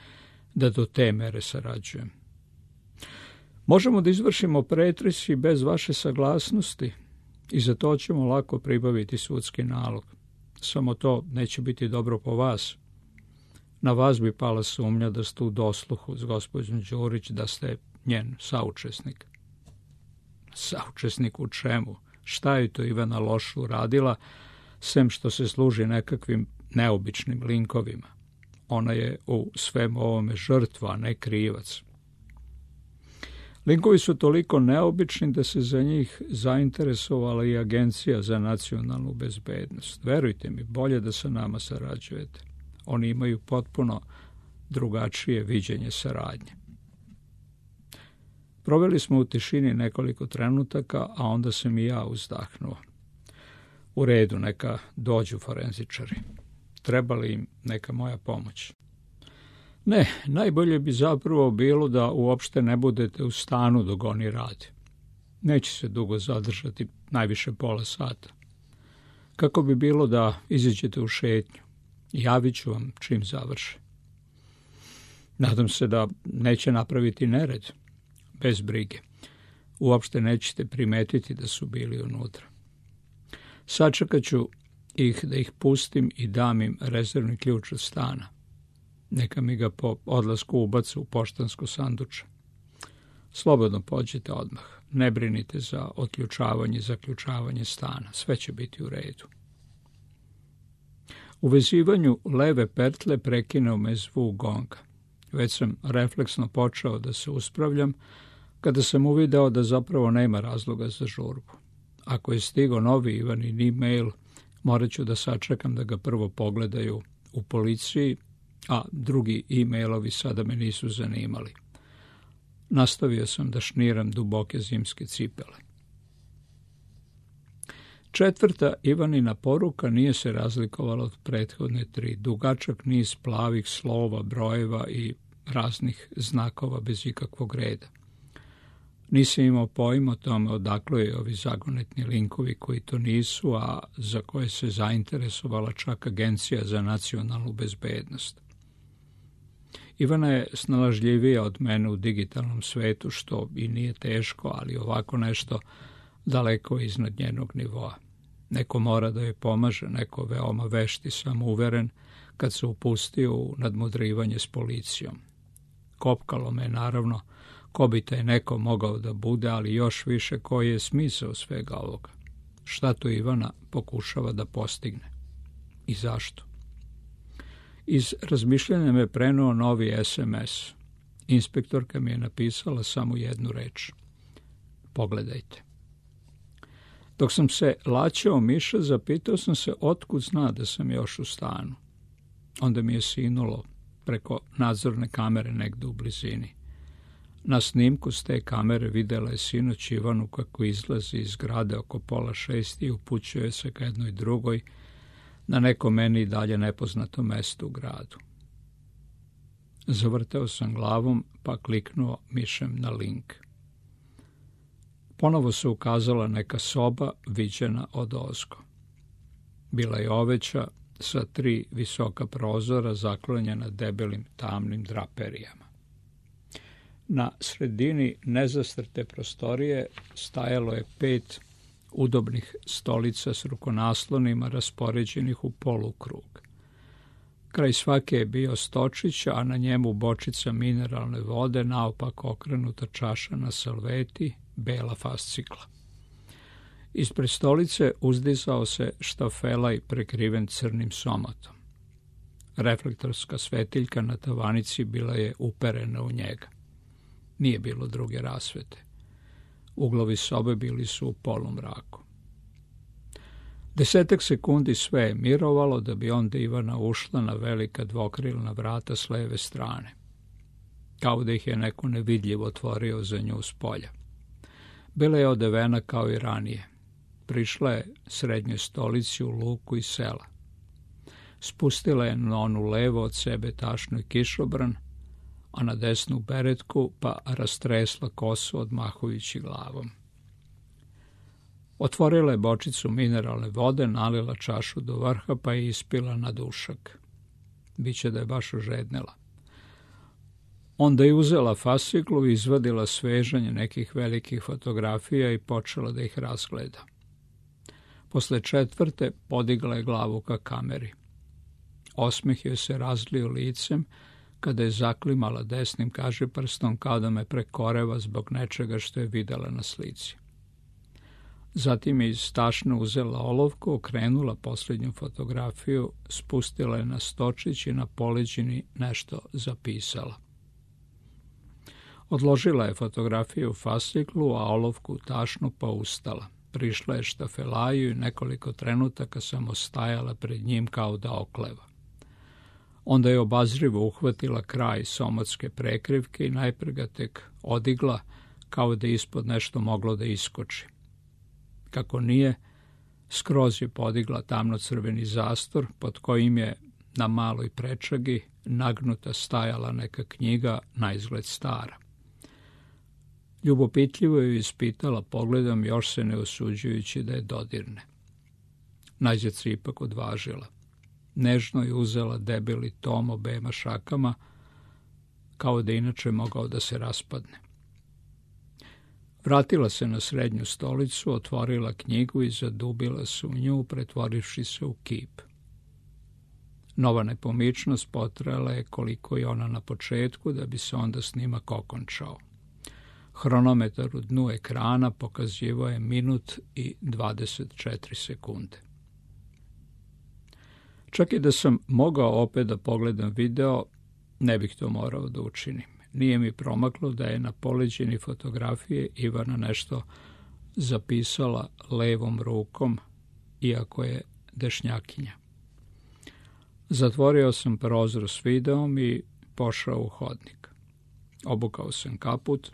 Speaker 1: da do te mere sarađujem. Možemo da izvršimo pretres i bez vaše saglasnosti i za to ćemo lako pribaviti sudski nalog. Samo to neće biti dobro po vas. Na vas bi pala sumnja da ste u dosluhu s gospođom Đurić, da ste njen saučesnik. Saučesnik u čemu? Šta je to Ivana loše uradila, sem što se služi nekakvim neobičnim linkovima? Ona je u svemu ovome žrtva, a ne krivac. Linkovi su toliko neobični da se za njih zainteresovala i Agencija za nacionalnu bezbednost. Verujte mi, bolje da sa nama sarađujete. Oni imaju potpuno drugačije viđenje saradnje. Proveli smo u tišini nekoliko trenutaka, a onda sam i ja uzdahnuo. U redu, neka dođu forenzičari. Treba li im neka moja pomoć? Ne, najbolje bi zapravo bilo da uopšte ne budete u stanu dok oni rade. Neće se dugo zadržati, najviše pola sata. Kako bi bilo da izađete u šetnju? Javit ću vam čim završe. Nadam se da neće napraviti nered. Bez brige. Uopšte nećete primetiti da su bili unutra. Sačekat ću ih da ih pustim i dam im rezervni ključ od stana. Neka mi ga po odlasku ubace u poštansko sanduče. Slobodno pođite odmah. Ne brinite za otključavanje i zaključavanje stana. Sve će biti u redu. U vezivanju leve pertle prekinuo me zvuk gonga. Već sam refleksno počeo da se uspravljam, kada sam uvideo da zapravo nema razloga za žurbu. Ako je stigao novi Ivanin e-mail, morat ću da sačekam da ga prvo pogledaju u policiji, a drugi e-mailovi sada me nisu zanimali. Nastavio sam da šniram duboke zimske cipele. 4. Ivanina poruka nije se razlikovala od prethodne 3. Dugačak niz plavih slova, brojeva i raznih znakova bez ikakvog reda. Nisam imao pojma o tome odakle je ovi zagonetni linkovi koji to nisu, a za koje se zainteresovala čak Agencija za nacionalnu bezbednost. Ivana je snalažljivija od mene u digitalnom svetu, što i nije teško, ali ovako nešto daleko iznad njenog nivoa. Neko mora da joj pomaže, neko veoma vešt i samouveren kad se upustio u nadmudrivanje s policijom. Kopkalo me, naravno, ko bi taj neko mogao da bude, ali još više koji je smisao svega ovoga. Šta to Ivana pokušava da postigne? I zašto? Iz razmišljanja me prenuo novi SMS. Inspektorka mi je napisala samo jednu reč. Pogledajte. Dok sam se laćao miša, zapitao sam se otkud zna da sam još u stanu. Onda mi je sinulo preko nadzorne kamere negde u blizini. Na snimku s te kamere videla je sinoć Ivanu kako izlazi iz zgrade oko 5:30 i upućuje se ka jednoj drugoj, na neko meni dalje nepoznato mesto u gradu. Zavrteo sam glavom pa kliknuo mišem na link. Ponovo se ukazala neka soba viđena odozgo. Bila je oveća sa 3 visoka prozora zaklonjena debelim tamnim draperijama. Na sredini nezastrte prostorije stajalo je 5 udobnih stolica s rukonaslonima raspoređenih u polukrug. Kraj svake je bio stočić, a na njemu bočica mineralne vode, naopako okrenuta čaša na salveti, bela fascikla. Ispred stolice uzdizao se štafelaj prekriven crnim somatom. Reflektorska svetiljka na tavanici bila je uperena u njega. Nije bilo druge rasvete. Uglovi sobe bili su u polumraku. 10 sekundi sve je mirovalo da bi onda Ivana ušla na velika dvokrilna vrata s leve strane. Kao da ih je neko nevidljivo otvorio za nju s polja. Bila je odevena kao i ranije. Prišla je srednjoj stolici u luku i sela. Spustila je na onu levo od sebe tašnu i kišobran, a na desnu beretku pa rastresla kosu odmahujući glavom. Otvorila je bočicu mineralne vode, nalila čašu do vrha pa je ispila na dušak. Biće da je baš ožednela. Onda je uzela fasciklu i izvadila svežanje nekih velikih fotografija i počela da ih razgleda. Posle 4. podigla je glavu ka kameri. Osmeh joj se razlio licem kada je zaklimala desnim kažiprstom kao da me prekoreva zbog nečega što je videla na slici. Zatim je iz tašne uzela olovku, okrenula posljednju fotografiju, spustila je na stočić i na poleđini nešto zapisala. Odložila je fotografiju u fasciklu, a olovku u tašnu pa ustala. Prišla je štafelaju i nekoliko trenutaka samo stajala pred njim kao da okleva. Onda je obazrivo uhvatila kraj somatske prekrivke i najpre ga tek odigla kao da ispod nešto moglo da iskoči. Kako nije, skroz je podigla tamno-crveni zastor pod kojim je na maloj prečagi nagnuta stajala neka knjiga, naizgled stara. Ljubopitljivo ju ispitala pogledom, još se ne osuđujući da je dodirne. Najzad se ipak odvažila. Nežno je uzela debeli tom obema šakama, kao da inače mogao da se raspadne. Vratila se na srednju stolicu, otvorila knjigu i zadubila se u nju, pretvorivši se u kip. Nova nepomičnost potrajala je koliko i ona na početku, da bi se onda snimak okončao. Hronometar u dnu ekrana pokazivao je 1 minut i 24 sekunde. Čak i da sam mogao opet da pogledam video, ne bih to morao da učinim. Nije mi promaklo da je na poleđini fotografije Ivana nešto zapisala levom rukom, iako je dešnjakinja. Zatvorio sam prozor s videom i pošao u hodnik. Obukao sam kaput,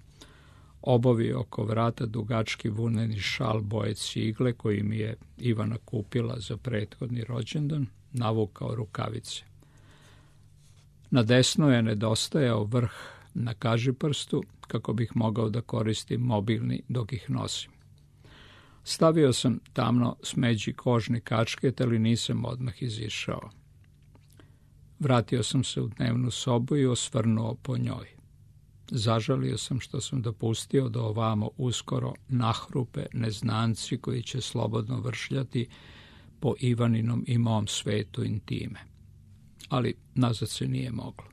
Speaker 1: obavio oko vrata dugački vuneni šal boje cigle koji mi je Ivana kupila za prethodni rođendan, navukao rukavice. Na desno je nedostajao vrh na kažiprstu kako bih mogao da koristim mobilni dok ih nosim. Stavio sam tamno smeđi kožni kačket, ali nisam odmah izišao. Vratio sam se u dnevnu sobu i osvrnuo po njoj. Zažalio sam što sam dopustio da ovamo uskoro nahrupe neznanci koji će slobodno vršljati po Ivaninom i mom svetu intime. Ali nazad se nije moglo.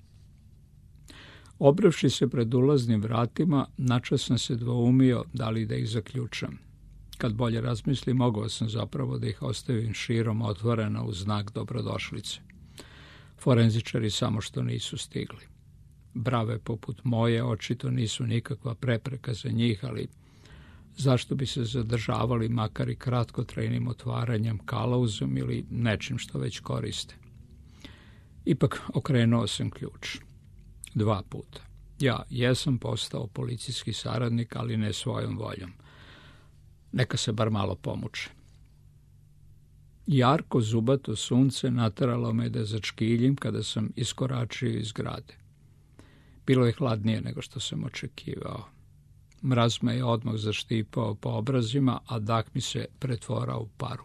Speaker 1: Obrevši se pred ulaznim vratima, načas sam se dvoumio da li da ih zaključam. Kad bolje razmislim, mogao sam zapravo da ih ostavim širom otvorena u znak dobrodošlice. Forenzičari samo što nisu stigli. Brave poput moje očito nisu nikakva prepreka za njih, ali zašto bi se zadržavali makar i kratkotrajnim otvaranjem kalauzom ili nečim što već koriste? Ipak okrenuo sam ključ. 2 puta. Ja jesam postao policijski saradnik, ali ne svojom voljom. Neka se bar malo pomuče. Jarko zubato sunce nateralo me da začkiljim kada sam iskoračio iz zgrade. Bilo je hladnije nego što sam očekivao. Mraz me je odmah zaštipao po obrazima, a dah mi se pretvorao u paru.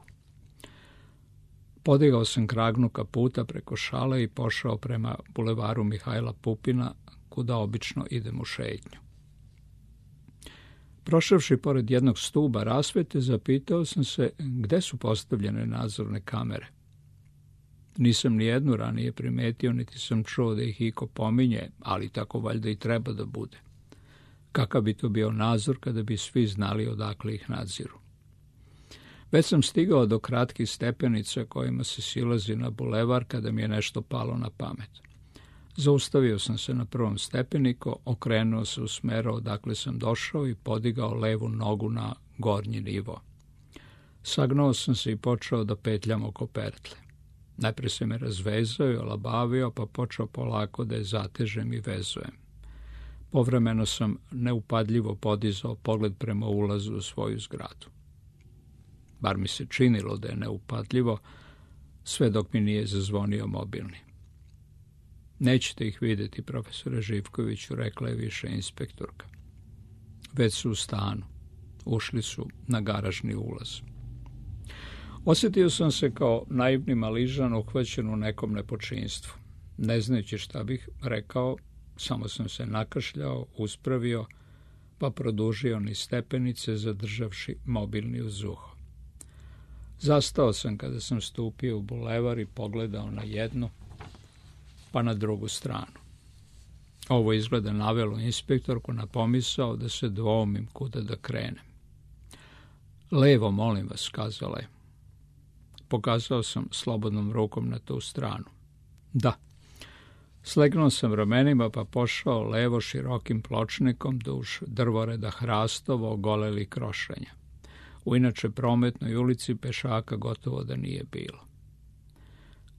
Speaker 1: Podigao sam kragnu kaputa preko šale i pošao prema bulevaru Mihajla Pupina, kuda obično idem u šetnju. Prošavši pored jednog stuba rasvete, zapitao sam se gde su postavljene nadzorne kamere. Nisam ni jednu ranije primetio, niti sam čuo da ih iko pominje, ali tako valjda i treba da bude. Kakav bi to bio nadzor kada bi svi znali odakle ih nadziru? Već sam stigao do kratkih stepenica kojima se silazi na bulevar kada mi je nešto palo na pamet. Zaustavio sam se na prvom stepeniku, okrenuo se u smeru odakle sam došao i podigao levu nogu na gornji nivo. Sagnuo sam se i počeo da petljam oko pertle. Najpre se me razvezao i olabavio, pa počeo polako da je zatežem i vezujem. Povremeno sam neupadljivo podizao pogled prema ulazu u svoju zgradu. Bar mi se činilo da je neupadljivo, sve dok mi nije zazvonio mobilni. Nećete ih vidjeti, profesore Živkoviću, rekla je više inspektorka. Već su u stanu. Ušli su na garažni ulaz. Osjetio sam se kao naivni maližan uhvaćen u nekom nepočinstvu. Ne znajući šta bih rekao, samo sam se nakašljao, uspravio, pa produžio niz stepenice, zadržavši mobilni uz uho. Zastao sam kada sam stupio u bulevar i pogledao na jednu, pa na drugu stranu. Ovo izgleda navelo inspektorku na pomisao da se dvoumim kuda da krenem. Levo, molim vas, kazala je. Pokazao sam slobodnom rukom na tu stranu. Da. Slegnuo sam ramenima pa pošao levo širokim pločnikom duž drvoreda hrastova ogoleli krošenja. U inače prometnoj ulici pešaka gotovo da nije bilo.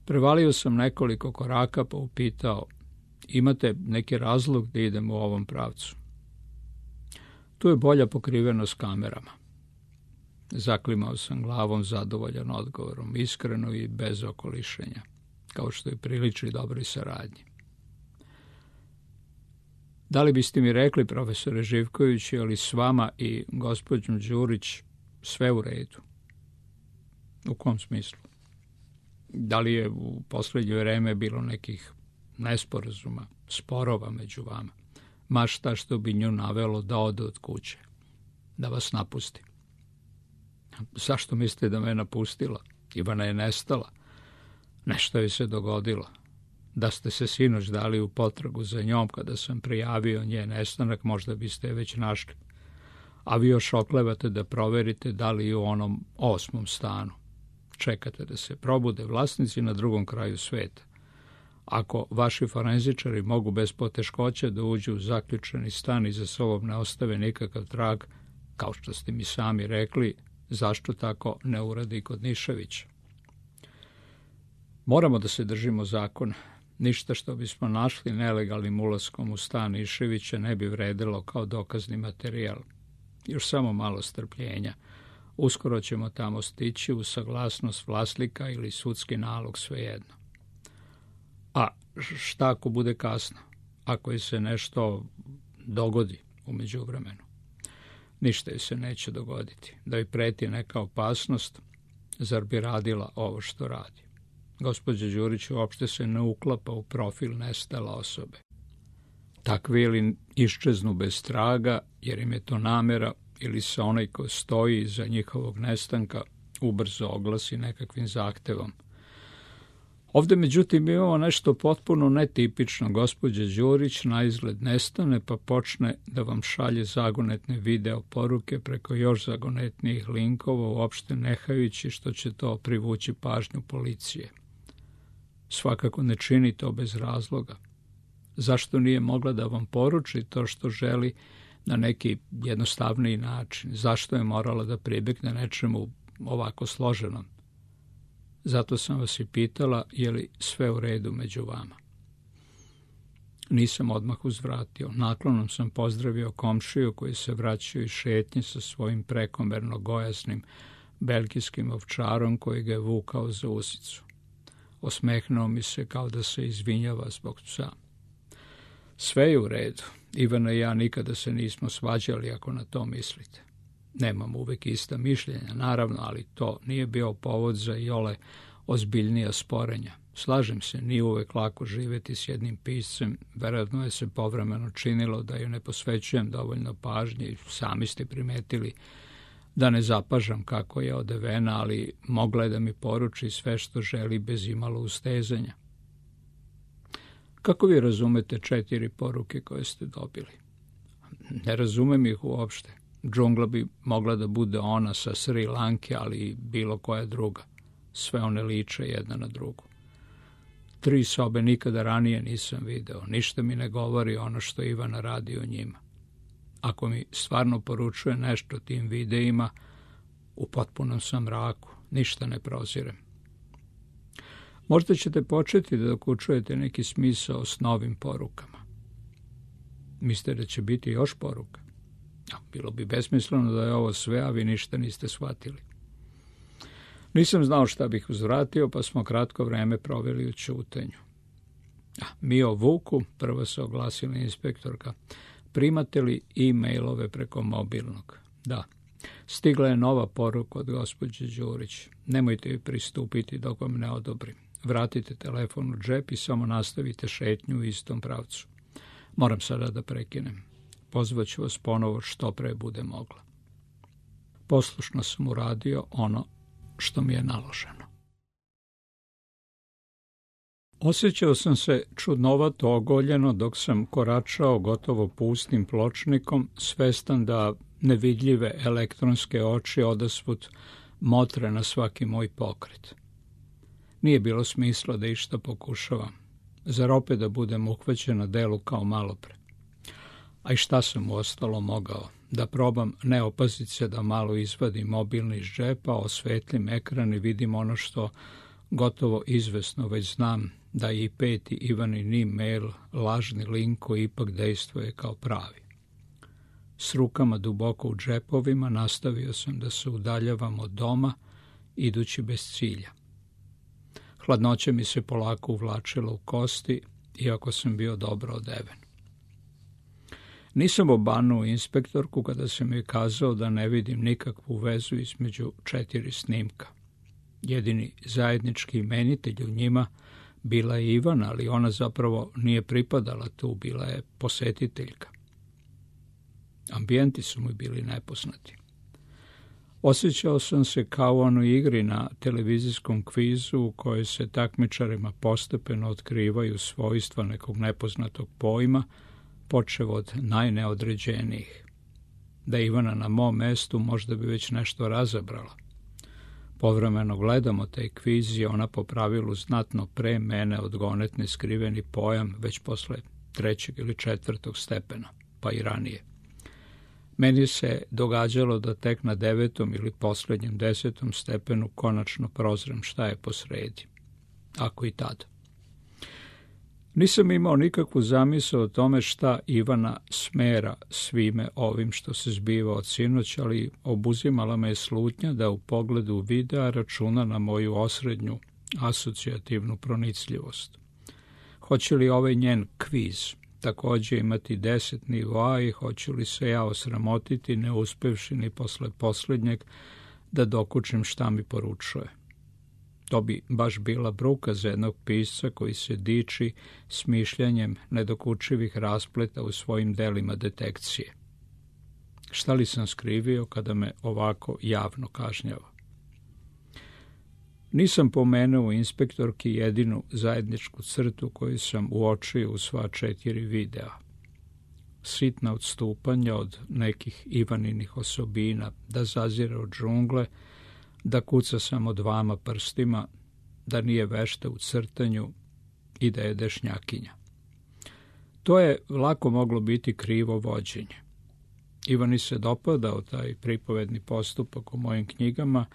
Speaker 1: Prevalio sam nekoliko koraka pa upitao, imate neki razlog da idem u ovom pravcu? Tu je bolja pokrivenost kamerama. Zaklimao sam glavom zadovoljan odgovorom, iskreno i bez okolišenja, kao što i priliči dobroj saradnji. Da li biste mi rekli, profesore Živković, je li s vama i gospođom Đurić sve u redu? U kom smislu? Da li je u posljednje vreme bilo nekih nesporazuma, sporova među vama? Ma šta što bi nju navelo da ode od kuće, da vas napusti? Zašto mislite da me napustila? Ivana je nestala. Nešto je se dogodilo. Da ste se sinoć dali u potragu za njom kada sam prijavio njen nestanak, možda biste je već našli. A vi još oklevate da proverite da li je u onom 8. stanu. Čekate da se probude vlasnici na drugom kraju sveta. Ako vaši forenzičari mogu bez poteškoća da uđu u zaključani stan i za sobom ne ostave nikakav trag, kao što ste mi sami rekli, zašto tako ne uradi kod Niševića? Moramo da se držimo zakona. Ništa što bismo našli nelegalnim ulaskom u stan Niševića ne bi vredilo kao dokazni materijal. Još samo malo strpljenja. Uskoro ćemo tamo stići uz saglasnost vlasnika ili sudski nalog, svejedno. A šta ako bude kasno? ako joj se nešto dogodi u međuvremenu. Ništa joj se neće dogoditi. Da joj preti neka opasnost, zar bi radila ovo što radi? Gospođa Đurić uopšte se ne uklapa u profil nestale osobe. Takvi ili iščeznu bez traga, jer im je to namera, ili se onaj ko stoji iza njihovog nestanka ubrzo oglasi nekakvim zahtevom. Ovde, međutim, imamo nešto potpuno netipično. Gospođa Đurić na izgled nestane, pa počne da vam šalje zagonetne video poruke preko još zagonetnijih linkova, uopšte nehajući što će to privući pažnju policije. Svakako ne čini to bez razloga. Zašto nije mogla da vam poruči to što želi na neki jednostavniji način? Zašto je morala da pribjegne nečemu ovako složenom? Zato sam vas i pitala, je li sve u redu među vama. Nisam odmah uzvratio. Naklonom sam pozdravio komšiju koji se vraćao iz šetnje sa svojim prekomerno gojasnim belgijskim ovčarom koji ga je vukao za usicu. Osmehnuo mi se kao da se izvinjava zbog psa. Sve je u redu. Ivana i ja nikada se nismo svađali, ako na to mislite. Nemam uvek ista mišljenja, naravno, ali to nije bio povod za iole ozbiljnija sporenja. Slažem se, nije uvek lako živjeti s jednim piscem, verovatno je se povremeno činilo da joj ne posvećujem dovoljno pažnje i sami ste primetili da ne zapažam kako je odevena, ali mogla je da mi poruči sve što želi bez imalo ustezanja. Kako vi razumete 4 poruke koje ste dobili? Ne razumem ih uopšte. Džungla bi mogla da bude ona sa Sri Lanke, ali i bilo koja druga. Sve one liče jedna na drugu. 3 sobe nikada ranije nisam video. Ništa mi ne govori ono što Ivana radi u njima. Ako mi stvarno poručuje nešto tim videima, u potpunom sam mraku. Ništa ne prozirem. Možda ćete početi da dokučujete neki smisao s novim porukama. Mislite da će biti još poruka? Bilo bi besmisleno da je ovo sve, a vi ništa niste shvatili. Nisam znao šta bih uzvratio, pa smo kratko vreme proveli u ćutanju. Mi o Vuku, prvo se oglasila inspektorka, primate li e-mailove preko mobilnog? Da. Stigla je nova poruka od gospođe Đurić. Nemojte joj pristupiti dok vam ne odobrim. Vratite telefon u džep i samo nastavite šetnju u istom pravcu. Moram sada da prekinem. Pozvaću vas ponovo što pre bude mogla. Poslušno sam uradio ono što mi je naloženo. Osjećao sam se čudnovato ogoljeno dok sam koračao gotovo pustim pločnikom, svestan da nevidljive elektronske oči odasvud motre na svaki moj pokret. Nije bilo smisla da išta pokušavam. Zar opet da budem uhvaćen na delu kao malopre? A i šta sam uostalo mogao? Da probam ne opaziti se da malo izvadim mobilni iz džepa, osvetlim ekran i vidim ono što gotovo izvesno već znam, da je i 5. Ivanin e-mail lažni link koji ipak dejstvuje kao pravi. S rukama duboko u džepovima nastavio sam da se udaljavam od doma, idući bez cilja. Hladnoća mi se polako uvlačila u kosti, iako sam bio dobro odeven. Nisam obanuo inspektorku kada sam joj kazao da ne vidim nikakvu vezu između 4 snimka. Jedini zajednički imenitelj u njima bila je Ivana, ali ona zapravo nije pripadala tu, bila je posetiteljka. Ambijenti su mi bili nepoznati. Osjećao sam se kao u onoj igri na televizijskom kvizu u kojoj se takmičarima postepeno otkrivaju svojstva nekog nepoznatog pojma, počev od najneodređenijih. Da je Ivana na mom mestu, možda bi već nešto razabrala. Povremeno gledamo taj kviz i ona po pravilu znatno pre mene odgonetne skriveni pojam već posle 3. ili 4. stepena, pa i ranije. Meni se događalo da tek na 9. ili posljednjem 10. stepenu konačno prozrem šta je posredi, ako i tada. Nisam imao nikakvu zamisao o tome šta Ivana smera svime ovim što se zbiva od sinoć, ali obuzimala me je slutnja da u pogledu videa računa na moju osrednju asocijativnu pronicljivost. Hoće li ovaj njen kviz takođe imati 10 nivoa i hoću li se ja osramotiti ne uspevši ni posle poslednjeg da dokučim šta mi poručuje. To bi baš bila bruka za jednog pisca koji se diči smišljanjem nedokučivih raspleta u svojim delima detekcije. Šta li sam skrivio kada me ovako javno kažnjava? Nisam pomenuo inspektorki jedinu zajedničku crtu koju sam uočio u sva 4 videa. Sitna odstupanja od nekih Ivaninih osobina, da zazire od džungle, da kuca samo 2 prstima, da nije vešta u crtanju i da je dešnjakinja. To je lako moglo biti krivo vođenje. Ivani se dopadao taj pripovedni postupak u mojim knjigama,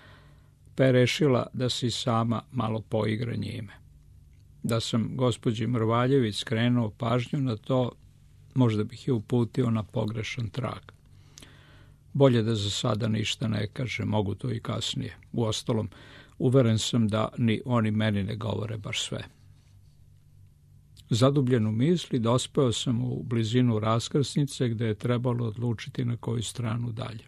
Speaker 1: pa je rešila da se sama malo poigra njime. Da sam gospođi Mrvaljević skrenuo pažnju na to, možda bih je uputio na pogrešan trag. Bolje da za sada ništa ne kaže, mogu to i kasnije. Uostalom, uveren sam da ni oni meni ne govore baš sve. Zadubljen u misli, dospeo sam u blizinu raskrsnice gde je trebalo odlučiti na koju stranu dalje.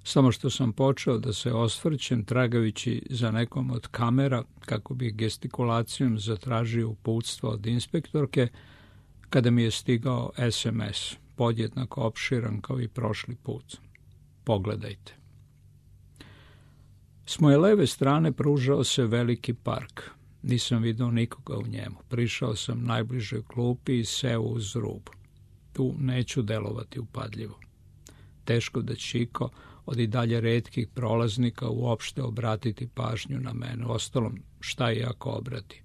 Speaker 1: Samo što sam počeo da se osvrćem tragajući za nekom od kamera kako bih gestikulacijom zatražio uputstvo od inspektorke, kada mi je stigao SMS, podjednako opširan kao i prošli put. Pogledajte. S moje leve strane pružao se veliki park. Nisam video nikoga u njemu. Prišao sam najbližoj klupi i seo uz rub. Tu neću delovati upadljivo. Teško da će iko od i dalje retkih prolaznika uopšte obratiti pažnju na mene. Ostalom, šta i ako obrati?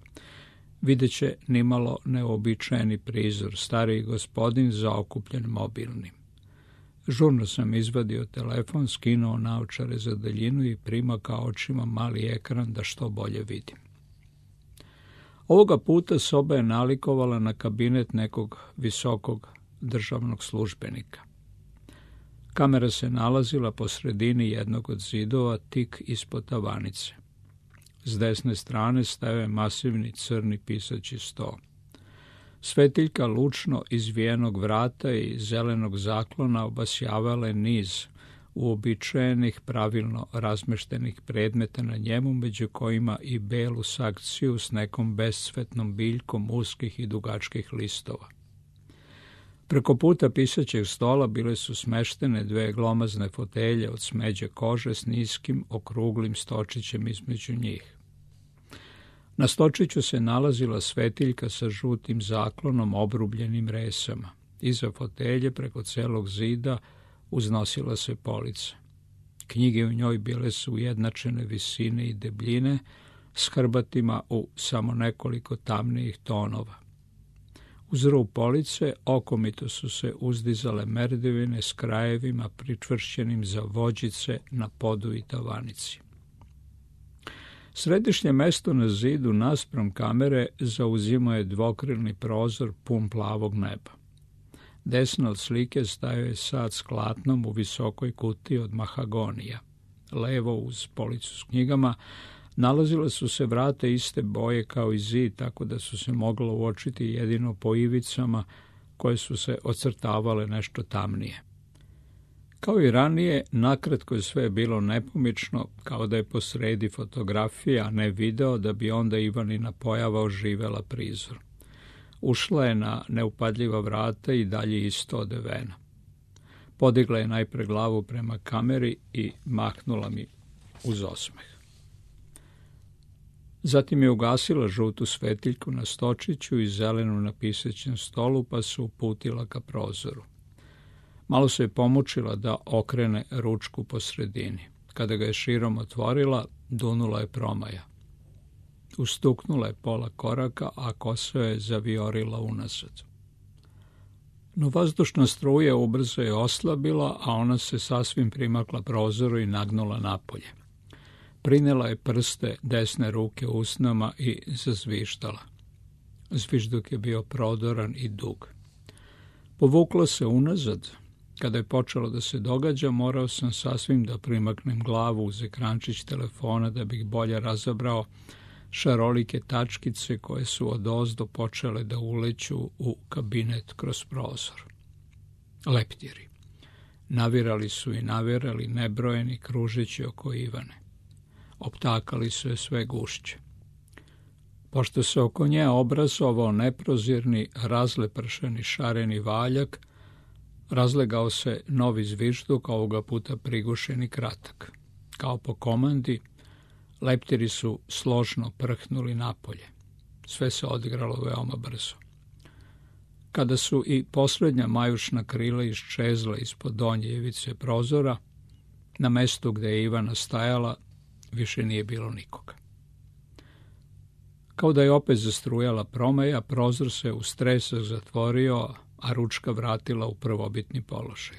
Speaker 1: Videće nimalo neobičajeni prizor, stariji gospodin zaokupljen mobilnim. Žurno sam izvadio telefon, skinuo naočare za daljinu i primakao očima mali ekran da što bolje vidim. Ovoga puta soba je nalikovala na kabinet nekog visokog državnog službenika. Kamera se nalazila po sredini jednog od zidova, tik ispod tavanice. S desne strane stajao je masivni crni pisaći sto. Svetiljka lučno izvijenog vrata i zelenog zaklona obasjavala je niz uobičajenih, pravilno razmeštenih predmeta na njemu, među kojima i belu sakciju s nekom bescvetnom biljkom uskih i dugačkih listova. Preko puta pisaćeg stola bile su smeštene 2 glomazne fotelje od smeđe kože s niskim, okruglim stočićem između njih. Na stočiću se nalazila svetiljka sa žutim zaklonom obrubljenim resama. Iza fotelje, preko celog zida, uznosila se polica. Knjige u njoj bile su ujednačene visine i debljine, s hrbatima u samo nekoliko tamnijih tonova. Uz rub police okomito su se uzdizale merdevine s krajevima pričvršćenim za vođice na podu i tavanici. Središnje mesto na zidu naspram kamere zauzimao je dvokrilni prozor pun plavog neba. Desno od slike stajao je sat s klatnom u visokoj kutiji od mahagonija. Levo, uz policu s knjigama, nalazile su se vrata iste boje kao i zid, tako da su se moglo uočiti jedino po ivicama koje su se ocrtavale nešto tamnije. Kao i ranije, nakratko je sve bilo nepomično, kao da je posredi fotografija, a ne video, da bi onda Ivanina pojava oživela prizor. Ušla je na neupadljiva vrata i dalje isto odevena. Podigla je najpre glavu prema kameri i mahnula mi uz osmeh. Zatim je ugasila žutu svetiljku na stočiću i zelenu na pisaćem stolu, pa se uputila ka prozoru. Malo se je pomučila da okrene ručku po sredini. Kada ga je širom otvorila, dunula je promaja. Ustuknula je pola koraka, a kosa je zaviorila unazad. No vazdušna struja ubrzo je oslabila, a ona se sasvim primakla prozoru i nagnula napolje. Prinela je prste desne ruke usnama i zazvištala. Zvižduk je bio prodoran i dug. Povukla se unazad. Kada je počelo da se događa, morao sam sasvim da primaknem glavu uz ekrančić telefona da bih bolje razabrao šarolike tačkice koje su odozdo počele da uleću u kabinet kroz prozor. Leptiri. Navirali su i navirali nebrojeni kružeći oko Ivane. Optakali su je sve gušće. Pošto se oko nje obrazovao neprozirni, razlepršeni šareni valjak, razlegao se novi zvižduk, ovoga puta prigušen i kratak. Kao po komandi, leptiri su složno prhnuli napolje. Sve se odigralo veoma brzo. Kada su i posljednja majušna krila iščezla ispod donje ivice prozora, na mestu gde je Ivana stajala više nije bilo nikoga. Kao da je opet zastrujala promeja, prozor se u stresak zatvorio, a ručka vratila u prvobitni položaj.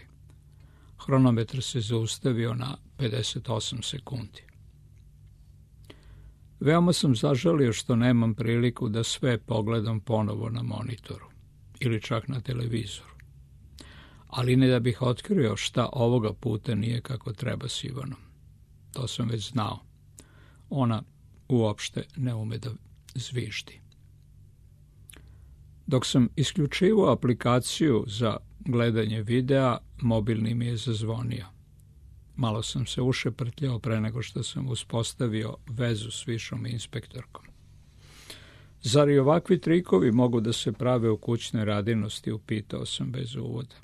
Speaker 1: Hronometar se zaustavio na 58 sekundi. Veoma sam zažalio što nemam priliku da sve pogledam ponovo na monitoru ili čak na televizoru. Ali ne da bih otkrio šta ovoga puta nije kako treba s Ivanom. To sam već znao. Ona uopšte ne ume da zviždi. Dok sam isključivao aplikaciju za gledanje videa, mobilni mi je zazvonio. Malo sam se ušeprtljao pre nego što sam uspostavio vezu s višom inspektorkom. Zar i ovakvi trikovi mogu da se prave u kućnoj radinosti, upitao sam bez uvoda.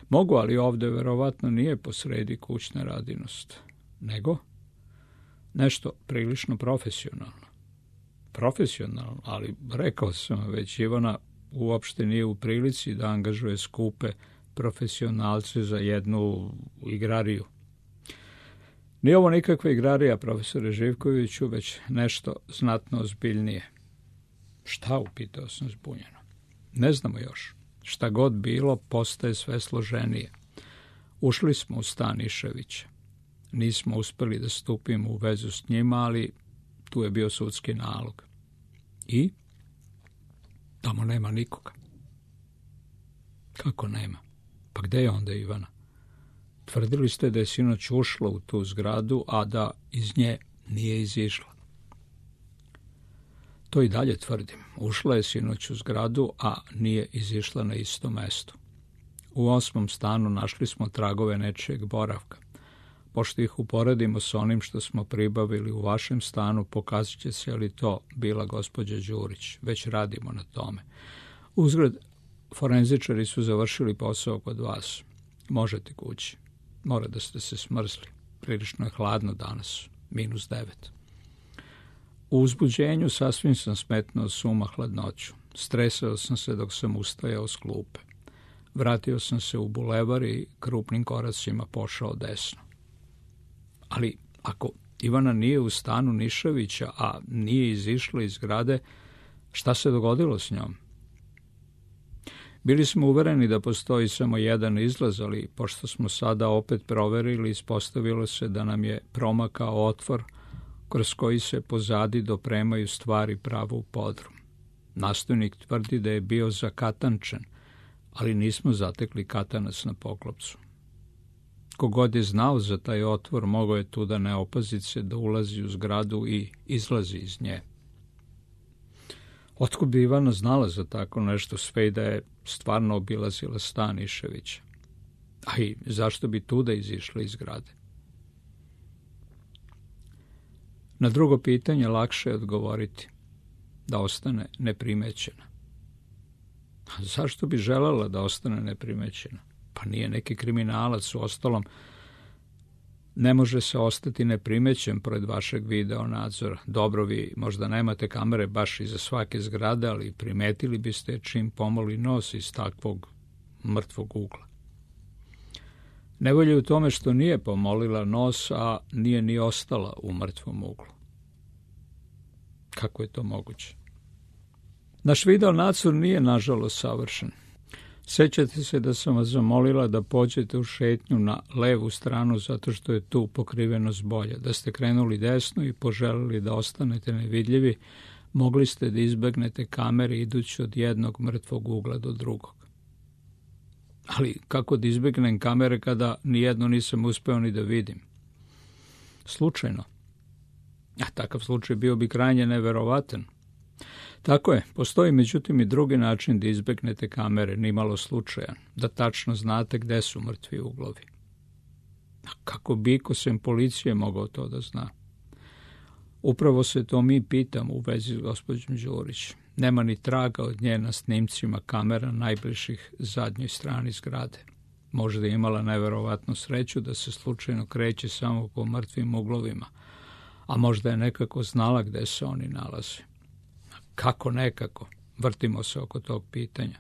Speaker 1: Mogu, ali ovde verovatno nije posredi kućna radinost. Nego? Nešto prilično profesionalno. Profesionalno, ali rekao sam već, Ivana uopšte nije u prilici da angažuje skupe profesionalce za jednu igrariju. Nije ovo nikakva igrarija, profesore Živkoviću, već nešto znatno ozbiljnije. Šta, upitao sam zbunjeno. Ne znamo još. Šta god bilo, postaje sve složenije. Ušli smo u stan Iševića. Nismo uspeli da stupimo u vezu s njima, ali tu je bio sudski nalog. I? Tamo nema nikoga. Kako nema? Pa gde je onda Ivana? Tvrdili ste da je sinoć ušla u tu zgradu, a da iz nje nije izišla. To i dalje tvrdim. Ušla je sinoć u zgradu, a nije izišla na isto mesto. U 8. stanu našli smo tragove nečijeg boravka. Pošto ih uporedimo s onim što smo pribavili u vašem stanu, pokazat će se li to bila gospođa Đurić. Već radimo na tome. Uzgred, forenzičari su završili posao kod vas. Možete kući. Mora da ste se smrzli. Prilično je hladno danas. -9. U uzbuđenju sasvim sam smetnuo suma hladnoću. Stresao sam se dok sam ustajao s klupe. Vratio sam se u bulevar i krupnim koracima pošao desno. Ali ako Ivana nije u stanu Niševića, a nije izišla iz zgrade, šta se dogodilo s njom? Bili smo uvereni da postoji samo jedan izlaz, ali pošto smo sada opet proverili, ispostavilo se da nam je promakao otvor kroz koji se pozadi dopremaju stvari pravo u podrum. Nastojnik tvrdi da je bio zakatančen, ali nismo zatekli katanac na poklopcu. Kogod je znao za taj otvor, mogao je tu da ne opazi se da ulazi u zgradu i izlazi iz nje. Otkud bi Ivana znala za tako nešto, sve i da je stvarno obilazila stan Iševića? A i zašto bi tu da izišla iz zgrade? Na drugo pitanje lakše je odgovoriti da ostane neprimećena. A zašto bi želela da ostane neprimećena? Pa nije neki kriminalac, uostalom ne može se ostati neprimećen pored vašeg video nadzora. Dobro, vi možda nemate kamere baš iza svake zgrade, ali primetili biste čim pomoli nos iz takvog mrtvog ugla. Nevolja je u tome što nije pomolila nos, a nije ni ostala u mrtvom uglu. Kako je to moguće? Naš video nadzor nije, nažalost, savršen. Sećate se da sam vas zamolila da pođete u šetnju na levu stranu zato što je tu pokrivenost bolja. Da ste krenuli desno i poželili da ostanete nevidljivi, mogli ste da izbegnete kamere idući od jednog mrtvog ugla do drugog. Ali kako da izbegnem kamere kada nijedno nisam uspeo ni da vidim? Slučajno. A takav slučaj bio bi krajnje neverovatan. Tako je, postoji međutim i drugi način da izbegnete kamere, nimalo slučajan, da tačno znate gde su mrtvi uglovi. A kako bi iko sem policije mogao to da zna? Upravo se to mi pitamo u vezi s gospođom Đurić. Nema ni traga od nje na snimcima kamera najbližih zadnjoj strani zgrade. Možda je imala neverovatnu sreću da se slučajno kreće samo po mrtvim uglovima, a možda je nekako znala gde se oni nalaze. Kako nekako? Vrtimo se oko tog pitanja.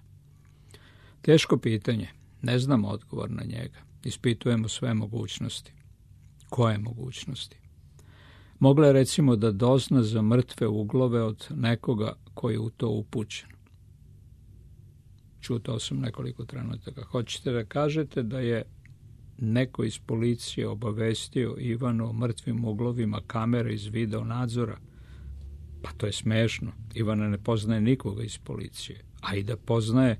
Speaker 1: Teško pitanje. Ne znamo odgovor na njega. Ispitujemo sve mogućnosti. Koje mogućnosti? Mogla je recimo da dozna za mrtve uglove od nekoga koji je u to upućen. Čutao sam nekoliko trenutaka. Hoćete da kažete da je neko iz policije obavestio Ivanu o mrtvim uglovima kamere iz video nadzora? Pa to je smešno. Ivana ne poznaje nikoga iz policije. A i da poznaje,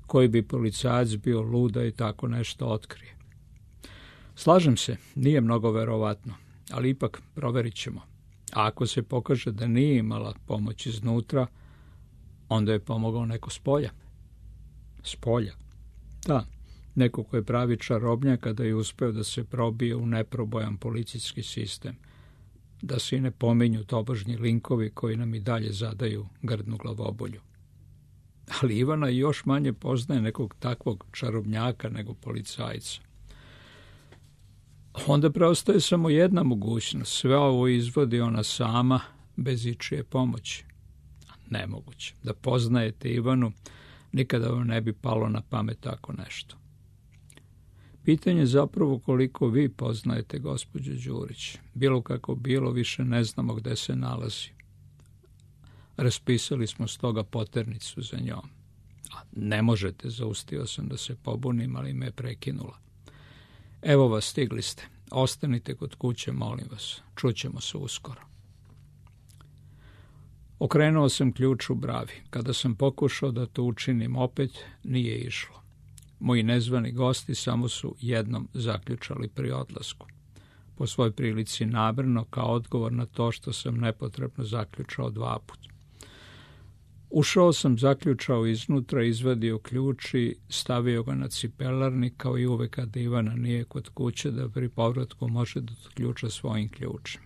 Speaker 1: koji bi policajac bio luda i tako nešto otkrije. Slažem se, nije mnogo verovatno, ali ipak proverit ćemo. A ako se pokaže da nije imala pomoć iznutra, onda je pomogao neko s polja. S polja? Da, neko ko je pravi čarobnjak kada je uspeo da se probije u neprobojan policijski sistem. Da se i ne pominju tobožnji linkovi koji nam i dalje zadaju grdnu glavobolju. Ali Ivana još manje poznaje nekog takvog čarobnjaka nego policajca. Onda preostaje samo jedna mogućnost. Sve ovo izvodi ona sama, bez ičije pomoći. Nemoguće. Da poznajete Ivanu, nikada vam ne bi palo na pamet tako nešto. Pitanje je zapravo koliko vi poznajete gospođu Đurić. Bilo kako bilo, više ne znamo gde se nalazi. Raspisali smo stoga poternicu za njom. A ne možete, zaustio sam da se pobunim, ali me je prekinula. Evo vas, stigli ste. Ostanite kod kuće, molim vas. Čućemo se uskoro. Okrenuo sam ključ u bravi. Kada sam pokušao da to učinim opet, nije išlo. Moji nezvani gosti samo su jednom zaključali pri odlasku. Po svoj prilici namerno, kao odgovor na to što sam nepotrebno zaključao 2 puta. Ušao sam, zaključao iznutra, izvadio ključ i stavio ga na cipelarnik, kao i uvek kada Ivana nije kod kuće, da pri povratku može da otključa svojim ključem.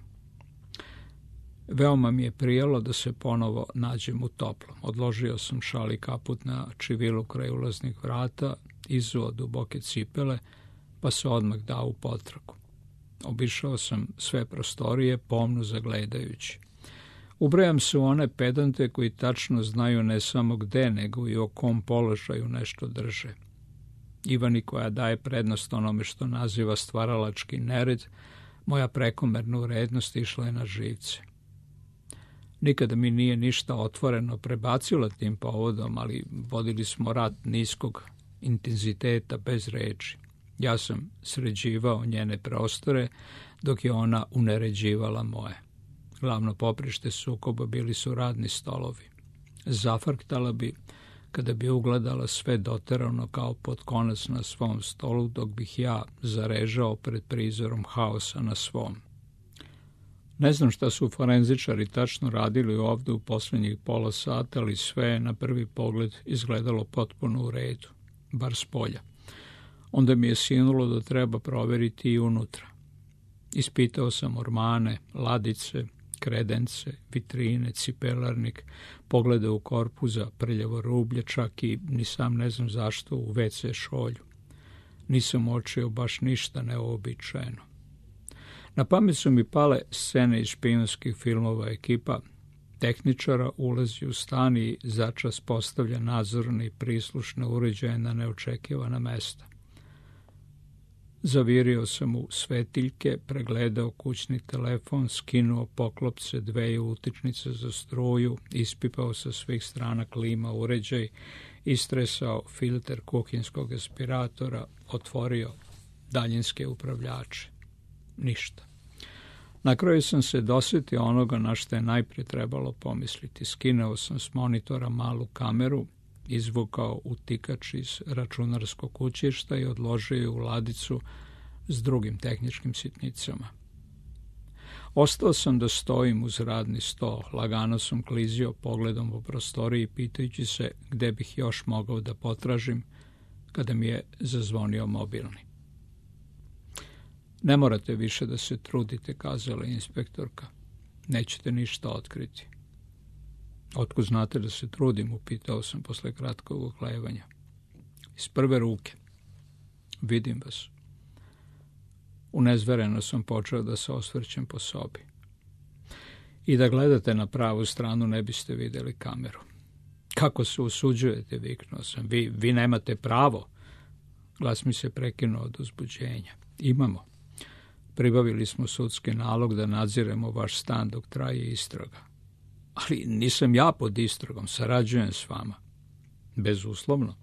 Speaker 1: Veoma mi je prijalo da se ponovo nađem u toplom. Odložio sam šal i kaput na čivilu kraj ulaznih vrata, izuo duboke cipele, pa se odmah dao u potragu. Obišao sam sve prostorije, pomno zagledajući. Ubrajam se u one pedante koji tačno znaju ne samo gde, nego i o kom položaju nešto drže. Ivani koja daje prednost onome što naziva stvaralački nered, moja prekomerna urednost išla je na živce. Nikada mi nije ništa otvoreno prebacila tim povodom, ali vodili smo rat niskog intenziteta bez reči. Ja sam sređivao njene prostore, dok je ona uneređivala moje. Glavno poprište sukoba bili su radni stolovi. Zafrktala bi kada bi ugledala sve doterano kao pod konac na svom stolu, dok bih ja zarežao pred prizorom haosa na svom. Ne znam šta su forenzičari tačno radili ovde u posljednjih pola sata, ali sve je na prvi pogled izgledalo potpuno u redu, bar s polja. Onda mi je sinulo da treba proveriti i unutra. Ispitao sam ormane, ladice, kredence, vitrine, cipelarnik, poglede u korpuza, prljavo rublje, čak i, ni sam ne znam zašto, u WC šolju. Nisam uočio baš ništa neobičajeno. Na pamet su mi pale scene iz špijunskih filmova. Ekipa tehničara ulazi u stan i začas postavlja nadzorne i prislušne uređaje na neočekivana mesta. Zavirio sam u svetiljke, pregledao kućni telefon, skinuo poklopce, 2 utičnice za struju, ispipao sa svih strana klima uređaj, istresao filter kuhinskog aspiratora, otvorio daljinske upravljače. Ništa. Na kraju sam se dosjetio onoga na što je najprije trebalo pomisliti. Skinuo sam s monitora malu kameru, izvukao utikač iz računarskog kućišta i odložio je u ladicu s drugim tehničkim sitnicama. Ostao sam da stojim uz radni sto, lagano sam klizio pogledom po prostoriji, pitajući se gde bih još mogao da potražim, kada mi je zazvonio mobilni. Ne morate više da se trudite, kazala inspektorka. Nećete ništa otkriti. Otkud znate da se trudim, upitao sam posle kratkog oklevanja. Iz prve ruke. Vidim vas. Unezvereno sam počeo da se osvrćem po sobi. I da gledate na pravu stranu ne biste vidjeli kameru. Kako se usuđujete, viknuo sam. Vi nemate pravo. Glas mi se prekinuo od uzbuđenja. Imamo. Pribavili smo sudski nalog da nadziremo vaš stan dok traje istraga. Ali nisam ja pod istragom, sarađujem s vama. Bezuslovno.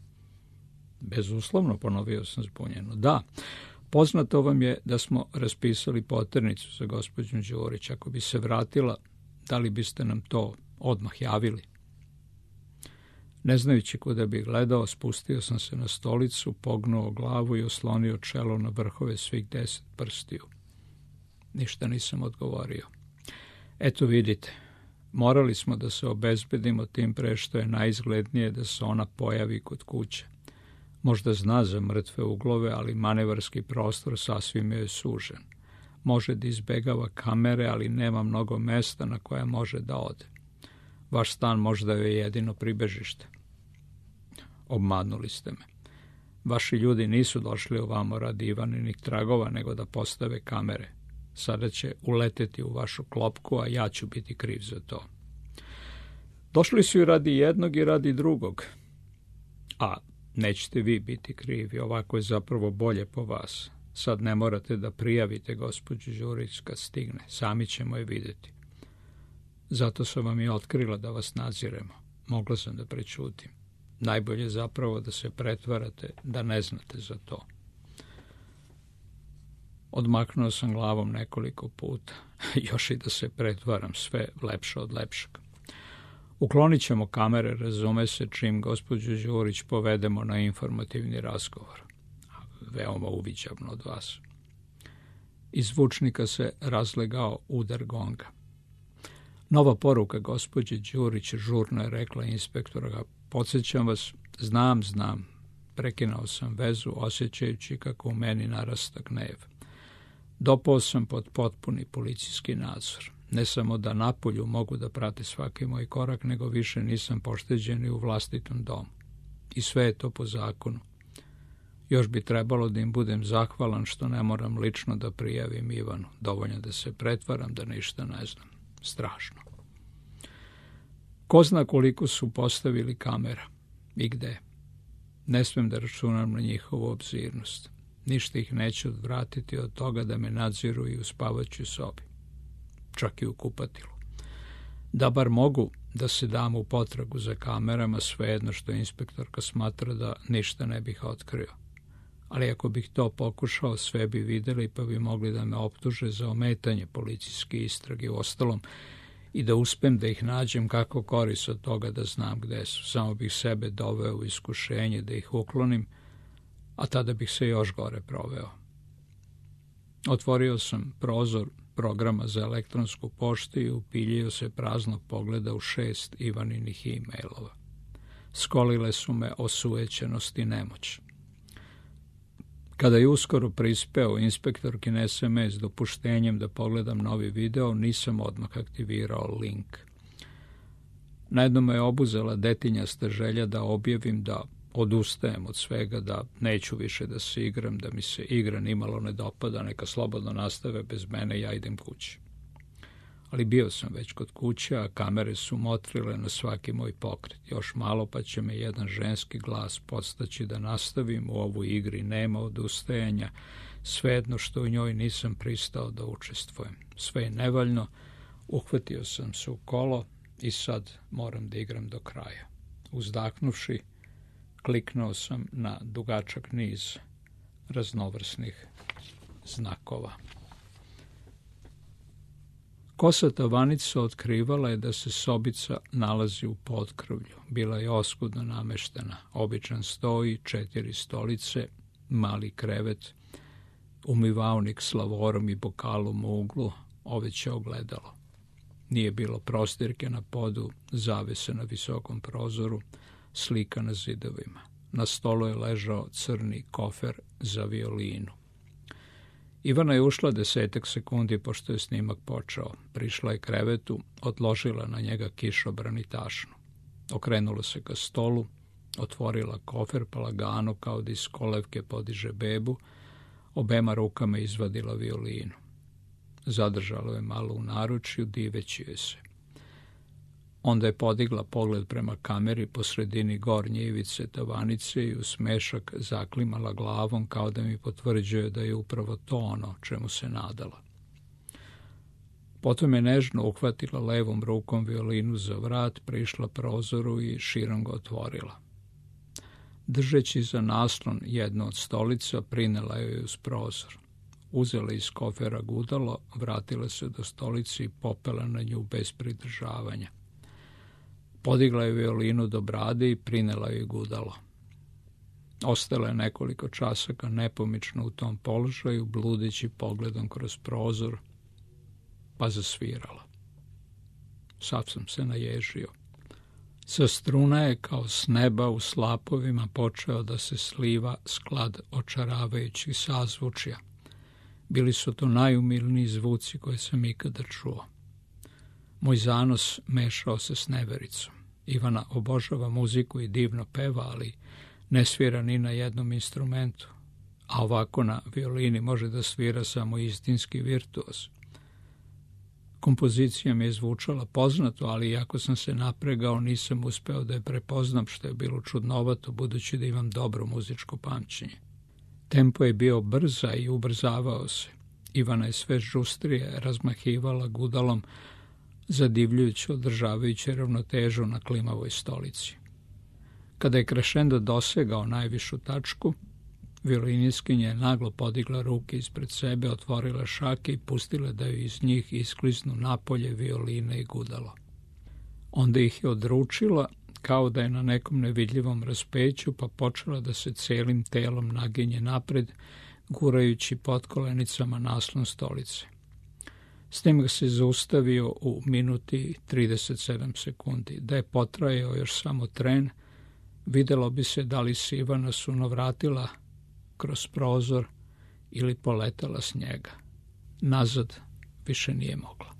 Speaker 1: Bezuslovno, ponovio sam zbunjeno. Da, poznato vam je da smo raspisali poternicu za gospođu Đurić. Ako bi se vratila, da li biste nam to odmah javili? Ne znajući kuda bi gledao, spustio sam se na stolicu, pognuo glavu i oslonio čelo na vrhove svih 10 prstiju. Ništa nisam odgovorio. Eto vidite, morali smo da se obezbedimo tim pre što je najizglednije da se ona pojavi kod kuće. Možda zna za mrtve uglove, ali manevarski prostor sasvim je sužen. Može da izbegava kamere, ali nema mnogo mesta na koje može da ode. Vaš stan možda je jedino pribežište. Obmanuli ste me. Vaši ljudi nisu došli ovamo radi Ivaninih tragova, nego da postave kamere. Sada će uleteti u vašu klopku, a ja ću biti kriv za to. Došli su i radi jednog i radi drugog. A nećete vi biti krivi, ovako je zapravo bolje po vas. Sad ne morate da prijavite gospođu Đurić kad stigne, sami ćemo je vidjeti. Zato sam vam i otkrila da vas nadziremo. Mogla sam da prećutim. Najbolje zapravo da se pretvarate da ne znate za to. Odmaknuo sam glavom nekoliko puta. Još i da se pretvaram, sve lepše od lepšeg. Uklonit ćemo kamere, razume se, čim gospođu Đurić povedemo na informativni razgovor. Veoma uviđavno od vas. Iz zvučnika se razlegao udar gonga. Nova poruka gospođe Đurić, žurno je rekla inspektora. Podsjećam vas, znam. Prekinuo sam vezu, osjećajući kako u meni narasta gnev. Dopao sam pod potpuni policijski nadzor. Ne samo da napolju mogu da prate svaki moj korak, nego više nisam pošteđen i u vlastitom domu. I sve je to po zakonu. Još bi trebalo da im budem zahvalan što ne moram lično da prijavim Ivanu. Dovoljno da se pretvaram da ništa ne znam. Strašno. Ko zna koliko su postavili kamera i gde. Ne smem da računam na njihovu obzirnost. Ništa ih neće odvratiti od toga da me nadziru i u spavaćoj sobi. Čak i u kupatilu. Da bar mogu da se dam u potragu za kamerama, svejedno što inspektorka smatra da ništa ne bih otkrio. Ali ako bih to pokušao, sve bi videli pa bi mogli da me optuže za ometanje policijske istrage. Uostalom, i da uspem da ih nađem, kako korist od toga da znam gde su. Samo bih sebe doveo u iskušenje da ih uklonim, a tada bih se još gore proveo. Otvorio sam prozor programa za elektronsku poštu i upiljio se praznog pogleda u 6 Ivaninih e-mailova. Skolile su me osujećenost i nemoć. Kada je uskoro prispeo inspektorkin SMS dopuštenjem da pogledam novi video, nisam odmah aktivirao link. Najedno me je obuzela detinjasta želja da objavim da odustajem od svega, da neću više da se igram, da mi se igra nimalo ne dopada, neka slobodno nastave bez mene, ja idem kući. Ali bio sam već kod kuće, a kamere su motrile na svaki moj pokret. Još malo pa će me jedan ženski glas podstaći da nastavim, u ovoj igri nema odustajanja, svejedno što u njoj nisam pristao da učestvujem. Sve je nevaljno, uhvatio sam se u kolo i sad moram da igram do kraja. Uzdahnuvši, kliknuo sam na dugačak niz raznovrsnih znakova. Kosata vanica otkrivala je da se sobica nalazi u potkrvlju. Bila je oskudno nameštena. Običan sto i 4 stolice, mali krevet, umivaonik s lavorom i bokalom u uglu, oveće ogledalo. Nije bilo prostirke na podu, zavese na visokom prozoru, slika na zidovima. Na stolu je ležao crni kofer za violinu. Ivana je ušla 10 sekundi pošto je snimak počeo. Prišla je krevetu, odložila na njega kišobran i tašnu. Okrenula se ka stolu, otvorila kofer pa lagano kao da iz kolevke podiže bebu, obema rukama izvadila violinu. Zadržalo je malo u naručju, diveći joj se. Onda je podigla pogled prema kameri po sredini gornje ivice tavanice i u smešak zaklimala glavom kao da mi potvrđuje da je upravo to ono čemu se nadala. Potom je nežno uhvatila levom rukom violinu za vrat, prišla prozoru i širom ga otvorila. Držeći za naslon jednu od stolica, prinela joj uz prozor. Uzela iz kofera gudalo, vratila se do stolice i popela na nju bez pridržavanja. Podigla je violinu do brade i prinela joj gudalo. Ostala je nekoliko časaka nepomično u tom položaju, bludeći pogledom kroz prozor, pa zasvirala. Sad sam se naježio. Sa struna je kao s neba u slapovima počeo da se sliva sklad očaravajućih sazvučja. Bili su to najumilniji zvuci koje sam ikada čuo. Moj zanos mešao se s nevericom. Ivana obožava muziku i divno peva, ali ne svira ni na jednom instrumentu, a ovako na violini može da svira samo istinski virtuoz. Kompozicija mi je zvučala poznato, ali iako sam se napregao, nisam uspeo da je prepoznam, što je bilo čudnovato, budući da imam dobro muzičko pamćenje. Tempo je bio brza i ubrzavao se. Ivana je sve žustrije razmahivala gudalom, zadivljujući, održavajući ravnotežu na klimavoj stolici. Kada je krešendo dosegao najvišu tačku, violiniskinja je naglo podigla ruke ispred sebe, otvorila šake i pustila da joj iz njih iskliznu napolje violine i gudalo. Onda ih je odručila kao da je na nekom nevidljivom raspeću, pa počela da se celim telom naginje napred, gurajući pod kolenicama naslon stolice. S tim ga se zaustavio u minuti 37 sekundi. Da je potrajao još samo tren, videlo bi se da li se Ivana suno vratila kroz prozor ili poletala s njega. Nazad više nije mogla.